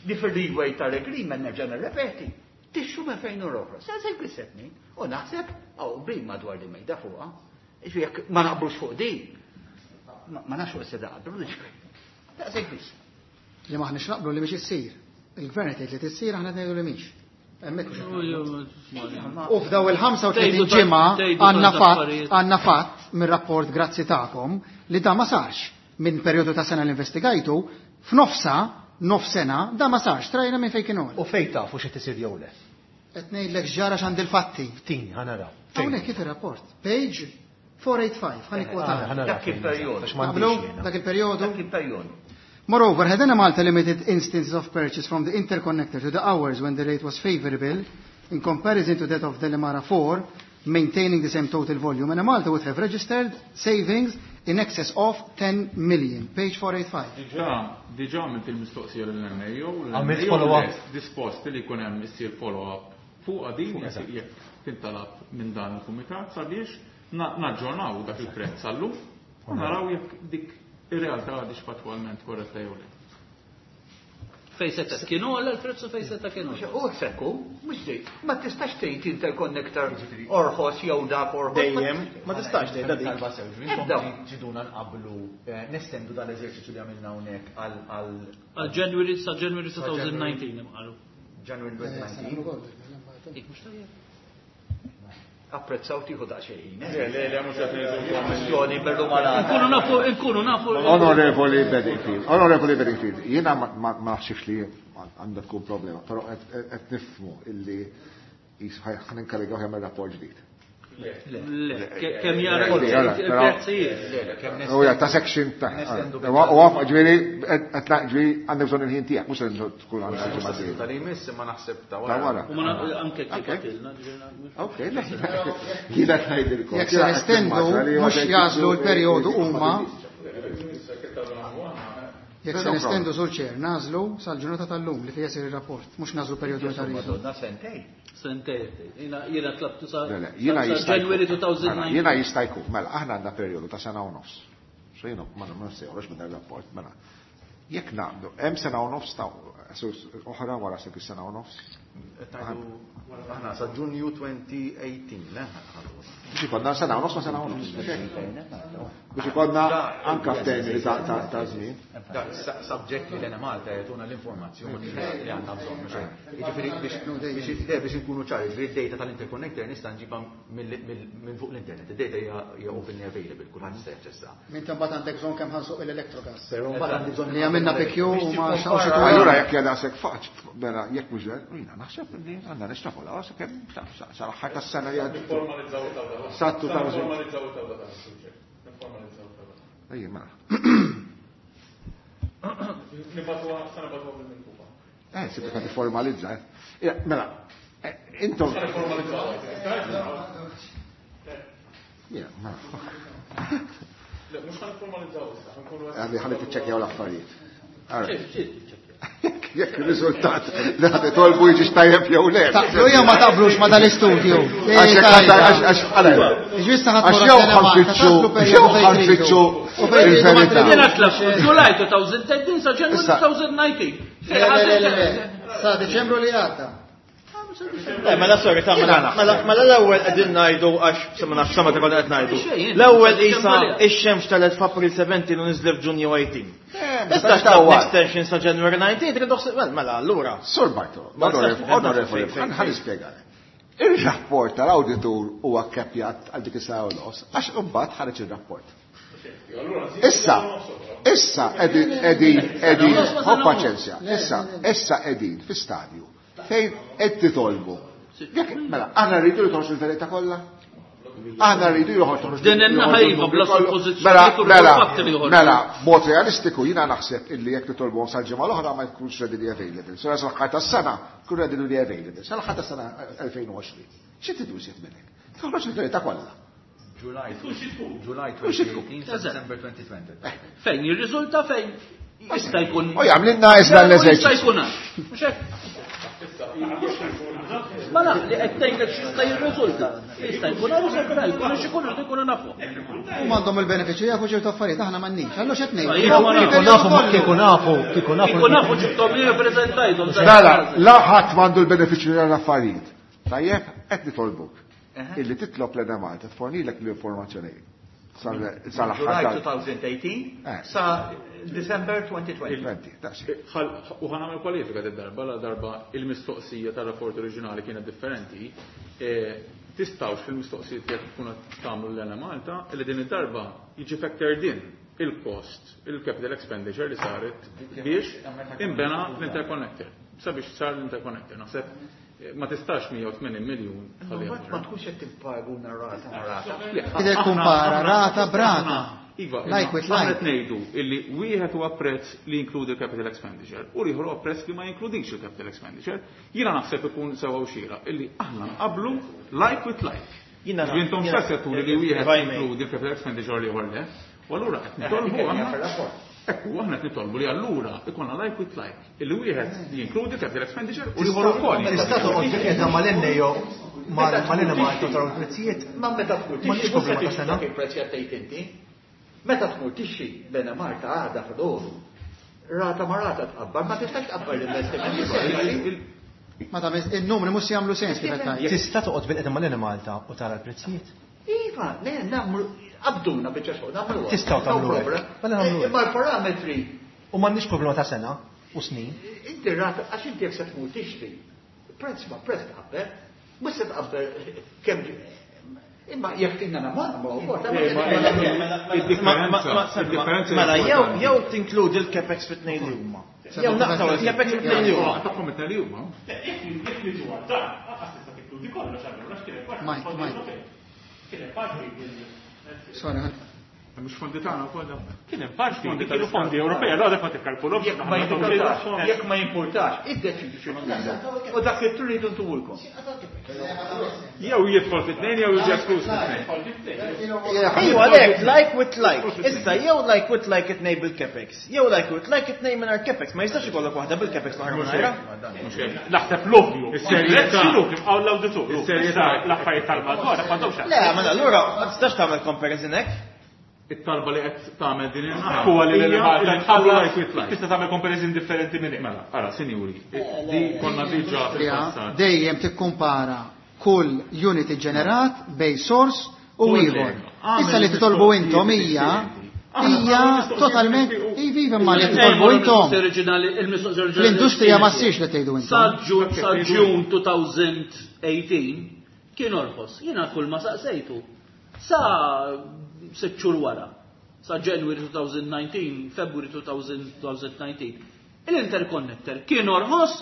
li fil-leeway tal-agreement nerġa' nirrepeti. Tixtru minn fejn u l-oħra. Sa se jkun U naħseb hawn bin madwar li mejda fuqha. Jiġifieri jekk ma naqblux fuq din, ma, ma nafx fuq se naqblu, daqshekk biss. Li maħniex naqblu li mhix issir. Il-gvern qed jgħid li tissir, aħna qed ngħidu li mhix. Hemmhekk mhux qed naqblu. U f'daw il-ħamsa u tletin Tgħidu ġimgħa tgħidu għandna tant fatt, affarijiet. għandna fatt mir-rapport grazzi tagħkom li da ma sarx minn perjodu ta' sena li investigajtu, f'nofsa, nof sena, da ma sarx, trajna minn fejn kienu. U fejn tafu xi tisir jew le? Qed ngħidlek x'ġara x'għandi l-fatti. Tini, ħa naraw. Hawnhekk kif ir-rapport. Page four eight five, ħa nikkwota. Dak il-perjodu. Dak il-perjodu. Dak il-perjodu. Moreover, had Enemalta limited instances of purchase from the interconnector to the hours when the rate was favorable in comparison to that of Delimara four, maintaining the same total volume, Enemalta would have registered savings in excess of ten million. Page four eight five. Diġà, diġà għamilt il-mistoqsija lill-N A O, l-N A O Għamilt follow-up. Dispost li jkun hemm issir follow-up fuq din jekk tintalab minn dan il-kumitat sabiex naġġornaw dak il-prezz għallum u naraw jekk dik ir-realtà għadix fattwalment korretta jew le. Fej seta kienu għalla l-prezz u fej seta kienu. U sekku, mhux dej, ma tistax tgħid interconnector orħos jew dak orħos. Dejjem, ma tistax tgħid dik. Talba sew, ġifieri intom ġiduna nqablu, nestendu dal-eżerċizzju li għamilna hawnhekk għal għal Għal January sa January two thousand nineteen imqalu. January twenty nineteen. Dik mhux tajjeb. Apprezzaw tieħu daqsxejn. Le, le, le, mhux qed ngħidu kwestjoni bil-rumanata. Inkunu nafu, inkunu nafu. Onorevoli Bedingfield, Onorevoli Bedingfield, jiena ma, ma, ma naħsibx li għandha tkun problema, però qed nifhmu illi ħan inkarigaw jagħmel rapport ġdid. Le, kemm jara il-prezzijiet. U ja, ta' section ta' u għaf, ġifieri, qed ġifieri għandek bżonn il-ħin tiegħek, mhux se tkun għandek ġimgħa Mhux dieħla. tal-imiss, imma naħseb ta' Ta' wara. wara. U ma naf-, anke kif għatilna, ġifieri, mhux- Ok, le, jiena ngħidilkom. Jekk se nestendu, mhux jażlu l-perjodu huma. Jekk se nestendu sur ċer, nażlu sal-ġurnata tal-lum li fiha jsir ir-rapport, mhux nażlu perjodu ta' rridu. Madonna, sentej. Sentej, jiena, jiena tlabtu sa- Le, le, jiena sa jista' jkun. January two thousand Mela, nineteen. jiena jista' jkun, mela, aħna għandna perjodu ta' sena u nofs. So jiena ma nafx se joħroġ minn dan ir-rapport, mela. Jekk nagħmlu, hemm sena u nofs ta' oħra wara sekk is-sena u nofs. Aħna sa Ġunju twenty eighteen, le? Biex ikollna sena u nofs ma sena u nofs. Biex ikollna anka f'termini ta', ta', ta' żmien. Da, sa-, subject li l-Enemalta jagħtuna l-informazzjoni li għandna bżonn, mhux hekk. Jiġifieri biex, biex, le, biex inkunu ċari, jiġifieri d-data tal-interconnector nista' nġibha mill-, mill-, minn fuq l-internet. Id-data hija, hija openly available, kulħadd jista' jaċċessa. Minn mbagħad għandek bżonn kemm ħansuq l-electrogas. Però mbagħad għandi bżonn li għamilna P Q u ma xaqgħux ituna. Allura jekk hija daqshekk faċ, mela jekk mhux hekk, jiena naħseb li għandna nextrapolaw sakemm sal-aħħar tas-sena li għaddiet. Nifformalizzaw it-tawla. Sa two thousand. Nifformalizzaw it-tawla tas-suġġett. Nifformalizzaw it-tawla. Ejja, mela. Nibatuha, sa nibatuha bil-miktuba. Eh, se tibqa' tifformalizza, eh. Ja, mela, eh, intom. Sa nifformalizzaw. Ja, mela. Le, mhux ħa nifformalizzaw issa, ħa nkunu qed Għalli ħalli tiċċekkjaw l-affarijiet. All right. Ċif, ċif, tiċċekkjaw. Jekk il-riżultat li ħad itolbu jiġi tajjeb jew le. Taqblu jew ma taqblux ma dal-istudju. Għax jekk ħadd għax għax għalek. Ġwista ħadd Għax wara jew sena Malta, ħanfittxu, taqblu perjodu jew fejn tridu. ħanfittxu U fejn tridu ma il-verità. tridu. Jiena tlabtu July two thousand thirteen sa January Issa. two thousand nineteen. Le, le, le, le, le. Sa Deċembru li għadda. Le, mela sorry, ta' mela, mela, mela l-ewwel qegħdin ngħidu għax sa ma nafx sama ta' konna qed ngħidu. Xejn, L-ewwel xejn, isa xejn. ix-xemx telgħet f'April seventeen u niżlet f'Ġunju eighteen. Eh, Issa meta xtaqt tawwal. extension sa January nineteen, trid toħseb, mela, mela, allura. Sur Bartolo, Ma nistax onorevoli, nifhem onorevoli, fejn, fejn, ħan nispjegalek. Il-rapport tal-awditur huwa kkepjat għal dik is-sena u nofs, għax imbagħad ħareġ ir-rapport. Issa, issa qegħdin, qegħdin, qegħdin, ho paċenzja, issa, issa qegħdin fi stadju fejn qed titolbu. Jekk, mela, aħna rridu li toħroġ il-verità kollha? Aħna rridu li toħroġ Din in-naħa iva, bla kollu. suppożizzjoni Mela, u mela, fatti li joħorġu. mela, mod realistiku jiena naħseb illi jekk titolbuhom sal-ġimgħa l-oħra ma jkunx readily available. Sura sal-aħħar tas-sena jkun readily available. Sal-aħħar tas-sena elfejn u għoxrin. Xi tridu iżjed minn hekk? Toħroġ il-verità kollha. July, July Tkun xi tkun. twenty eighteen sa December twenty twenty. Fejn jirriżulta fejn jista' jkun. U jagħmlilna iżda l-eżerċizzju. Jista' jkun għax. Mhux hekk? Mela, li qed tgħidlek x'jista' jirriżulta. Jista' jkun hawn u se jkun hawn, jkun xi jkun irridu jkunu nafu. Huma għandhom il-benefiċċju jafu ċertu affarijiet, aħna m'għandniex. Allura x'qed ngħidu? Iva, ma nafu. Kieku nafu, ma kieku nafu, kieku nafu. Kieku nafu ġibthom li rappreżentajthom. Mela, la ħadd m'għandu l-benefiċċju tal-affarijiet. Tajjeb, qed nitolbuk. Illi titlob l-Enemalta tfornilek l-informazzjoni sal-aħħar July tal- two thousand eighteen Eh. sa December twenty twenty. Twenty, daqs. U ħa nagħmel kwalifika d-darba, la darba il-mistoqsija tar-rapport oriġinali kienet differenti. Eh, tistgħux fil-mistoqsijiet jekk tkunu qed tagħmlu l-Enemalta li din id-darba jiġi factored in il-cost, il-capital expenditure li saret biex imbena l-interconnector. Sabiex sar l-interconnector. Naħseb ma tistax mija u tmenin miljun tħalliha Ma tkunx qed tipparaguna rata ma' rata. Tidher kumpara rata b'rata. Iva, Like with aħna like. qed ngħidu illi wieħed huwa prezz li jinkludi l-capital expenditure u l-ieħor huwa prezz li ma jinkludix il-capital expenditure. Jiena naħseb ikun sewa u xieraq illi aħna nqablu like with like. Jiena Jiġifieri intom jiena- stess qed turi li wieħed If I may. jinkludi l-capital expenditure u l-ieħor le. U allura qed nitolbu Dik hija aħna fir-rapport. Ekku, aħna qed nitolbu li allura ikollna like with like. Illi wieħed jinkludi capital expenditure u l-ieħor ukoll. Tista' toqgħod bil-qiegħda mal-N A O mal-N Malta taraw il-prezzijiet. Ma meta tmur Ma nix tixtri, problema ta' sena. dak il-prezz qed tgħid inti. Meta tmur tixtri l-Enemalta għada fil-ħodu, rata ma rata tqabbar, ma tistax tqabbar l-investiment. Ma ta' il-numri mhux jagħmlu sens kif qed tgħid. Tista' toqgħod bil-qiegħda mal-Enemalta u tara l-prezzijiet. Iva, le, nagħmlu, qabduna biċċa xogħol, nagħmlu. Tistgħu tagħmlu hekk. Mela nagħmlu hekk. Imma l-parametri. U m'għandniex problema ta' sena u snin. Inti rata, għax inti jekk se tmur tixtri, prezz ma prezz tqabbel, mhux se tqabbel kemm imma jekk tinna nagħmlu nagħmlu wkoll. Il-differenza, il-differenza Mela, jew jew tinkludi l-capex fit-tnejn li huma. Jew naqtaw il-capex fit-tnejn li huma. Tagħhom it-tnejn li huma. Jekk jekk niġu għal dan, lanqas tista' tinkludi kollox allura għax kien hemm parti Mike, fondi Mike. Ewropej. Kien hemm parti mill- Sorry, Mhux fondi tagħna wkoll dawn. Kien hemm parti Fondi li kienu tal-Istat. fondi Ewropej, allura dak ma tikkalkulhomx. Jekk ma jimpurtax, jekk ma jimpurtax, iddeċidu xi tridu. U dak li tridu ntulkom. Jew jidħol fit-tnejn jew jiġi eskluż fit-tnejn. Ejju għalhekk, like with like. Issa jew like with like it-tnejn bil-capex, jew like with like it-tnejn mingħajr capex. Ma jistax ikollok waħda bil-capex l-oħra mingħajra. Mhux hekk. Naħseb l-ovvju. Is-serjetà. X'inhu kif qal l-awditur. Is-serjetà. L-affarijiet tal-madwar m'għandhomx Le, mela allura ma tistax tagħmel comparison hekk. It-talba li qed tagħmel din in-naħa. Huwa li hija l-Malta li tħallu tħallas like with like. tista' tagħmel comparison differenti minn hekk. Mela, ara, sinjuri, di konna diġà fil-passat. Dejjem tikkumpara kull unit ġenerat bej source u Kull ieħor. lega. Issa li titolbu intom hija hija totalment iva iva ma li titolbu intom. Il-mistoqsija oriġinali. L-industrija ma ssirx li tgħidu Sa intom. Ġun sa Ġun elfejn u tmintax kien orħos. Jiena kull ma saqsejtu. Sa sitt xhur wara. Sa January twenty nineteen, February twenty nineteen. Il-interconnector kien orħos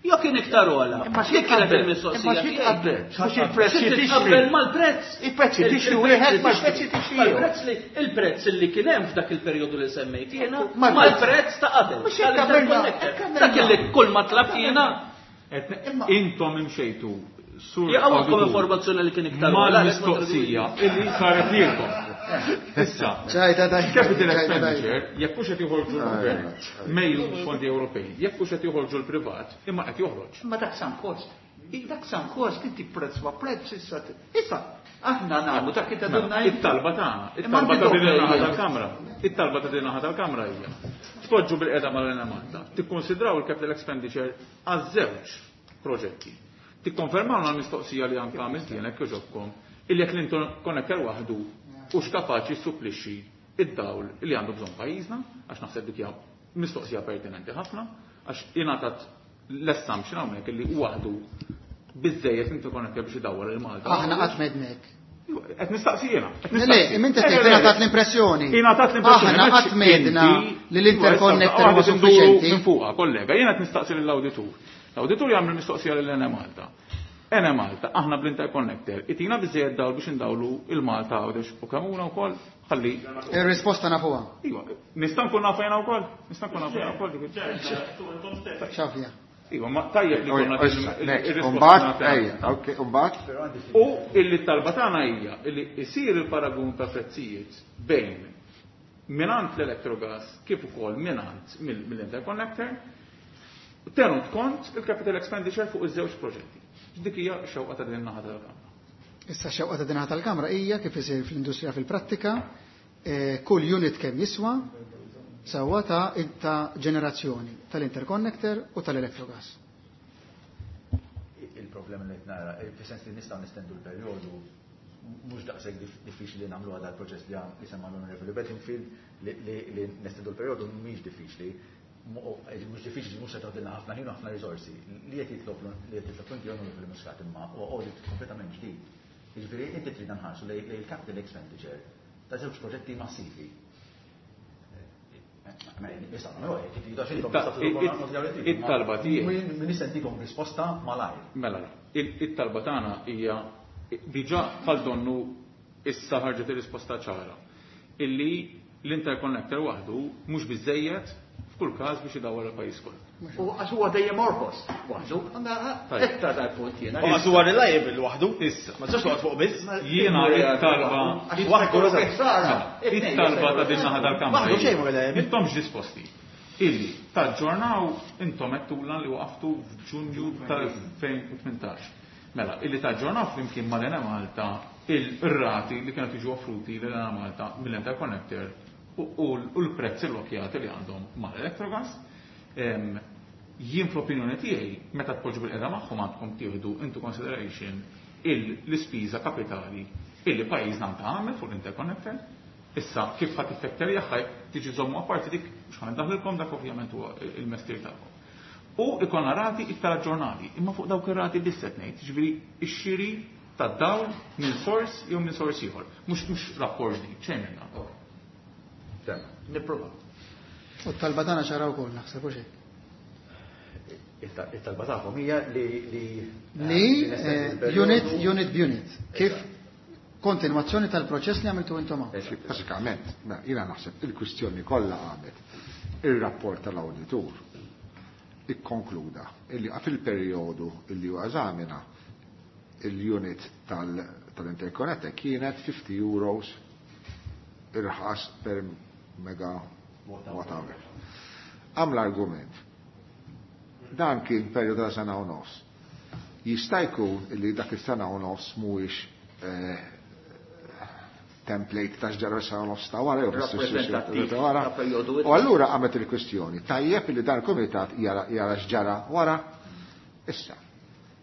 jew kien iktar ogħla? Imma xi Dik kienet tqabbel? il-mistoqsija Imma xi tiegħi. tqabbel? Mhux il-prezz Xi li tixtri. titqabbel mal-prezz. Il-prezz li tixtri wieħed mal-prezz li tixtri ieħor. Mal-prezz li il-prezz li kien hemm f'dak il-perjodu li semmejt jiena Mal-prezz- mal-prezz ta' qabel. Mhux hekk għamilna, tal-interconnector. hekk għamilna. Dak li kull ma tlabt jiena Qed Intom imxejtu sur jaqgħu auditur informazzjoni li kien iktar ogħla, għalhekk ma mal-mistoqsija illi saret lilkom. Issa, Ċajta daj. capital expenditure, jekk hux qed joħorġu l-gvern, mejju fondi Ewropej, jekk hux qed joħorġu l-privat, imma qed joħroġ. Ma dak sunk cost. Dak sunk cost inti prezz ma prezz issa. Issa, aħna nagħmlu dak li tadunna Mela, It-talba tagħna, it-talba ta' din in-naħa tal-Kamra, it-talba ta' din in-naħa tal-Kamra hija. Tpoġġu bil-qiegħda mal-Enemalta, tikkonsidraw il-capital expenditure għaż-żewġ proġetti. Tikkonfermawna l-mistoqsija li anke għamilt jien hekk jogħġobkom, illi jekk l-interconnector waħdu hux kapaċi jissupplixxi id-dawl li għandu bżonn pajjiżna, għax naħseb dik hija mistoqsija pertinenti ħafna, għax ingħatat l-assumption hawnhekk illi waħdu biżejjed interconnector biex idawwar il-Malta. Aħna qatt m'għednek. Qed nistaqsi jiena. qed Le, nistaqsi. le, inti tgħid ingħatat l-impressjoni. Ingħatat l-impressjoni. Aħna qatt m'għedna li l-interconnector huwa suffiċjenti. Minn fuqha, kollega, jiena qed nistaqsi lill-awditur. L-awditur jagħmel mistoqsija lil Enemalta. Enemalta, aħna bl-interconnector, itina biżejjed dawl biex indawlu il-Malta Għawdex u Kemmuna wkoll, ħalli. Ir-risposta nafuha. Iva, nista' nkun nafa jiena wkoll? Nista' nkun nafa jiena wkoll dik. Xafja. Iva, ma tajjeb li konna Next, Umbat, ejja, ok, umbat. U illi talba tagħna hija illi isir il-paragun ta' prezzijiet bejn minant l-Electrogas kif ukoll minant mill-interconnector tenut kont il-capital expenditure fuq iż-żewġ proġetti. Dik hija x-xewqa ta' din naħa tal-Kamra. Issa xewqa ta' din naħa tal-Kamra hija kif isir fl-industrija fil-prattika, eh, kull unit kemm jiswa sewwa ta' ta' ġenerazzjoni tal-interconnector u tal-Electrogas. Il-problema li nara, fis-sens li nistgħu nestendu l-perjodu mhux daqshekk diffiċli li nagħmlu għadha l-proċess li li semma l-Onorevoli Bedingfield li li nestendu l-perjodu mhix diffiċli. Mhux diffiċli mhux se toħdilna ħafna ħin u ħafna riżorsi. Li qed jitlob li qed jitlob inti Onorevoli Muscat imma huwa audit kompletament ġdid. Jiġifieri inti trid nħarsu lejn il-capital expenditure ta' żewġ proġetti massivi. It-talba tiegħi. Min nistentikom risposta malajr. Mela, it-talba tagħna hija diġà bħal donnu issa ħarġet ir-risposta ċara. Illi l-interconnector waħdu mhux biżejjed f'kull każ biex idawwar il-pajjiż kollu. U għax huwa dejjem orħos waħdu, iktar dal-punt jiena. U għax huwa reliable waħdu. Issa. Ma tistax toqgħod fuq biss. Jiena it-talba it-talba ta' din naħa tal-kamra. Waħdu xejn reliable. Intomx disposti. Illi taġġornaw intom għedtulna li waqaftu f'Ġunju tal-elfejn u tmintax. Mela, illi taġġornaw flimkien mal-Enemalta il-rati li kienu tiġu offruti l-Enemalta mill-interconnector u l-prezzi lokjati li għandhom mal-Electrogas. Jien fl-opinjoni tiegħi meta tpoġġu bil-qeda magħhom għandkom tieħdu into consideration l-ispiża kapitali illi pajjiżna għandha għamel fuq l-interconnector. Issa kif ħadd tiffetterja ħaj tiġi żommu apparti dik mhux ħa dak ovvjament huwa il-mestier tagħkom. U ikonna rati iktar aġġornati, imma fuq dawk ir-rati biss qed ngħid, jiġifieri x-xiri tad-dawl minn sors jew minn sors ieħor, mhux mhux rapport ġdid, xejn minn dan. Nipprova. U t-talba tagħna ċara wkoll naħseb u xejn. It-talba tagħkom hija li li li unit unit b'unit. Kif kontinwazzjoni tal-proċess li għamiltu intom hawn. Bażikament, jiena naħseb il-kwistjoni kollha għamet ir-rapport tal-awditur ikkonkluda illi fil-perjodu illi huwa eżamina il-unit tal-interconnector kienet fifty euros irħas per megawatt hour. Għam l-argument. Dan kien perjodu ta' sena u nofs. Jista' jkun illi dak is-sena u nofs mhuwiex template ta' x'ġara sena u nofs ta' wara jew ta' wara. U allura għamet il-kwistjoni. Tajjeb illi dan il-kumitat jara x'ġara wara. Issa,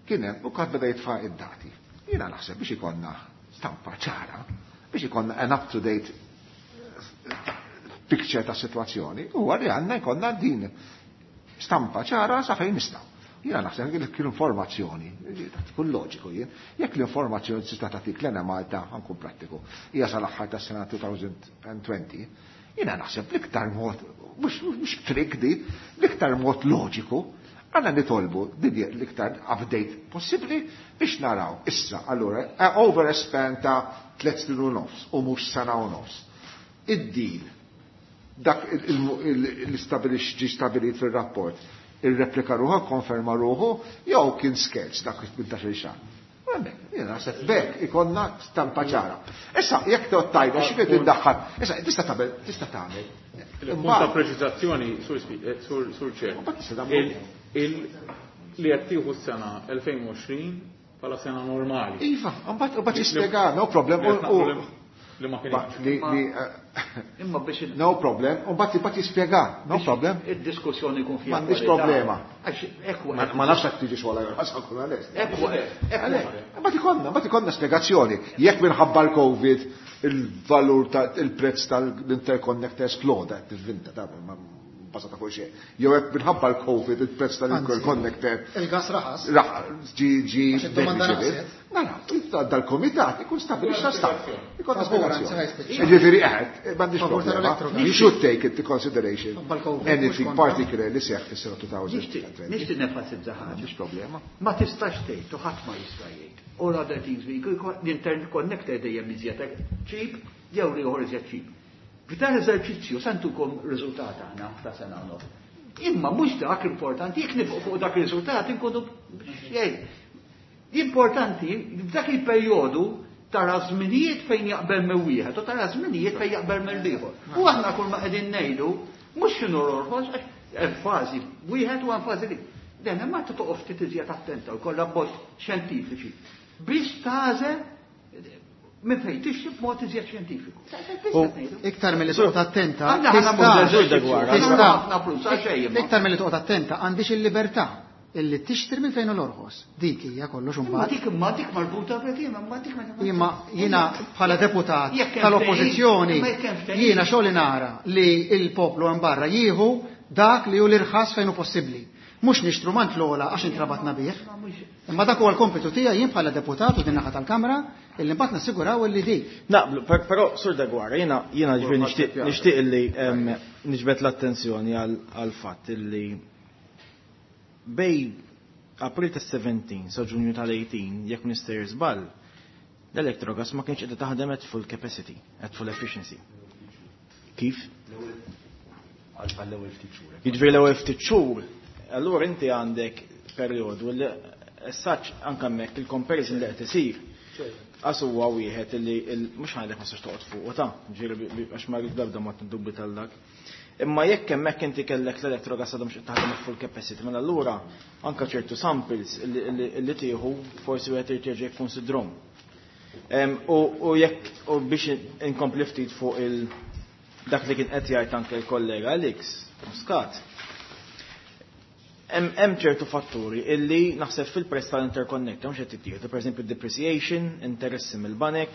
kien hemm u kad beda jitfa' id-dati. Jiena naħseb biex ikollna stampa ċara, biex ikollna an up-to-date picture ta' situazzjoni, huwa li għandna jkollna din stampa ċara sa fejn nistgħu. Jiena naħseb li l-informazzjoni, tkun loġiku jien, jekk l-informazzjoni tista' tagħtik l-Enemalta, ħankun prattiku, hija sal-aħħar tas-sena twenty twenty, jiena naħseb l-iktar mod, mhux trick di, l-iktar mod loġiku, għandna nitolbu din l-iktar update possibbli biex naraw issa allura over a span ta' tliet snin u nofs u mhux sena u nofs. Id-deal dak l-istabilix ġi stabilit fil-rapport, il-replika ruħu, konferma ruħu, jew kien skerz dak tmintax-il xahar. Jiena naħseb bekk ikonna stampa ċara. Issa jekk toqgħod tajda xi qed iddaħħal, issa tista' tagħmel, tista' tagħmel. Il-punt ta' preċiżazzjoni sur ċer. Li qed tieħu s-sena elfejn u għoxrin bħala sena normali. Iva, mbagħad mbagħad jispjega, no problem. Li ma kienx. Imma biex no problem, u mbagħad mbagħad jispjega, no problem. Id-diskussjoni jkun fiha. M'għandix problema. Ma nafx hekk tiġi xogħol għal nkun għalest. Mbagħad ikollna, mbagħad ikollna spjegazzjoni. Jekk minħabba l-Covid il-valur ta' il-prezz tal-interconnector esploda, tivvinta ta' basata fuq xejn. Jew hekk minħabba l-Covid il-prezz tal-interconnector. Il-gas raħas. Ġi ġi. Nara, dal-komitat ikun stabilixxa stampa. Ikun spjegazzjoni. Jiġifieri qed, m'għandix problema. You should take into consideration anything particular li seħħ fis-sena twenty twenty. Nixtieq nenfasizza ħaġa. M'għandix problema. Ma tistax tgħid u ħadd ma jista' jgħid. All other things we l-interconnector dejjem iżjed cheap jew ieħor iżjed cheap. F'dan eżerċizzju santukom riżultat aħna ta' sena u nofs. Imma mhux dak importanti, jekk nibqgħu fuq dak ir-riżultat inkunu xejn. Importanti f'dak il-perjodu tara żminijiet fejn jaqbel minn wieħed u tara żminijiet fejn jaqbel minn ieħor. U aħna kull ma qegħdin ngħidu mhux x'inhu orħos għax hemm fażi wieħed u hemm fażi li. Dan imma toqgħod ftit iżjed attenta u kollha bot xjentifiċi. Biex tagħżel minn fejn tixtri b'mod iżjed xjentifiku. Iktar milli toqgħod attenta, iktar milli toqgħod attenta għandix il-libertà illi tixtri minn fejn l-orħos. Dik hija kollox imbagħad. Ma dik ma dik marbuta b'qiem, ma dik Imma jiena bħala deputat tal-oppożizzjoni jiena xogħli nara li l-poplu hemm barra jieħu dak li hu l-irħas fejn hu possibbli. Mhux nixtru mant l-ogħla għax intrabatna bih. Imma dak huwa l-kompitu tiegħi jien bħala deputat u din naħa tal-Kamra illi mbagħad nassiguraw illi dik. Naqblu, però Sur Degwara, jiena jiena ġifieri nixtieq nixtieq illi niġbed l-attenzjoni għal fatt illi bejn April ta' sebatax sa Ġunju tal-tmintax, jekk nistejjer żball, l-Electrogas ma kienx qiegħda taħdem at full capacity, at full efficiency. Kif? Għall-ewwel ftit xhur. Jiġifieri l-ewwel ftit xhur, allura inti għandek perjodu li essaċ anke hemmhekk il-comparison li qed isir. Għas huwa wieħed li mhux ħajdek ma sax toqgħod fuq ta' ġifieri għax ma rrid l-ebda mod ndubbi tal-dak. Imma jekk hemmhekk inti kellek l-Electrogas għadhom xi taħdem full capacity, mela allura anke ċertu samples li tieħu forsi wieħed irid jerġa' jikkonsidrhom. U jekk u biex inkompli ftit fuq il dak li kien qed jgħid anke l-kollega Alex Muscat. Hemm ċertu fatturi illi naħseb fil-prezz tal-interconnector mhux qed tittieħdu, pereżempju depreciation, interessi mill-banek,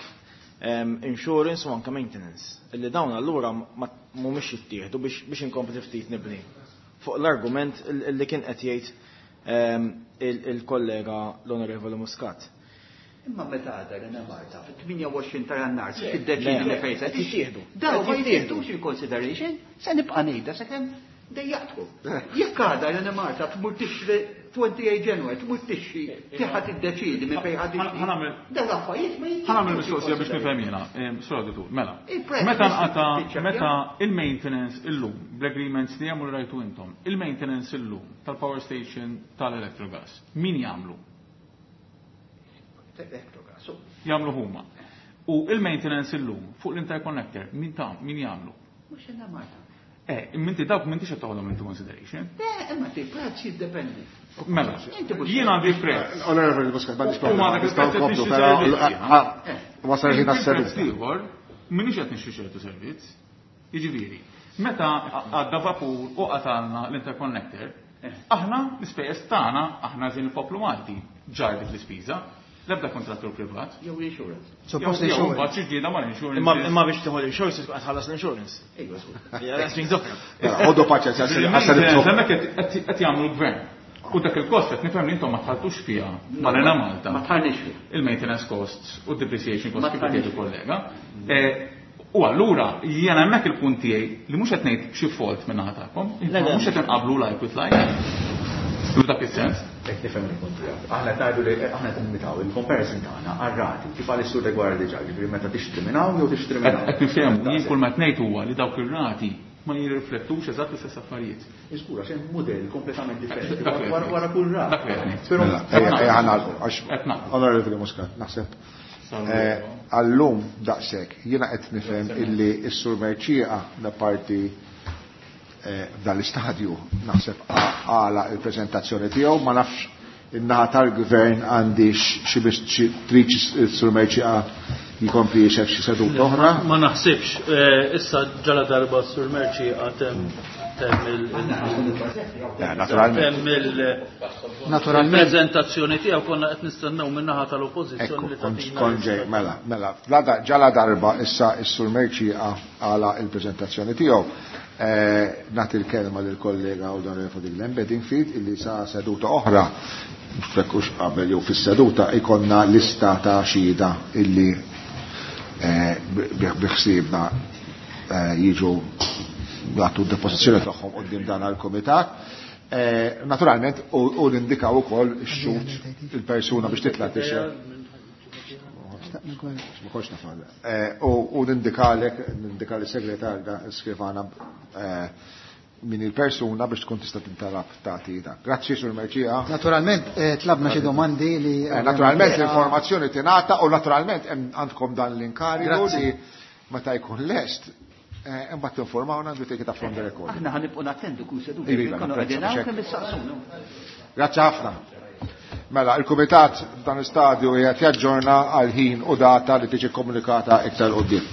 insurance u anke maintenance. Illi dawn allura mhumiex jittieħdu biex inkompli ftit nibni. Fuq l-argument illi kien qed jgħid il-kollega l-Onorevoli Muscat. Imma meta għadha l-Enemalta, fit-tmienja u għoxrin ta' Jannar, se tiddeċidi li fejn se jittieħdu. Daw ma jittieħdux il-consideration, se nibqa' ngħidha sakemm dejjaqtkom. Jekk għadha l-Enemalta tmur tixtri tmien u għoxrin January, tmur tixtri, tiħa tiddeċidi minn fejn ħad tixtri. Daw l-affarijiet ma jittieħdux. Ħa nagħmel mistoqsija biex nifhem jiena, Sur Auditur, mela. Meta nqata meta il-maintenance illum, bl-agreements li jagħmlu rajtu intom, il-maintenance illum tal-power station tal-Electrogas, min jagħmlu? Electrogas. Jagħmlu huma. U il-maintenance illum fuq l-interconnector, min ta' min jagħmlu? Mhux Enemalta. Eh, minti dawk m'intix qed toħodhom into consideration. Le, imma ti prezz jiddependi. Mela, jien għandi prezz. Onorevoli Muscat, m'għandix problema. Nistgħu nkomplu, però wasal ħin għas-servizz. Ieħor, m'iniex qed nixtri ċertu servizz. Jiġifieri, meta għadda vapur u qatalna l-interconnector, aħna l-ispejjeż tagħna, aħna żin il-poplu Malti ġar dik l-ispiża, l-ebda kontrattur privat. Jew insurance. Suppost insurance. Mbagħad xi ġieda mal insurance. Imma imma biex tieħu l-insurance tkun qed tħallas l-insurance. Ejwa, Ija, oħra. Ħodu paċenzja, Hemmhekk qed jagħmlu l-gvern. U dak il-kost qed nifhem li intom ma tħalltux fiha mal-Enemalta. Ma tħallniex fiha. Il-maintenance costs u depreciation costs kif qed kollega. U allura jiena hemmhekk il-punt tiegħi li mhux qed ngħid xi fault minn naħa tagħkom, mhux qed inqablu like with like. U dak is-sens. Jekk nifhem il-punt tiegħek. Aħna qed ngħidu li aħna qed nimitaw il-comparison tagħna għar-rati kif għal is-Sur Degwara diġà, ġifieri meta tixtri minn hawn jew tixtri minn hawn. Qed nifhem, jien kull ma qed ngħid huwa li dawk ir-rati ma jirriflettux eżatt l-istess affarijiet. Iżgur, għax hemm mudell kompletament differenti wara kull rata. Dak li qed ngħid. Però Ejja ħa nagħlqu għax Onorevoli Muscat, naħseb għallum daqshekk jiena qed nifhem illi s-Sur Mercieca da parti f'dan l-istadju naħseb għala il-preżentazzjoni tiegħu, ma nafx in-naħa tal-gvern għandix xi biex trid s-Sur Mercieca jikompli jixef xi seduta oħra. Ma naħsibx, issa ġala darba s-Sur Mercieca temm temm il Naturalment. Naturalment. Il-preżentazzjoni tiegħu konna qed nistennew min-naħa tal-oppożizzjoni li tagħtina. Konġej, mela, mela, ġala darba issa s-Sur Mercieca għala il-preżentazzjoni tiegħu. Nagħti l-kelma lill-kollega Onorevoli Glenn Bedingfield illi sa seduta oħra, fekkux qabel jew fis-seduta ikonna lista ta' xhieda illi biħsiebna jiġu jagħtu d-depożizzjoni tagħhom quddiem dan għall-kumitat. Naturalment u nindikaw ukoll ix-xhud il-persuna biex titla' tixhed. Ma kontx naf. U nindikalek, nindika lis-segretarja skrivana min il-persuna biex tkun tista' tintalab tagħti dak. Grazzi Sur Mercieca. Naturalment tlabna xi domandi li Naturalment l-informazzjoni tingħata u naturalment għandkom dan l-inkarigu li meta jkun lest imbagħad tinformawna we take it up from the record. Aħna ħa nibqgħu nattendu kull seduta. Kemm issaqsuna. Grazzi ħafna. Mela, il-Kumitat f'dan l-istadju qiegħed jaġġorna għal ħin u data li tiġi komunikata iktar quddiem.